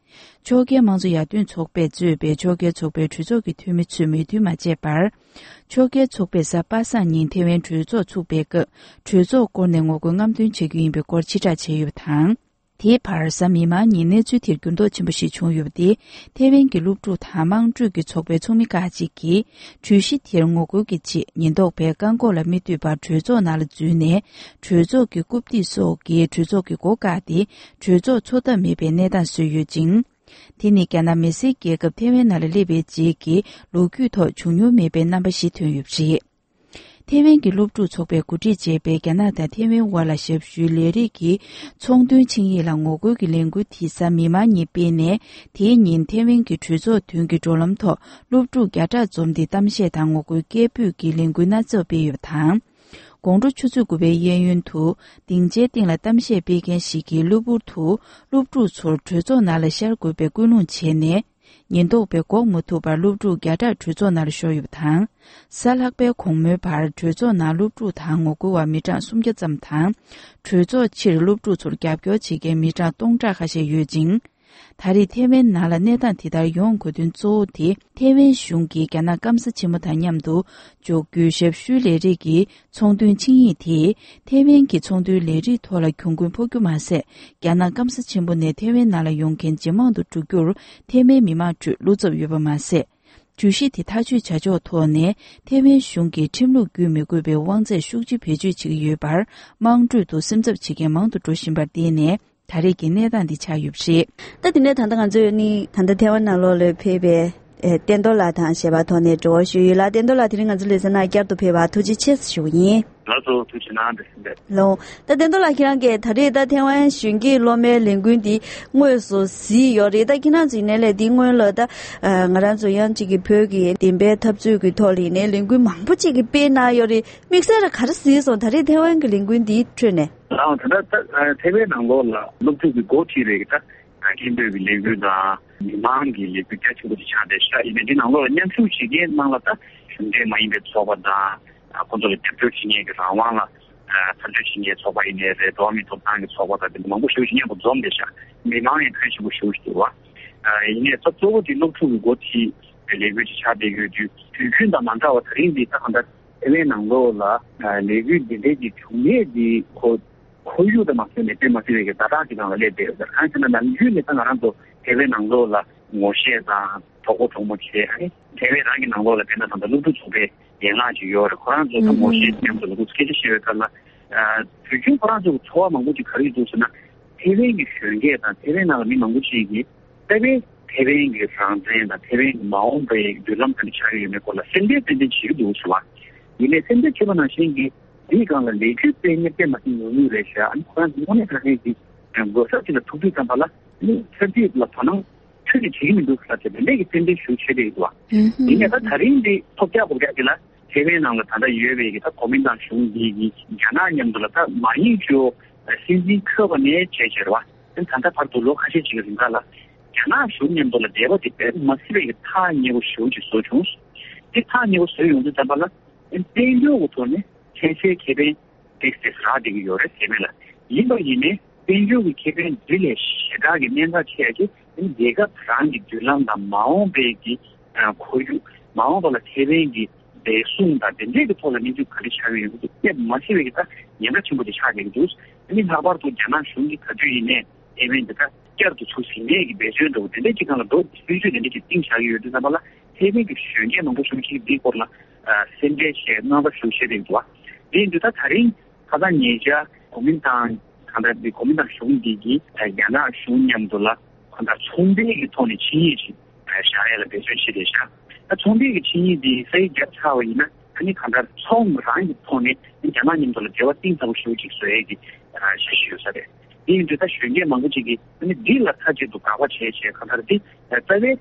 ཕྱོགས་འགལ་དམངས་གཙོ་ཡར་ཐོན་ཚོགས་པས་གཙོས་པའི་ཕྱོགས་འགལ་ཚོགས་པའི་གྲོས་ཚོགས་ཀྱི་འཐུས་མི་ཚོས་མོས་མཐུན་མ་བྱས་པར། ཕྱོགས་འགལ་ཚོགས་པས་གཟའ་པ་སངས་ཉིན་ཐེ་ཝན་གྲོས་ཚོགས་ཚུགས་པའི་སྐབས་གྲོས་ཚོགས་བསྐོར་ནས་ངོ་རྒོལ་རྔམ་སྟོན་བྱེད་རྒྱུ་ཡིན་པའི་སྐོར་ཕྱིར་བསྒྲགས་བྱས་ཡོད་པ་དང་། དེའི་བར་གཟའ་མིག་དམར་ཉིན་གནས་ཚུལ་དེར་འགྱུར་ལྡོག་ཆེན་པོ་ཞིག་བྱུང་ཡོད་པ་སྟེ། ཐེ་ཝན་གྱི་སློབ་ཕྲུག་དང་དམངས་ཁྲོད་ཀྱི་ཚོགས་པའི་ཚོགས་མི་ཁག་ཅིག་གིས་གྲོས་གཞི་དེར་ངོ་རྒོལ་གྱི་ཆེད་ཉེན་རྟོག་པས་རྐང་འཁོར་ལ་མི་འདུས་པར་གྲོས་ཚོགས་ནང་ལ་འཛུལ་ནས། གྲོས་ཚོགས་ཀྱི་རྐུབ་སྟེགས་སོགས་ཀྱིས་གྲོས་ཚོགས་ཀྱི་སྒོ་བཀག་སྟེ། གྲོས་ཚོགས་འཚོགས་ཐབས་མེད་པའི་གནས་སྟངས་བཟོས་ཡོད་ཅིང་། དེ་ནི་རྒྱ་ནག་མི་སེར་རྒྱལ་ཁབ་ཐེ་ཝན་ནང་ལ་སླེབས་པའི་རྗེས་ཀྱི་ལོ་རྒྱུས་ཐོག་བྱུང་མྱོང་མེད་པའི་རྣམ་པ་ཞིག་ཐོན་ཡོད་པ་རེད། ཐེ་ཝན་གྱི་སློབ་ཕྲུག་ཚོགས་པས་གོ་སྒྲིག་བྱས་པའི་རྒྱ་ནག་དང་ཐེ་ཝན་དབར་ལ་ཞབས་ཞུའི་ལས་རིགས་ཀྱི་ཚོང་དོན་ཆིངས་ཡིག་ལ་ངོ་རྒོལ་གྱི་ལས་འགུལ་དེ་གཟའ་མིག་དམར་ཉིན་སྤེལ་ནས། དེའི་ཉིན་ཐེ་ཝན་གྱི་གྲོས་ཚོགས་མདུན་གྱི་འགྲོ་ལམ་ཐོག་སློབ་ཕྲུག་བརྒྱ་ཕྲག་འཛོམས་ཏེ་གཏམ་བཤད་དང་ངོ་རྒོལ་སྐད་འབོད་ཀྱི་ལས་འགུལ་སྣ་ཚོགས་སྤེལ་ཡོད་པ་དང་། དགོང་དྲོ་ཆུ་ཚོད་དགུ་པའི་གཡས་གཡོན་དུ་སྡིངས་ཆའི་སྟེང་ལ་གཏམ་བཤད་སྤེལ་མཁན་ཞིག་གིས་གློ་བུར་དུ་སློབ་ཕྲུག་ཚོར་གྲོས་ཚོགས་ནང་ལ་ཤར་དགོས་པའི་སྐུལ་སློང་བྱས་ནས། ཉེན་རྟོག་པས་འགོག་མ་ཐུབ་པར་སློབ་ཕྲུག་བརྒྱ་ཕྲག་གྲོས་ཚོགས་ནང་ལ་ཤོར་ཡོད་པ་དང་། གཟའ་ལྷག་པའི་དགོང་མོའི་བར་གྲོས་ཚོགས་ནང་སློབ་ཕྲུག་དང་ངོ་རྒོལ་བ་མི་གྲངས་སུམ་བརྒྱ་ཙམ་དང་། གྲོས་ཚོགས་ཕྱིར་སློབ་ཕྲུག་ཚོར་རྒྱབ་སྐྱོར་བྱེད་མཁན་མི་གྲངས་སྟོང་ཕྲག་ཁ་ཤས་ཡོད་ཅིང་། ད་རེས་ཐེ་ཝན་ནང་ལ་གནས་སྟངས་དེ་ལྟར་ཡོང་དགོས་དོན་གཙོ་བོ་དེ། ཐེ་ཝན་གཞུང་གིས་རྒྱ་ནག་སྐམ་ས་ཆེན་མོ་དང་མཉམ་དུ་འཇོག་རྒྱུའི་ཞབས་ཞུའི་ལས་རིགས་ཀྱི་ཚོང་དོན་ཆིངས་ཡིག་དེས། ཐེ་ཝན་གྱི་ཚོང་དོན་ལས་རིགས་ཐོག་ལ་གྱོང་གུན་ཕོག་རྒྱུ་མ་ཟད། རྒྱ་ནག་སྐམ་ས་ཆེན་པོ་ནས་ཐེ་ཝན་ནང་ལ་ཡོང་མཁན་ཇེ་མང་དུ་འགྲོ་རྒྱུར་ཐེ་ཝན་མི་མང་ཁྲོད་བློ་འཚབ་ཡོད་པ་མ་ཟད། གྲོས་གཞི་དེ་ཐག་གཅོད་བྱ་ཕྱོགས་ཐོག་ནས་ཐེ་ཝན་གཞུང་གིས་ཁྲིམས་ལུགས་བརྒྱུད་མི་དགོས་པའི་དབང་ཚད་ཤུགས་ཆེ་བེད་སྤྱོད་བྱེད་ཀྱི་ཡོད་པར། དམངས་ཁྲོད་དུ་སེམས་འཚབ་བྱེད་མཁན་མང་དུ་འགྲོ་བཞིན་པར་བརྟེན་ནས། ད་རེས་ཀྱི་གནས་སྟངས་འདི་ཆགས་ཡོད་པ་རེད། ད་དེ་ནས་ད་ལྟ་ང་ཚོས་ནི་ད་ལྟ་ཐེ་ཝན་ནང་ལོགས་ལ་ཕེབས་པའི་ཨེ་བསྟན་རྡོར་ལགས་དང་ཞལ་པར་ཐོག་ནས་འབྲེལ་བ་ཞུས་ཡོད་ལ། བསྟན་རྡོར་ལགས་དེ་རིང་ང་ཚོའི་ལེ་ཚན་ནང་བསྐྱར་དུ་ཕེབས་པར་ཐུགས་རྗེ་ཆེ་ཞུ་གི་ཡིན། ལགས་སོ། ཐུགས་རྗེ་གནང་། བདེ་སྐྱིད་ལགས། ལོ། ད་བསྟན་རྡོར་ལགས་ཁྱེད་རང་གིས་ད་རེས་ད་ཐེ་ཝན་གཞོན་སྐྱེས་སློབ་མའི་ལས་འགུལ་འདི་དངོས་སུ་གཟིགས་ཡོད་རེད། ད་ཁྱེད་རང་ཚོ་ཡིན་ནའི་ལས་འདི་སྔོན་ལ་ད་ང་རང་ཚོ་ཡང་གཅིག་གི་བོད་ཀྱི་བདེན་པའི་འཐབ་རྩོད་ཀྱི་ཐོག་ལ་ཡིན་ནའི་ལས་འགུལ་མང་པོ་གཅིག་གིས་སྤེལ་གནང་ཡོད་རེད། དམིགས་བསལ་ལ་ག་རེ་གཟིགས་སོང་། ད་རེས་ཐེ་ཝན་གྱི་ལས་འགུལ་འདིའི་ཁྲོད་ནས། ལགས་འོང་། ད་ལྟ་ད་ཐེ་ཝན་ནང་ལོགས་ལ་སློབ་ཕྲུག་གི་འགོ་ཁྲིད་པའི་ད་སྐད་འབོད་ཀྱི་ལས་འགུལ་དང་མི་མང་གི་ལས་འགུལ་རྒྱ་ཆེན་པོ་ཞིག་ཆགས་བསྡད་ཤག་ཡིན་ནའི་འདི་ནང་ལོགས་ལ་མཉམ་ཞུགས་བྱེད་མཁན་ནང་ལ་ད་གཞུང་འབྲེལ་མ་ཡིན་པའི་ཚོགས་པ་དང་། ཁོ་ཚོ་ལ་རྒྱབ་སྐྱོར་བྱེད་མཁན་གྱི་རང་དབང་ལ་འཐབ་རྩོད་བྱེད་མཁན་ཚོགས་པ་ཡིན་ནའི་རེད། འགྲོ་བ་མིའི་ཐོབ་ཐང་གི་ཚོགས་པ་དང་དེ་འདྲ་མང་པོ་ཞེ་པོ་ཞིག་མཉམ་དུ་འཛོམས་བསྡད་ཤག་མི་མང་ཡང་ཕོན་ཆེན་པོ་ཞེ་པོ་ཞིག་འདུག་བ། ཡིན་ནའི་ད་གཙོ་བོ་དེ་སློབ་ཕྲུག་གི་འགོ་ཁྲིད་པའི་ལས་འགུལ་ཅིག་ཆགས་བསྡད་ཡོད་དུས། དུས་རྒྱུན་དང་མ་འདྲ་བར་ད་རིང་འདི་ད་གང་ལྟར་ཐེ་ཝན་ནང་ལོགས་ལ་ལས་འགུལ་འདི་འདྲའི་གི་བྱུང་ཡས་འདི་ཁོ་ཁོར་ཡུག་དང་མ་མཐུན་ནས་དཔེ་མ་སྲིད་པའི་གི་ཛ་དྲག་ཅིག་སྒང་ལ་སླེབས་བསྡད་ཡོད་ཟེར། གང་ཡིན་ཟེར་ན་ནམ་རྒྱུན་ནས་ད་ང་རང་ཚོ་ཐེ་ཝན་ནང་ལོགས་ལ་ངོ་ཤེས་དང་གྲོགས་པོ་གྲོགས་མོ་བྱས། ཨ་ནི་ཐེ་ཝན་རང་གི་ནང་ལོགས་ལ་དཔེར་ན་ད་ལྟ་སློབ་ཕྲུག་ཚོགས་པའི་ཡན་ལག་ཅིག་ཡོད་རེད། ཁོ་རང་ཚོ་ད་ངོ་ཤེས་མཉམ་དུ་ལ་ཁུ་སྐད་ཆ་བཤད་པའི་སྐབས་ལ། དུས་རྒྱུན་ཁོ་རང་ཚོ་གི་ཚོར་བ་མང་པོ་ཅིག་ག་རེ་འདུག་ཟེར་ན། ཐེ་ཝན་གྱི་གཞོན་སྐྱེས་དང་ཐེ་ཝན་ནང་ལ་མི་མང་པོ་ཅིག་གིས་ད་ལྟའི་ཐེ་ཝན་གྱི་རང་བཙན་དང་ཐེ་ཝན་གྱི་མ་འོངས་པའི་མདུན་ལམ་ག་འདྲ་ཆགས་ཀྱི་ཡོད་མེད་སྐོར་ལ་སེམས་ཁྲལ་ཏན་ཏན་བྱེད་ཀྱི་འདུག་ཟེར་བ། ཡིན་ནའི་སེམས་ཁྲལ་བྱེད་པ་ནང་བཞིན་གྱི་འདིའི་སྒང་ལ་ལས་འགུལ་སྤེལ་མཁན་དཔེ་མ་སྲིད་ཉུང་ཉུང་རེད་ཤག་ཨ་ནི་ཁོ་རང་ཚོ་དངོས་གནས་དྲང་གནས་ཀྱི་གོ་སྐབས་ཅིག་ལ་ཐུག་དུས་ཙམ་པ་ལ་ཨ་ནི་ཚན་རྩལ་ལ་དོ་སྣང་ཁྱོན་ནས་བྱེད་ཀྱི་མི་འདུག་ཟེར་ཏེ་དེ་འདྲས་ཀྱི་རྩེད་འགྲན་ཞུ་བྱེད་བསྡད་ཡོད་པ། ཡིན་ནའི་ད་ད་རིང་འདི་ཐོབ་རྒྱག་གོ་རྒྱག་གི་ལ་ཐེ་ཝན་ནང་ལ་ད་ལྟ་ཡོད་པའི་གི་ད་གོ་མིན་ཏང་གཞུང་འདི་གི་རྒྱ་ནག་མཉམ་དུ་ལ་ད་མ་ཡིག་ཅོ་སྲིད་འཛིན་འཁོད་པ་ནས་བྱས་བྱས་རེད་བ། ད་ད་ལྟ་བར་དུ་ལོ་ཁ་ཤས་ཅིག་གི་རིང་ག་ལ་རྒྱ་ནག་གཞུང་མཉམ་དུ་ལ་འབྲེལ་བ་དེ་དཔེ་མ་སྲིད་པའི་གི་ཐག་ཉེ་པོ་ཞེ་པོ་ཅིག་བཟོ་བྱུང་། དེ་ཐག་ཉེ་པོ་བཟོས་ཡོང་དུས་ཙམ་པ་ལ་དཔལ་འབྱོར་གྱི་ཐོག་ནས་ཚན་རྩལ་ཁེ་ཕན་ཏེག་སི་རག་བསྡད་ཀྱི་ཡོད་རེད་ཟེར་མེད་ལ། ཡིན་པ་ཡིན་ནའི་དཔལ་འབྱོར་གྱི་ཁེ་ཕན་འདི་ལས་ཞེ་དྲག་གི་གནད་འགག་ཆེ་ཡ་གི་རྒྱལ་ཁབ་རང་གི་མདུན་ལམ་དང་མ་འོངས་པའི་གི་ཁོར་ཡུག་མ་འོངས་པ་ལ་ཐེ་ཝན་གྱི་ འབད་བཟུང་དང་དེ་འདྲའི་གི་ཐོག་ལ་གནས་ཚུལ་ག་རེ་ཆགས་ཀྱི་ཡོད་མེད་དེ་མ་ཤེས་པའི་གི་ད་ཉེན་ཁ་ཆེན་པོ་དེ་ཆགས་བསྡད་ཀྱི་འདུག་ཨ་ནི་ལྷག་པར་དུ་རྒྱ་ནག་གཞུང་གིས་ག་དུས་ཡིན་ནའི་ཨེ་ཝན་དེ་ད་བསྐྱར་དུ་ཚུར་ཟིན་ནས་ཀྱི་འབད་བརྩོན་འདྲ་བོ་དེ་འདྲའི་ཅིག་སྒང་ལ་འགྲོ་སྲིད་ཇུས་དེ་འདྲའི་ཅིག་བཏིང་བཞག་གི་ཡོད་དུས་ཙམ་པ་ལ་ཐའེ་ཝན་གྱི་གཞོན་སྐྱེས་མང་པོ་ཞིག་ཅིག་འདིའི་སྐོར་ལ་ཨ་སེམས་ཁྲལ་བྱས་དངངས་འཚབ་ཞེ་པོ་བྱེད་བསྡད་འདུག་བ། དེ་ཡིན་དུས་ད་ད་རིང་ཁ་སང་ཉེ་ཆར་གོ་མིན་ཏང་གང་ལྟར་འདི་གོ་མིན་ཏང་གཞུང་འདི་གིས་ཨ་རྒྱ་ནག་གཞུང་མཉམ་དུ་ལ་གང་ལྟར་ཚོང་འབྲེལ་གྱི་ཐོག་ནས་ཆིངས་ཡིག་ཅིག་བཞག་ཡས་ལ་འབད་བརྩོན་བྱེད་བསྡད་ཤག་ད་ཚོང་འབྲེལ་གྱི་ཆིངས་ཡིག་འདི་ས་ཡིག་བརྒྱབ་ཚར་བ་ཡིན་ན་ཨ་ནི་གང་ལྟར་ཚོང་རང་གི་ཐོག་ནས་རྒྱ་ནག་མཉམ་དུ་ལ་འབྲེལ་བ་གཏིང་ཟབ་པོ་ཞེ་པོ་ཅིག་བཟོ་ཡས་ཀྱི་འཆར་གཞི་ཡོད་ས་རེད། དེ་ཡིན་དུས་ད་གཞོན་སྐྱེས་མང་པོ་ཅིག་གིས་ཨ་ནི་འདི་ལ་མཐའ་གཅིག་ཏུ་དགག་པ་བྱས་བྱས་གང་ལྟར་འདི་རྩ་བའི་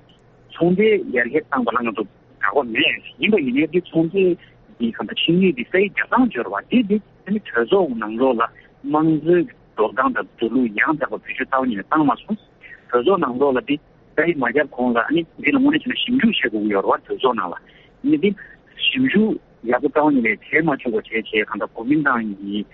ཚོང་འབྲེལ་ཡར་རྒྱས་བཏང་བ་ལ་ང་ཚོ་དགག་པ་མེད། ཡིན་པ་ཡིན་ནའི་འདི་ཚོང་འབྲེལ་འདི་གང་ལྟར་ཆིངས་ཡིག་འདི་ས་ཡིག་བརྒྱབ་སྟངས་སྦྱོར་བ་འདི་འདི་ཨ་ནི་གྲོས་ཚོགས་ནང་ལོགས་ལ་དམངས་གཙོའི་འགྲོ་སྟངས་དང་འགྲོ་ལུགས་ཡང་དག་པ་བེད་སྤྱོད་བཏང་ཉིན་བཏང་མ་སོང་། གྲོས་ཚོགས་ནང་ལོགས་ལ་འདི་ས་ཡིག་མ་བརྒྱབ་གོང་ལ་ཨ་ནི་འདི་ལ་དངོས་གནས་བྱས་ན་ཞིབ་འཇུག་བྱེད་དགོས་ཀྱི་ཡོད་རེད་བ། གྲོས་ཚོགས་ནང་ལ་ཨ་ནི་འདི་ཞིབ་འཇུག་ཡག་པོ་བཏང་ཉིན་ལས་དེ་མ་བྱུང་བ་བྱས་བྱས་གང་ལྟར་གོ་མིན་ཏང་གི་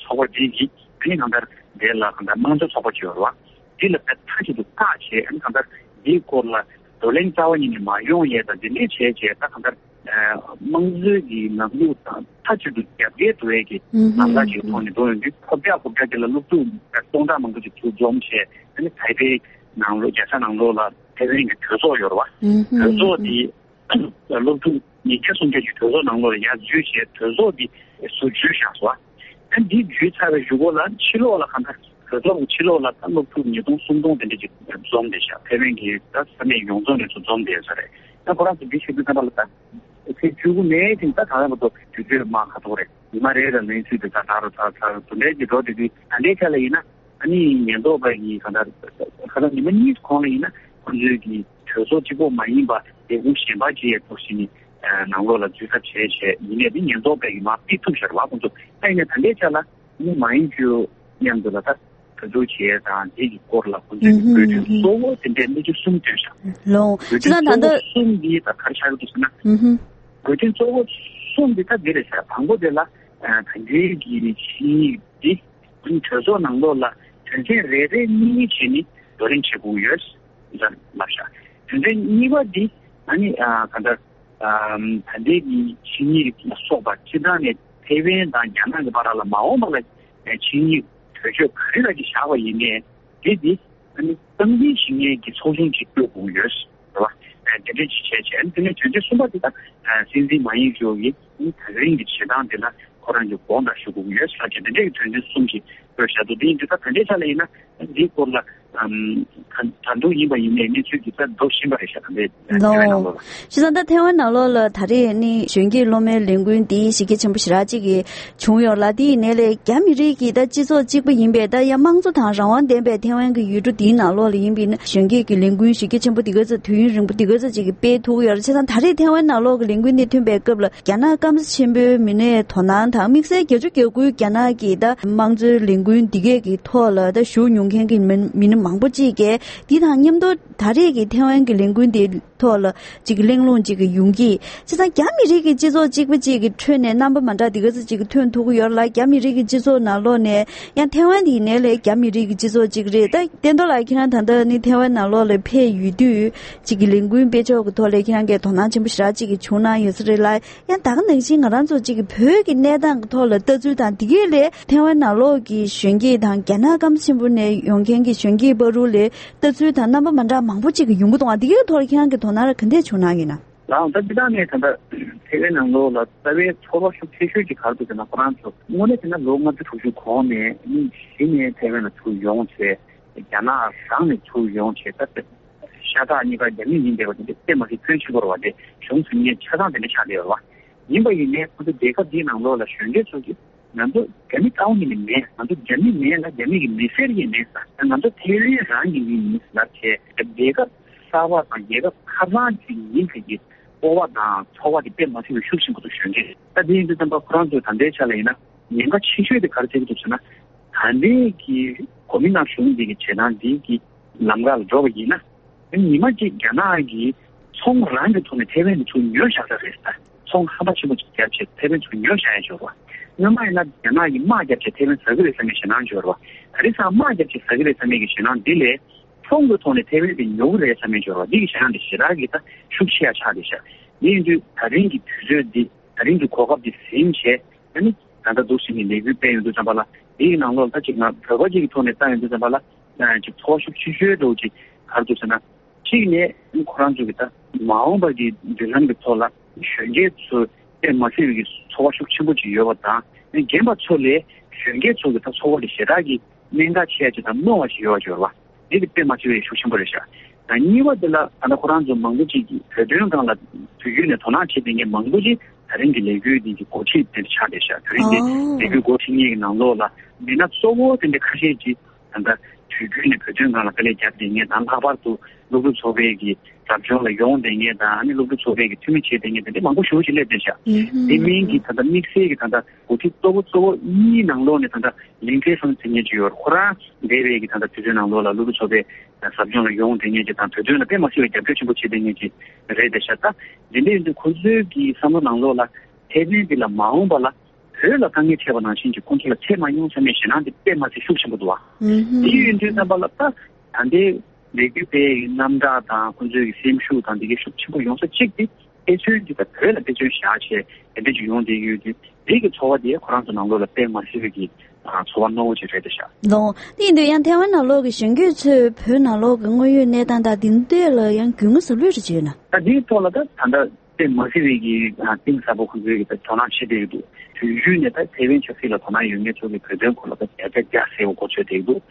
ཚོགས་པ་འདི་གིས་ཨ་ནི་གང་ལྟར་དེ་ལ་གང་ལྟར་དམངས་གཙོ་ཚོགས་པ་ཅིག་ཡོད་རེད་བ། འདི་ལ་མཐའ་གཅིག་ཏུ་བཀག་བྱས་ཨ་ནི་གང་ལྟར་འདིའི་སྐོར་ལ་བགྲོ་གླེང་རྩ་བ་ཉིད་ནས་མ་ཡོང་ཡས་དང་འདི་འདྲས་བྱས་བྱས་ད་གང་ལྟར་དམངས་གཙོའི་གི་ལམ་ལུགས་དང་མཐའ་གཅིག་ཏུ་རྒྱབ་འགལ་འགྲོ་ཡས་ཀྱི་ལམ་ཁ་ཅིག་ཐོག་ནས་འགྲོ་ཡོང་དུས་ཁོ་བརྒྱ་ཁོ་བརྒྱ་དེ་ལ་སློབ་ཕྲུག་སྟོང་ཕྲག་མང་པོ་ཅིག་ཚུར་འཛོམས་བྱས་ཨ་ནི་ཐའེ་པེ་ནང་ལོགས་རྒྱལ་ས་ནང་ལོགས་ལ་ཐའེ་ཝན་གྱི་གྲོས་ཚོགས་ཡོད་རེད་བ། གྲོས་ཚོགས་དེ་སློབ་ཕྲུག་ཉིས་བརྒྱ་སུམ་བརྒྱ་ཅིག་གྲོས་ཚོགས་ནང་ལོགས་ལ་ཡར་འཛུལ་བྱས་གྲོས་ཚོགས་འདི་ཚུར་འཛུལ་བཞག་སོང་། ཨ་འདི་འཛུལ་ཚར་བའི་གཞུག་གུ་ལ་ཕྱི་ལོགས་ལ་གང་ལྟར་གྲོས་ཚོགས་ཀྱི་ཕྱི་ལོགས་ལ་ད་སློབ་ཕྲུག་ཉིས་སྟོང་སུམ་སྟོང་དེ་འདྲ་ཅིག་འཛོམས་བསྡད་ཤག་ཐའེ་ཝན་གྱི་ད་ས་གནས་ཡོངས་རྫོགས་ནས་ཚུར་འཛོམས་བསྡད་ས་རེད། ད་ཁོ་རང་ཚོ་འདི་ཞུ་དུས་ཙམ་པ་ལ་ད་ཚེས་བཅུ་དགུ་ནས་ཐེངས་ད་ད་ལྟ་བར་དུ་དུས་ཚོད་མ་ཁ་ཐོག་རེད། ཉི་མ་རེ་རེ་ལ་ལན་ཚུལ་དེ་ད་ད་རུ་ད་ད་རུ་དུ་ལས་ཀྱི་འགྲོ་དེ་དུས་ད་ལྟའི་ཆ་ལ་ཡིན་ན། ཨ་ནི་ཉེན་རྟོག་པ་ཡིས་གང་ལྟར་ཁ་སང་ཉི་མ་གཉིས་གོང་ལ་ཡིན་ན་ཁོང་ཚོའི་གི་གྲོས་ཚོགས་གཅིག་པོ་མ་ཡིན་པ་ལས་ཁུངས་གཞན་པ་ཅིག་ཡང་འདུག་ཟེར་ནས་ནང་ལོགས་ལ་འཛུལ་ཐབས་བྱས་བྱས་ཡིན་ནའི་དེ་ཉེན་རྟོག་པ་ཡིས་མར་ཕུད་ཐུབ་ཤར་བ་ཁོང་ཚོ་ད་ཡིན་ནའི་ད་ལྟའི་ཆ་ལ་ཨ་ནི་མ་ཡིན་རྒྱུ་མཉམ་དུ་ལ་ད་གྲོས་བསྡུར་བྱས་དང་དེ་གི་སྐོར་ལ་ཁོང་ཚོའི་གི་བཀོད་སྒྲིག་གཙོ་བོ་དེ་འདྲའི་གནས་ཚུལ་གསུམ་ཐོན་ཤག་ལོང་བཀོད་སྒྲིག་གཙོ་བོ་གསུམ་འདི་ད་ག་རེ་ཆགས་ཀྱི་འདུག་ཟེར་ན། བཀོད་སྒྲིག་གཙོ་བོ་གསུམ་འདི་ད་འདི་རེད་ཤག་དང་པོ་དེ་ལ་ད་ལྟའི་གི་ཆིངས་ཡིག་འདི། གྲོས་ཚོགས་ནང་ལོགས་ལ་དོན་ཚན་རེ་རེ་གཉིས་གཉིས་བྱས་ནས་བགྲོ་གླེང་བྱེད་དགོས་ཡོད་ཟེར་ལབ་ཤག་དོན་ཚན་གཉིས་པ་འདི་ཨ་ནི་ཨ་ག་འདྲ་ཨམ་ད་ལྟའི་གི་ཆིངས་ཡིག་ལ་སོགས་པ་སྤྱིར་བཏང་ནས་ཐའེ་ཝན་དང་རྒྱ་ནག་གི་བར་ལ་མ་འོངས་པ་ལ་ཆིངས་ཡིག་གྲོས་ཆོད་ག་རེ་ལ་ཅིག་བཞག་པ་ཡིན་ནའི་དེ་འདི་ཨ་ནི་སྟངས་འཛིན་ཞུ་མཁན་གྱི་ཚོགས་ཆུང་ཅིག་བསྐོ་དགོས་ཡོད། རེད་བ། དེ་འདྲ་ཅིག་བྱས་བྱས་དེ་ནས་དོན་ཚན་གསུམ་པ་དེ་དག་སྲིད་འཛིན་མ་ཡིན་ཅོ་གིས་ད་རིང་གི་བྱེད་སྟངས་དེ་ལ་ཁོ་རང་གི་དགོངས་དག་ཞུ་དགོས་ཡོད་ཟེར་གྱི་དེ་འདྲའི་དོན་ཚན་གསུམ་ཞིག་བཀོད་བཞག་འདུག་དེ་ཡིན་དུས་ད་དེ་འདྲའི་ཆ་ལ་ཡིན་ན་འདིའི་སྐོར་ལ་ད་དུང་ཡིན་པ་ཡིན་ནའི་གནས་ཚུལ་གྱི་ད་འགྲོ་བཞིན་པ་རེད་ཤག་ད་ལྟའི་ཐའེ་ཝན་ནང་ལོགས་ལ། བྱས་ཙང་ད་ཐའེ་ཝན་ནང་ལོགས་ལ་ད་རེས་ནི་གཞོན་སྐྱེས་སློབ་མའི་ལས་འགུལ་འདི་གཞི་རྒྱ་ཆེན་པོ་ཞེ་དྲག་ཅིག་གི་བྱུང་ཡོད་ལ། དེ་ཡིན་ནའི་ལས་རྒྱ་མི་རིགས་ཀྱི་ད་སྤྱི་ཚོགས་གཅིག་པ་ཡིན་པའི་ད་ཡང་དམངས་གཙོ་དང་རང་དབང་ལྡན་པའི་ཐའེ་ཝན་གྱི་ཡུལ་གྲུ་འདིའི་ནང་ལོགས་ལ་ཡིན་པའི་ན་གཞོན་སྐྱེས་ཀྱི་ལས་འགུལ་གཞི་རྒྱ་ཆེན་པོ་འདི་ག་ཚོད་དུས་ཡུན་རིང་པོ་འདི་ག་ཚོད་ཅིག་གི་སྤེལ་ཐུབ་ཀྱི་ཡོད་རེད། བྱས་ཙང་ད་རེས་ཐའེ་ཝན་ནང་ལོགས་ཀྱི་ལས་འགུལ་འདི་ཐོན་པའི་སྐབས་ལ་རྒྱ་ནག་སྐམ་ས་ཆེན་པོའི་མི་སྣའི་དོ་སྣང་དང་དམིགས་བསལ་བརྒྱད་ཅུ་གྱ་དགུའི་རྒྱ་ནག་གི་ད་དམངས་གཙོའི་ལས་འགུལ་འདི་གས་ཀྱི་ཐོག་ལ་ད་ཞུགས་མྱོང་མཁན་གྱི་མི་མི་སྣ་མང་པོ་ཅིག་གིས་འདི་དང་མཉམ་དུ་ད་རེས་ཀྱི་ཐའེ་ཝན་གྱི་ལས་འགུལ་འདི་ཐོག་ལ་ཅིག་གི་གླེང་སློང་ཅིག་གི་ཡོང་གི། བྱས་ཙང་རྒྱ་མི་རིགས་ཀྱི་སྤྱི་ཚོགས་གཅིག་པ་གཅིག་གི་ཁྲོད་ནས་རྣམ་པ་མ་འདྲ་འདི་ག་ཚོད་ཅིག་གི་ཐོན་ཐུབ་ཀྱི་ཡོད་ལ། རྒྱ་མི་རིགས་ཀྱི་སྤྱི་ཚོགས་ནང་ལོགས་ནས་ཡང་ཐའེ་ཝན་དེ་ཡིན་ནའི་ལས་རྒྱ་མི་རིགས་ཀྱི་སྤྱི་ཚོགས་གཅིག་རེད། ད་བསྟན་རྡོར་ལགས་ཁྱེད་རང་ད་ལྟ་ནི་ཐའེ་ཝན་ནང་ལོགས་ལ་ཕེབས་ཡོད་དུས་ཅིག་གི་ལས་འགུལ་སྤེལ་ཕྱོགས་ཀྱི་ཐོག་ལ་ཁྱེད་རང་གིས་དོ་སྣང་ཆེན་པོ་ཞེ་དྲག་ཅིག་གི་བྱུང་གནང་ཡོད་ས་རེད་ལ། ཡང་ད་ག་ནང་བཞིན་ང་རང་ཚོ་གཅིག་གི་བོད་ཀྱི་གནས་སྟངས་ཀྱི་ཐོག་ལ་ལྟ་ཚུལ་དང་དེ་གའི་ལས་ཐའེ་ཝན་ནང་ལོགས་ཀྱི་གཞོན་སྐྱེས་དང་རྒྱ་ནག་སྐམ་ཆེན་པོ་ནས་ཡོང་མཁན་གྱི་གཞོན་སྐྱེས་བར་དུ་ལས་ལྟ་ཚུལ་དང་རྣམ་པ་མ་འདྲ་མང་པོ་གཅིག་གི་ཡོང་གི་འདུག་ཨ། དེ་གའི་ཐོག་ལ་ཁྱེད་རང་གི་དོ་སྣང་ག་འདྲས་བྱུང་གནང་ཡོད་ན། ལའང་ད་ཅི་ད་ནས་ད་ལྟ་ཐའེ་ཝན་ནང་ལོགས་ལ་རྩ་བའི་ཚོར་བ་ཤུགས་ཆེ་ཤོས་ཀྱི་ག་རེ་འདུག་ཟེར་ན། ཁོ་རང་ཚོ་དངོས་གནས་བྱས་ན་ལོ་ལྔ་བཅུ་དྲུག་ཅུ་གོང་ནས་ནི་གཞི་ནས་ཐའེ་ཝན་ལ་ཚུར་ཡོང་བྱས་རྒྱ་ནག་རང་ནས་ཚུར་ཡོང་བྱས་ད་ཤ་སྟག་གཉིས་ཀ་རྒྱ་མི་ཡིན་བསྡད་པ་དེ་འདྲ་དཔེ་མ་སྲིད་ཕོན་ཆེན་པོ་རེད་བ། དེ་གཞུང་ཟིན་ངེས་ཆ་ཚང་དེ་འདྲ་ཆགས་བསྡད་ཡོད་རེད་བ། ཡིན་པ་ཡིན་ནའི་ཁོ་ཚོ་རྒྱལ་ཁབ་འདིའི་ནང་ལོགས་ལ་གཞོན་སྐྱེས་ཚོ་གིས་ང་ཚོ་རྒྱ་མི་རྩ་བ་ཉིད་ནས་མེད། ང་ཚོ་རྒྱ་མི་མེད་ལ་རྒྱ་མི་གི་མི་སེར་ཡང་མེད་ས། ང་ཚོ་ཐའེ་ཝན་རང་གི་མི་ཡིན་ལབ་བྱས་རྒྱལ་ཁབ་གསར་པ་དང་རྒྱལ་ཁབ་ཁ་ཚང་ཅིག་ཡིན་ཟེར་གྱི་སྤོབས་པ་དང་ཚོར་བ་དེ་དཔེ་མ་སྲིད་པའི་ཤུགས་ཆེན་པོ་འདུག་གཞོན་སྐྱེས། ད་དེ་ཡིན་དུས་ཙམ་པ་ཁོ་རང་ཚོའི་ད་ལྟའི་ཆ་ལ་ཡིན་ན་ཉེན་ཁ་ཆེ་ཤོས་དེ་ག་རེ་ཆགས་ཀྱི་འདུག་ཟེར་ན། ད་ལྟའི་གི་གོ་མིན་ཏང་གཞུང་འདི་གི་བྱེད་སྟངས་འདི་གི་ལམ་ཁ་ལ་འགྲོ་བ་ཡིན་ན། ཉི་མ་གཅིག་རྒྱ་ནག་གིས་ཚོང་རང་གི་ཐོག་ནས་ཐའེ་ཝན་གྱི་ཚུར་ཉོས་བཞག་ས་རེད་ད། ཚོང་ཧམ་པ་ཆེན་པོ་ཅིག་བརྒྱབ་བྱས་ཐའེ་ཝན་ཚུར་ཉོས་བཞག་ཡ་ཅིག་ཡོད་རེད་བ། སྔོན་མ་ཡིན་ན་རྒྱ་ནག་གིས་དམག་བརྒྱབ་བྱས་ཐའེ་ཝན་ཟ་གི་རེད་བསམ་པའི་ཞེད་སྣང་ཅིག་ཡོད་རེད་བ། ད་རེས་སང་དམག་བརྒྱབ་བྱས་ཟ་གི་རེད་བསམ་པའི་གི་ཞེད་སྣང་འདི་ལས་ཚོང་གི་ཐོག་ནས་ཐའེ་ཝན་དེ་ཉོ་གི་རེད་བསམ་པའི་ཅིག་ཡོད་རེད་བ། འདི་གི་ཞེད་སྣང་དེ་ཞེ་དྲག་གི་ད་ཤུགས་ཆེ་ཡ་ཆགས་བསྡད་ཤག་དེ་ཡིན་དུས་ད་རིང་གི་དུས་ཚོད་འདི། ད་རིང་གི་གོ་སྐབས་འདི་ཟིན་བྱས། ཨ་ནི་ད་ལྟ་འདུག་ཟིན་ནས་ལས་འགུལ་སྤེལ་ཡོང་དུས་ཙམ་པ་ལ། དེའི་ནང་ལོགས་ལ་ད་ཅིག་ང་བོད་པ་ཅིག་གི་ཐོག་ནས་བལྟ་ཡོང་དུས་ཙམ་པ་ལ། ཨ་ཅིག་ཚོར་བ་ཤུགས་ཆེ་ཤོས་འདྲ་བོ་ཅིག་ག་རེ་འདུག་ཟེར་ན། གཅིག་ནས་ཁོ་རང་ཚོ་གི་ད་མ་འོངས་པ་གི་མདུན་ལམ་གི་ཐོག་ལ་གཞོན་སྐྱེས་ཚོ་དཔེ་མ་སྲིད་པའི་གི་ཚོར་བ་ཤུགས་ཆེན་པོ་ཅིག་ཡོད་པ་དང་། རྒན་པ་ཚོ་ལས་གཞོན་སྐྱེས་ཚོ་གི་ད་ཚོར་བ་དེ་ཞེ་དྲག་གི་གནད་འགག་ཆེ་ཡ་ཅིག་དང་རྣོ་བ་ཞིག་ཡོད་པ་ཅིག་ཡོད་རེད་བ། འདི་དེ་དཔེ་མ་སྲིད་པའི་ཤུགས་ཆེན་པོ་རེད་ཤག་ད་གཉིས་པ་དེ་ལ་ད་ལྟ་ཁོ་རང་ཚོ་མང་པོ་ཅིག་གིས་བོད་དོན་སྒང་ལ་དུས་རྒྱུན་ནས་དོ་སྣང་བྱེད་མཁན་མང་པོ་ཅིག་ད་རིང་གི་ལས་འགུལ་འདི་གི་འགོ་ཁྲིད་དེ་འདྲ་ཆགས་བསྡད་ཤག་དེ་རིང་གི་ཨོ། ལས་འགུལ་འགོ་ཁྲིད་མཁན་གྱི་ནང་ལོགས་ལ་མི་སྣ་གཙོ་བོ་དེ་འདྲ་ཁ་ཤས་ཅིག་ད་ལྟ་དུས་རྒྱུན་ནས་བོད་དོན་སྒང་ལ་དཀའ་ལས་བརྒྱབ་བསྡད་མཁན་དང་། ལྷག་པར་དུ་སློབ་ཕྲུག་ཚོགས་པའི་གི་ཟབ་སྦྱོང་ལ་ཡོང་བསྡད་མཁན་དང་། ཨ་ནི་སློབ་ཕྲུག་ཚོགས་པའི་གི་འཐུས་མི་བྱེད་བསྡད་མཁན་དེ་འདྲ་མང་པོ་ཞེ་པོ་ཅིག་སླེབས་བསྡད་ཤག་ཨུ་ཧུམ། དེ་མིན་གྱི་ད་ལྟ་དམིགས་བསལ་གྱི་ད་ལྟ་འགོ་ཁྲིད་གཙོ་བོ་གཙོ་བོ་གཉིས་ནང་ལོགས་ནས་ད་ལྟ་ལིང་ཁེ་སང་ཟེར་མཁན་ཅིག་ཡོད། ཁོ་རང་འདས་པའི་གི་ད་ལྟ་དུས་ཚོད་ནང་ལོགས་ལ་སློབ་ཕྲུག་ཚོགས་པའི་ཟབ་སྦྱོང་ལ་ཡོང་བསྡད་མཁན་ཅིག་དང་། བོད་དོན་ལ་དཔེ་མ་སྲིད་པའི་རྒྱབ་སྐྱོར་ཆེན་པོ་བྱེད་བསྡད་མཁན་ཅིག་རེད་བསྡད་ཤག་ད་དེ་འདྲ་ཡིན་དུས་ཁོ་ཚོའི་གི་བསམ་བློ་ནང་ལོགས་ལ་ཐེ་ཝན་འདི་ལ་མ་འོངས་པ་ལ་བོད་ལ་དཀའ་ངལ་འཕྲད་པ་ནང་བཞིན་གྱི་ཁོང་ཚོ་ལ་འཕྲད་མ་མྱོང་བསམ་པའི་ཞེད་སྣང་དེ་དཔེ་མ་སྲིད་ཤུགས་ཆེན་པོ་འདུག་བ། ཨུ་ཧུམ། དེ་ཡིན་དུས་ཙམ་པ་ལ་ད་ད་ལྟའི་ལས་འགུལ་སྤེལ་ཡག་གི་རྣམ་གྲངས་དང་། ཁོང་ཚོའི་གི་སེམས་ཤུགས་དང་། འདི་གའི་ཤུགས་ཆེན་པོ་ཡོང་ས་གཅིག་དེ་དཔེ་མཚོན་འདི་ད་བོད་ལ་དཔེ་མཚོན་བཞག་བྱས་དེ་འདྲ་ཅིག་ཡོང་བསྡད་ཡོད་དུས། དེ་གི་ཚོར་བ་དེ་ཁོ་རང་ཚོ་ནང་ལོགས་ལ་དཔེ་མ་སྲིད་པའི་གི་ཨ་ཚོར་བ་རྣོ་བོ་ཅིག་རེད་བསྡད་ཤག་ལོ། དེ་ཡིན་དུས་ཡང་ཐེ་ཝན་ནང་ལོགས་ཀྱི་གཞོན་སྐྱེས་ཚོས་བོད་ནང་ལོགས་ཀྱི་དངོས་ཡོད་གནས་སྟངས་དང་དེ་འདྲ་ལ་ཡང་རྒྱུས་མངའ་ཟབ་ལོས་རེ་བྱས་ཡོད་ན། ད་འདིའི་ཐོག་ལ་ད་ད་ལྟ་དཔེ་མ་སྲིད་པའི་གི་ཨ་གཏིང་ཟབ་པོ་ཁོང་ཚོའི་གི་ད་དོ་སྣང་བྱེད་བསྡད་ཀྱི་འདུག་དུས་རྒྱུན་ནས་ད་ཐེ་ཝན་ཆབ་སྲིད་ལ་དོ་སྣང་ཡོད་མཁན་ཚོ་གི་བོད་དོན་སྐོར་ལ་ད་བརྒྱ་ཆ་བརྒྱ་གསལ་པོ་གོ་ཆོད་བསྡད་ཀྱི་འདུག་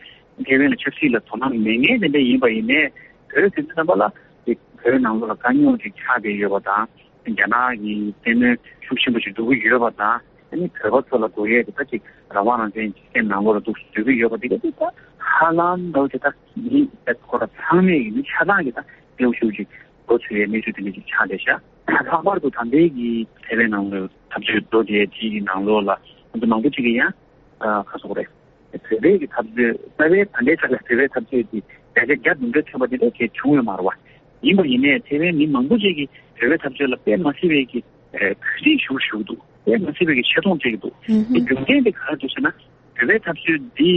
ཐེ་ཝན་ལ་ཆབ་སྲིད་ལ་དོ་སྣང་མེད་མཁན་དེ་འདྲ་ཡིན་པ་ཡིན་ནའི། བོད་ཟེར་དུས་ཙམ་པ་ལ་དེ་བོད་ནང་ལོགས་ལ་དཀའ་རྙོག་ཅིག་ཆགས་བསྡད་ཡོད་པ་དང་། རྒྱ་ནག་གི་བཙན་གནོན་ཤུགས་ཆེན་པོ་ཞིག་འགྲོ་གི་ཡོད་པ་དང་། ཨ་ནི་བོད་པ་ཚོ་ལ་དགོས་ཡས་དེ་ད་ཅིག་རང་དབང་རང་བཙན་ཅིག་སེམས་ནང་ལོགས་ལ་འདུག་སེ་བཟོ་གི་ཡོད་པ་དེ་ག་དེ་ད་ཧ་ལམ་འདྲ་བོ་ཅིག་ད་མི་ད་ཁོ་ར་ཚང་མས་ཡིན་ན་ཆ་ཚང་གི་ད་གནོན་ཤུགས་ཅིག་འགྲོ་ཚུལ་ཡས་གནས་ཚུལ་དེ་འདྲ་ཅིག་ཆགས་བསྡད་ཤག་ལྷག་པར་དུ་ད་ལྟའི་གི་ཐེ་ཝན་ནང་ལོགས་འཐབ་རྩོད་འགྲོ་བསྡད་དེ་གི་ནང་ལོགས་ལ་ང་ཚོ་མང་པོ་ཅིག་གིས་ཡང་ཨ་ག་རེ་ཟེར་དགོས་རེད། བོད་པའི་གི་འཐབ་རྩོད། རྩ་བའི་ད་ལྟའི་ཆ་ལ་བོད་པའི་འཐབ་རྩོད་དེ་བརྒྱ་ཆ་བརྒྱ་འདུམ་འགྲིག་ཐོན་པ་དེ་འདྲ་གལ་བྱུང་ཡོད་མ་རེད་བ། ཡིན་པ་ཡིན་ནའི་ཐེ་ཝན་མི་མང་པོ་ཅིག་གིས་བོད་པའི་འཐབ་རྩོད་ལ་དཔེ་མ་སྲིད་པའི་གི་ཨ་གུས་བརྩི་ཞུ་ཞུ་གི་འདུག་དཔེ་མ་སྲིད་པའི་གི་ཆེ་མཐོང་བྱེད་ཀྱི་འདུག་ཨུ་དེ་ཧུམ། རྒྱུ་མཚན་དེ་ག་རེ་འདུག་ཟེར་ན། བོད་པའི་འཐབ་རྩོད་འདི་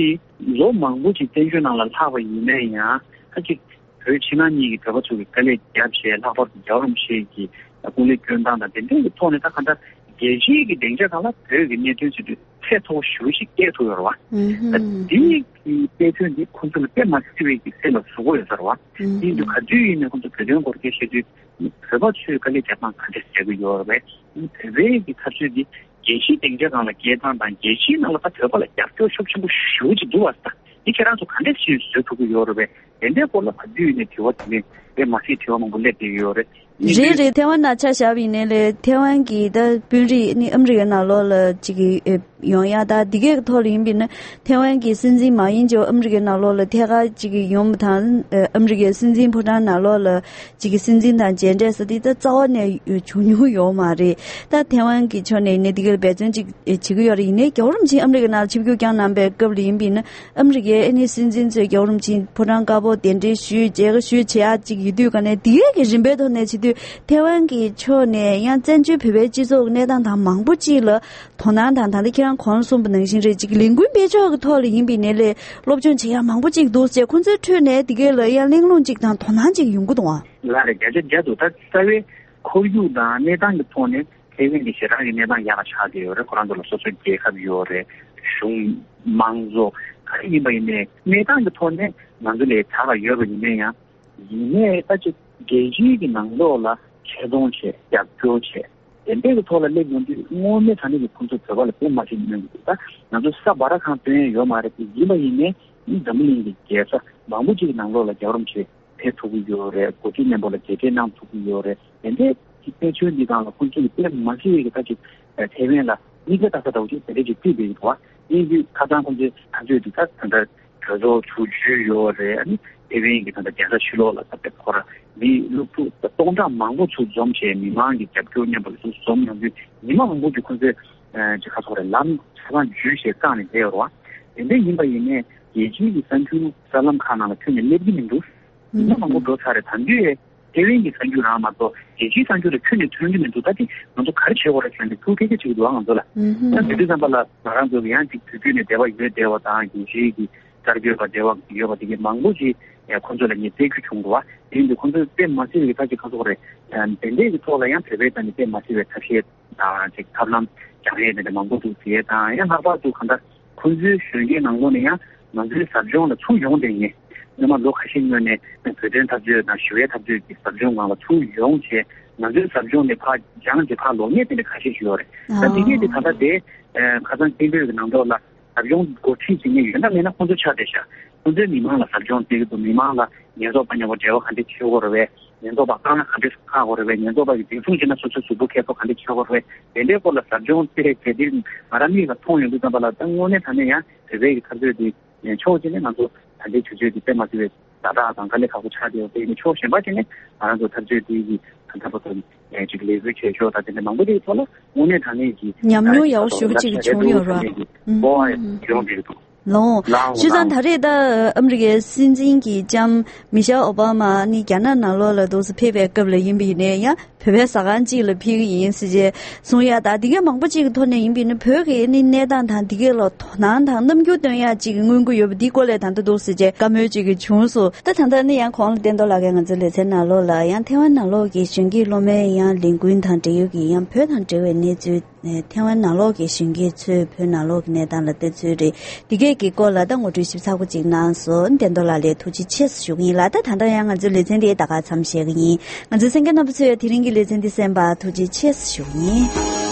ལོ་མང་པོ་ཅིག་བཙན་བྱོལ་ནང་ལ་ལྷག་པ་ཡིན་ནའི་ཡང་། ད་ཅིག་བོད་ཕྱི་ནང་གཉིས་ཀྱི་བོད་པ་ཚོ་གིས་དཀའ་ལས་བརྒྱབ་བྱས། ལྷག་པར་དུ་རྒྱལ་བ་རིན་པོ་ཆེ་གི་སྐུ་ལས་བསྐྱོན་སྟངས་དང་དེ་འདྲའི་གི་ཐོག་ནས། ད་གང་ལྟར་རྒྱལ་སྤྱིའི་གི་སྡིངས་ཆ་སྒང་ལ་བོད་ཀྱི་གནད་དོན་ཟེར་དུས་ཚད་མཐོ་པོ་ཞེ་པོ་ཞིག་བསྐྱལ་ཐུབ་ཡོད་རེད་བ། ཨུ་ད་ཧུམ། འདི་གི་དཔེ་མཚོན་འདི་ཁོང་ཚོ་ལ་དཔེ་མ་སྲིད་པའི་གི་སེམས་ལ་ཟུག་པོ་ཡོད་ས་རེད་བ། ཨུ་ཡིན་དུས་ཧུམ། ག་དུས་ཡིན་ནའི་ཁོང་ཚོ་བོད་དོན་སྐོར་སྐད་བཤད་དུས། བོད་པ་ཚོས་དཀའ་ལས་རྒྱག་སྟངས་ག་འདྲས་བྱེད་ཀྱི་ཡོད་རེད་པས། བོད་པའི་གི་འཐབ་རྩོད་འདི་རྒྱལ་སྤྱིའི་སྡིངས་ཆ་སྒང་ལ་སྐྱེལ་སྟངས་དང་། རྒྱལ་སྤྱིའི་ནང་ལ་ད་བོད་པ་ལ་རྒྱབ་སྐྱོར་ཤུགས་ཆེན་པོ་ཞེ་པོ་ཅིག་འདུག་བ། ད་འདི་ཁྱེད་རང་ཚོ་ག་འདྲས་ཞིག་བཟོ་ཐུབ་ཀྱི་ཡོད་རེད་པས། དེ་འདྲའི་སྐོར་ལ་ག་དུས་ནས་དྲི་བ་དྲིས་ལན་དཔེ་མ་སྲིད་དྲི་བ་མང་པོ་སླེབས་བསྡད་ཀྱི་ཡོད་རེད། ཡིན་རེད་དུས་རེད། ཐེ་ཝན་ནང་ཆ་བཞག་པ་ཡིན་ནའི་ལས། ཐེ་ཝན་གྱི་ད་དཔོན་རིགས་ནི་ཨ་མི་རི་ཀའི་ནང་ལོགས་ལ་ཅིག་གི་ཨེ་ཡོང་ཡ། ད་འདི་གའི་ཐོག་ལ་ཡིན་པ་ཡིན་ན། ཐེ་ཝན་གྱི་སྲིད་འཛིན་མ་ཡིན་ཅོག་ཨ་མི་རི་ཀའི་ནང་ལོགས་ལ་ཐད་ཀར་ཅིག་གི་ཡོང་བ་དང་། ཨ་མི་རི་ཀའི་སྲིད་འཛིན་ཕོ་བྲང་ནང་ལོགས་ལ་ཅིག་གི་སྲིད་འཛིན་དང་མཇལ་འཕྲད་ཟེར་དེ་ད་རྩ་བ་ནས་བྱུང་མྱོང་ཡོད་མ་རེད། ད་ཐེ་ཝན་གྱི་ཕྱོགས་ནས་ནི་འདི་ག་ལ་འབད་བརྩོན་ཅིག་བྱེད་ཀྱི་ཡོད་རེད། ཡིན་ནའི་རྒྱལ་བ་རིན་པོ་ཆེ་ཨ་མི་རི་ཀའི་ནང་ལ་ཆིབས་བསྒྱུར་བསྐྱངས་གནང་པའི་སྐབས་ལ་ཡིན་པ་ཡིན་ན། ཨ་མི་རི་ཀའི་ཨ་ནི་སྲིད་འཛིན་ཚོས་རྒྱལ་བ་རིན་པོ་ཆེ་ཕོ་བྲང་དཀར་པོ་གདན་འདྲེན་ཞུས། མཇལ་ཁ་ཞུས་བྱེད་ཡག་ཅིག་ཡོད་དུས། ག་ནས་འདི་གའི་གི་རིམ་པའི་ཐོག་ནས་བྱེད་དུས། ཐེ་ཝན་གྱི་ཕྱོགས་ནས་ཡང་བཙན་བྱོལ་བོད་པའི་སྤྱི་ཚོགས་ཀྱི་གནས་སྟངས་དང་མང་པོ་ཅིག་ལ་དོ་སྣང་དང་། ད་ལྟ་ཁྱེད་རང་གོང་ལ་གསུངས་པ་ནང་བཞིན་རེད། ཅིག་ལས་འགུལ་སྤེལ་ཕྱོགས་ཀྱི་ཐོག་ལ་ཡིན་པ་ཡིན་ནའི་ལས། སློབ་སྦྱོང་བྱེད་ཡག་མང་པོ་ཅིག་འདུག་ཟེར། ཁོང་ཚོའི་ཁྲོད་ནས་འདི་གའི་ལ་ཡང་གླེང་སློང་ཅིག་དང་དོ་སྣང་ཅིག་ཡོང་གི་འདུག་ཨང་། ལགས་རེད། བརྒྱ་ཆ་བརྒྱ་འདུག་ད་རྩ་བའི་ཁོར་ཡུག་དང་གནས་སྟངས་ཀྱི་ཐོག་ནས་ཐེ་ཝན་གྱི་ཞེ་དྲག་གི་གནས་སྟངས་ཡག་ལ་ཆགས་བསྡད་ཡོད་རེད། ཁོ་རང་ཚོ་ལ་སོ་སོའི་རྒྱལ་ཁབ་ཡོད་རེད། གཞུང་། མང་གཙོ། ག་རེ་ཡིན་པ་ཡིན་ནའི་གནས་སྟངས་ཀྱི་ཐོག་ནས་ང་ཚོ་ལས་དྲག་ལ་ཡོད་པ་ཡིན་ན་ཡང་། ཡིན་ནའི་ད་ཅིག་རྒྱལ་སྤྱིའི་གི་ནང་ལོགས་ལ་ཆེ་མཐོང་བྱས། རྒྱབ་སྐྱོར་བྱས། དེ་འདྲའི་གི་ཐོག་ལ་སླེབས་ཡོང་དུས། དངོས་གནས་དྲང་གནས་ཀྱི་ཁོང་ཚོ་བོད་པ་ལ་དཔེ་མ་སྲིད་གནོད་ཀྱི་འདུག་ད་ང་ཚོ་ས་འབའ་ར་ཁང་སྟོན་ཡ་ཡོད་མ་རེད་དེ། ཡིན་པ་ཡིན་ནའི་འཛམ་བུ་གླིང་གི་རྒྱལ་ས་མང་པོ་ཅིག་གི་ནང་ལོགས་ལ་རྒྱལ་བ་རིན་པོ་ཆེ་ཕེབས་ཐུབ་ཀྱི་ཡོད་རེད། འགོ་ཁྲིད་མཉམ་པོ་ལ་མཇལ་འཕྲད་གནང་ཐུབ་ཀྱི་ཡོད་རེད། དེ་འདྲའི་གི་དཔེ་མཚོན་འདི་སྒང་ལ་ཁོང་ཚོ་གི་དཔེ་མ་སྲིད་པའི་གི་ད་ཅིག་ཐེ་ཝན་ལ་མིག་དཔེ་ལྟ་ས་འདྲ་བོ་ཅིག་དེ་འདྲ་ཅིག་བརྩིས་བསྡད་ཀྱི་འདུག་བ། ཡིན་དུས་ཁ་སང་ཁོང་ཚོའི་ཐག་གཅོད་འདི་ད་ད་ལྟ་གྲོས་ཚོགས་ཚུར་བརྒྱུད་ཡོད་རེད། ཨ་ནི་ཐེ་ཝན་གྱི་ད་ལྟ་རྒྱལ་ས་ཕྱི་ལོགས་ལ་ད་ལྟ་ཁོ་ར་མི་སློབ་ཕྲུག་ད་སྟོང་ཕྲག་མང་པོ་ཚུར་འཛོམས་བྱས། མི་མང་གི་རྒྱབ་སྐྱོར་མཉམ་པོ་ཚུར་འཛོམས་ཡོང་དུས། ཉི་མ་མང་པོ་ཅིག་ཁོང་ཚོས་ཨ་ཅིག་ག་རེ་ཟེར་དགོས་རེད། ལམ་ཆ་ཚང་བརྒྱུད་བྱས་བཀག་ནས་བསྡད་ཡོད་རེད་བ། དེ་འདྲ་ཡིན་པ་ཡིན་ནའི་རྒྱལ་སྤྱིའི་གི་གསར་འགྱུར་གསར་ལམ་ཁག་ནང་ལ་ཁྱོན་ནས་སླེབས་ཀྱི་མི་འདུག་ཉི་མ་མང་པོ་འགྲོ་ཚར་རེད། ད་དུང་ཡང་ཐེ་ཝན་གྱི་གསར་འགྱུར་རང་མ་གཏོགས་རྒྱལ་སྤྱིའི་གསར་འགྱུར་ལ་ཁྱོན་ནས་ཐོན་གྱི་མི་འདུག་ད་དེ་ང་ཚོ་ག་རེ་བྱེད་དགོས་རེད་ཟེར་ནས་ཐུགས་ཁེར་ཁེར་བྱེད་ཀྱི་འདུག་ཨ་ང་ཚོ་ལ། ཨུ་ཧུམ། ད་དེ་དུས་ཙམ་པ་ལ་ང་རང་ཚོ་གི་ཡང་ཅིག་དུས་རྒྱུན་ནས་འབྲེལ་བ་ཡོད་བསྡད་པ་དང་། རྒྱལ་སྤྱིའི་གི་ གསར་འགོད་པ་འབྲེལ་བ་ཡོད་པ་དེ་གའི་མང་པོ་ཞིག་ཁོང་ཚོ་ལ་ངས་བཙལ་རྒྱུ་བྱུང་འདུག་བ། དེ་ཡིན་དུས་ཁོང་ཚོས་དཔེ་མ་སྲིད་པའི་ད་ཅིག་ཁ་སོག་རེད། དེ་འདྲའི་གི་ཐོག་ལ་ཡང་བོད་པའི་ཐད་ནས་དཔེ་མ་སྲིད་པའི་ཐབས་ཤེས་དང་ཅིག་ཐབས་ལམ་སྦྱང་ཡས་དེ་འདྲ་མང་པོ་འདུག་ཟེར་ཡས་དང་། ཡང་ལྷག་པར་དུ་གང་ལྟར་ཁོང་ཚོའི་གཞོན་སྐྱེས་ནང་ལོགས་ནས་ཡང་ང་ཚོའི་ཟབ་སྦྱོང་ལ་ཚུར་ཡོང་བསྡད་མཁན། སྔོན་མ་ལོ་ཁ་ཤས་སྔོན་ནས་བོད་དོན་འཐབ་རྩོད་དང་ཞི་བའི་འཐབ་རྩོད་ཀྱི་ཟབ་སྦྱོང་སྒང་ལ་ཚུར་ཡོང་བྱས། ང་ཚོའི་ཟབ་སྦྱོང་ནས་ཕར་སྦྱངས་བྱས་ཕར་ལོག་མཁན་དེ་འདྲ་ཁ་ཤས་ཤིག་ཡོད་རེད། ད་དེ་གས་དེ་ད་ལྟ་དེ་ཁ་སང་སྐད་འབོད་ཀྱི་ནང་ཐོག་ལ། ཟབ་སྦྱོང་འགོ་ཁྲིད་བྱེད་མཁན་ཡོད་ན་མེད་ན་ཁོང་ཚོ་ཆགས་བསྡད་ཤག་ཁོང་ཚོས་མི་མང་ལ་ཟབ་སྦྱོང་སྤྲད་ཀྱི་འདུག་མི་མང་ལ་ཉེན་རྟོག་པ་མཉམ་པོ་འབྲེལ་བ་ག་འདྲས་བྱེད་དགོས་རེད་པས། ཉེན་རྟོག་པ་བཀག་ན་ག་འདྲས་བཀག་དགོས་རེད་པས། ཉེན་རྟོག་པ་གིས་འཛིན་བཟུང་བྱས་ན་སོ་སོའི་གཟུགས་པོ་འཁྱེར་ཐོག་ག་འདྲས་འཁྱེར་དགོས་རེད་པས། དེ་འདྲའི་སྐོར་ལ་ཟབ་སྦྱོང་སྤྲད་བྱས་དེ་ང་རང་མིག་ལ་མཐོང་ཡོང་དུས་ཙམ་པ་ལ། ད་དངོས་གནས་དྲང་གནས་ཡང་བོད་པའི་གི་འཐབ་རྩོད་དེ་ཕྱོགས་གཅིག་ནས་ང་ཚོ་ད་ལྟའི་དུས་ཚོད་དེ་དཔེ་མ་སྲིད་པའི་ཛ་དྲག་དང་དཀའ་ལས་ཁག་པོ་ཆགས་བསྡད་ཡོད་པ་ཡིན་ན། ཕྱོགས་གཞན་པ་ཅིག་ནས་ང་རང་ཚོ་འཐབ་རྩོད་དེ་གི་ད་ལྟ་བར་དུ་ཅིག་ལས་འགུལ་བྱེད་ཕྱོགས་དང་དེ་འདྲ་མང་པོ་དེའི་ཐོག་ལ་དངོས་གནས་དྲང་གནས་ཀྱི་ཉམས་མྱོང་ཡག་པོ་ཞེ་པོ་ཅིག་བྱུང་ཡོད་རེད་བ། ཨུམ། ཨོ་ཡོང་བསྡད་འདུག་ལོ། ལའོ་བྱས་ཙང་ལའོ་ད་རེས་ད་ཨ་མི་རི་ཀའི་སྲིད་འཛིན་གྱི་ལྕམ་མི་ཤེལ་ཨོ་བྷ་མ་ནི་རྒྱ་ནག་ནང་ལོགས་ལ་འདུག་སེ་ཕེབས་པའི་སྐབས་ལ་ཡིན་པ་ཡིན་ནའི་ཡང་བོད་པའི་ཟ་ཁང་གཅིག་ལ་ཕེབས་ཀྱི་ཡིན་ཟེར་བྱས་གསུང་ཡ། ད་འདི་གའི་མང་པོ་གཅིག་གི་ཐོག་ནས་ཡིན་པ་ཡིན་ན་བོད་ཀྱི་ནི་གནས་སྟངས་དང་འདི་གའི་ལ་དོ་སྣང་དང་རྣམ་འགྱུར་སྟོན་ཡ་གཅིག་གི་མངོན་གྱི་ཡོད་པ་འདིའི་སྐོར་ལ་ད་ལྟ་འདུག་ཟེར་བྱས་བཀའ་མོལ་གཅིག་གི་བྱུང་སོང་། ད་ད་ལྟ་ནི་ཡང་གོང་ལ་བསྟན་རྡོར་ལགས་ཀྱིས་ང་ཚོའི་ལེ་ཚན་ནང་ལོགས་ལ་ཡང་ཐེ་ཝན་ནང་ལོགས་ཀྱི་གཞོན་སྐྱེས་སློབ་མའི་ཡང་ལས་འགུལ་དང་འབྲེལ་ཡོད་ཀྱི་ཡང་བོད་དང་འབྲེལ་བའི་གནས་ཚུལ། ཐེ་ཝན་ནང་ལོགས་ཀྱི་གཞོན་སྐྱེས་ཚོས་བོད་ནང་ལོགས་ཀྱི་གནས་སྟངས་ལ་བལྟ་ཚུལ་རེད། འདི་གས་ཀྱི་སྐོར་ལ་ད་ངོ་སྤྲོད་ཞིབ་ཚགས་པོ་ཅིག་གནང་སོང་། བསྟན་རྡོར་ལགས་ལ་ཐུགས་རྗེ་ཆེ་ཞུ་གི་ཡིན་ལ། ད་ད་ལྟ་ཡང་ང་ཚོའི་ལེ་ཚན་འདི་ད་ག་མཚམས་བཞག་གི་ཡིན། ང་ཚོའི་གསན་མཁན་རྣམ་པ་ཚོས་དེ་རིང་གི་ལེ་ཚན་འདི་གསན་པར་ཐུགས་རྗེ་ཆེ་ཞུ་གི་ཡིན།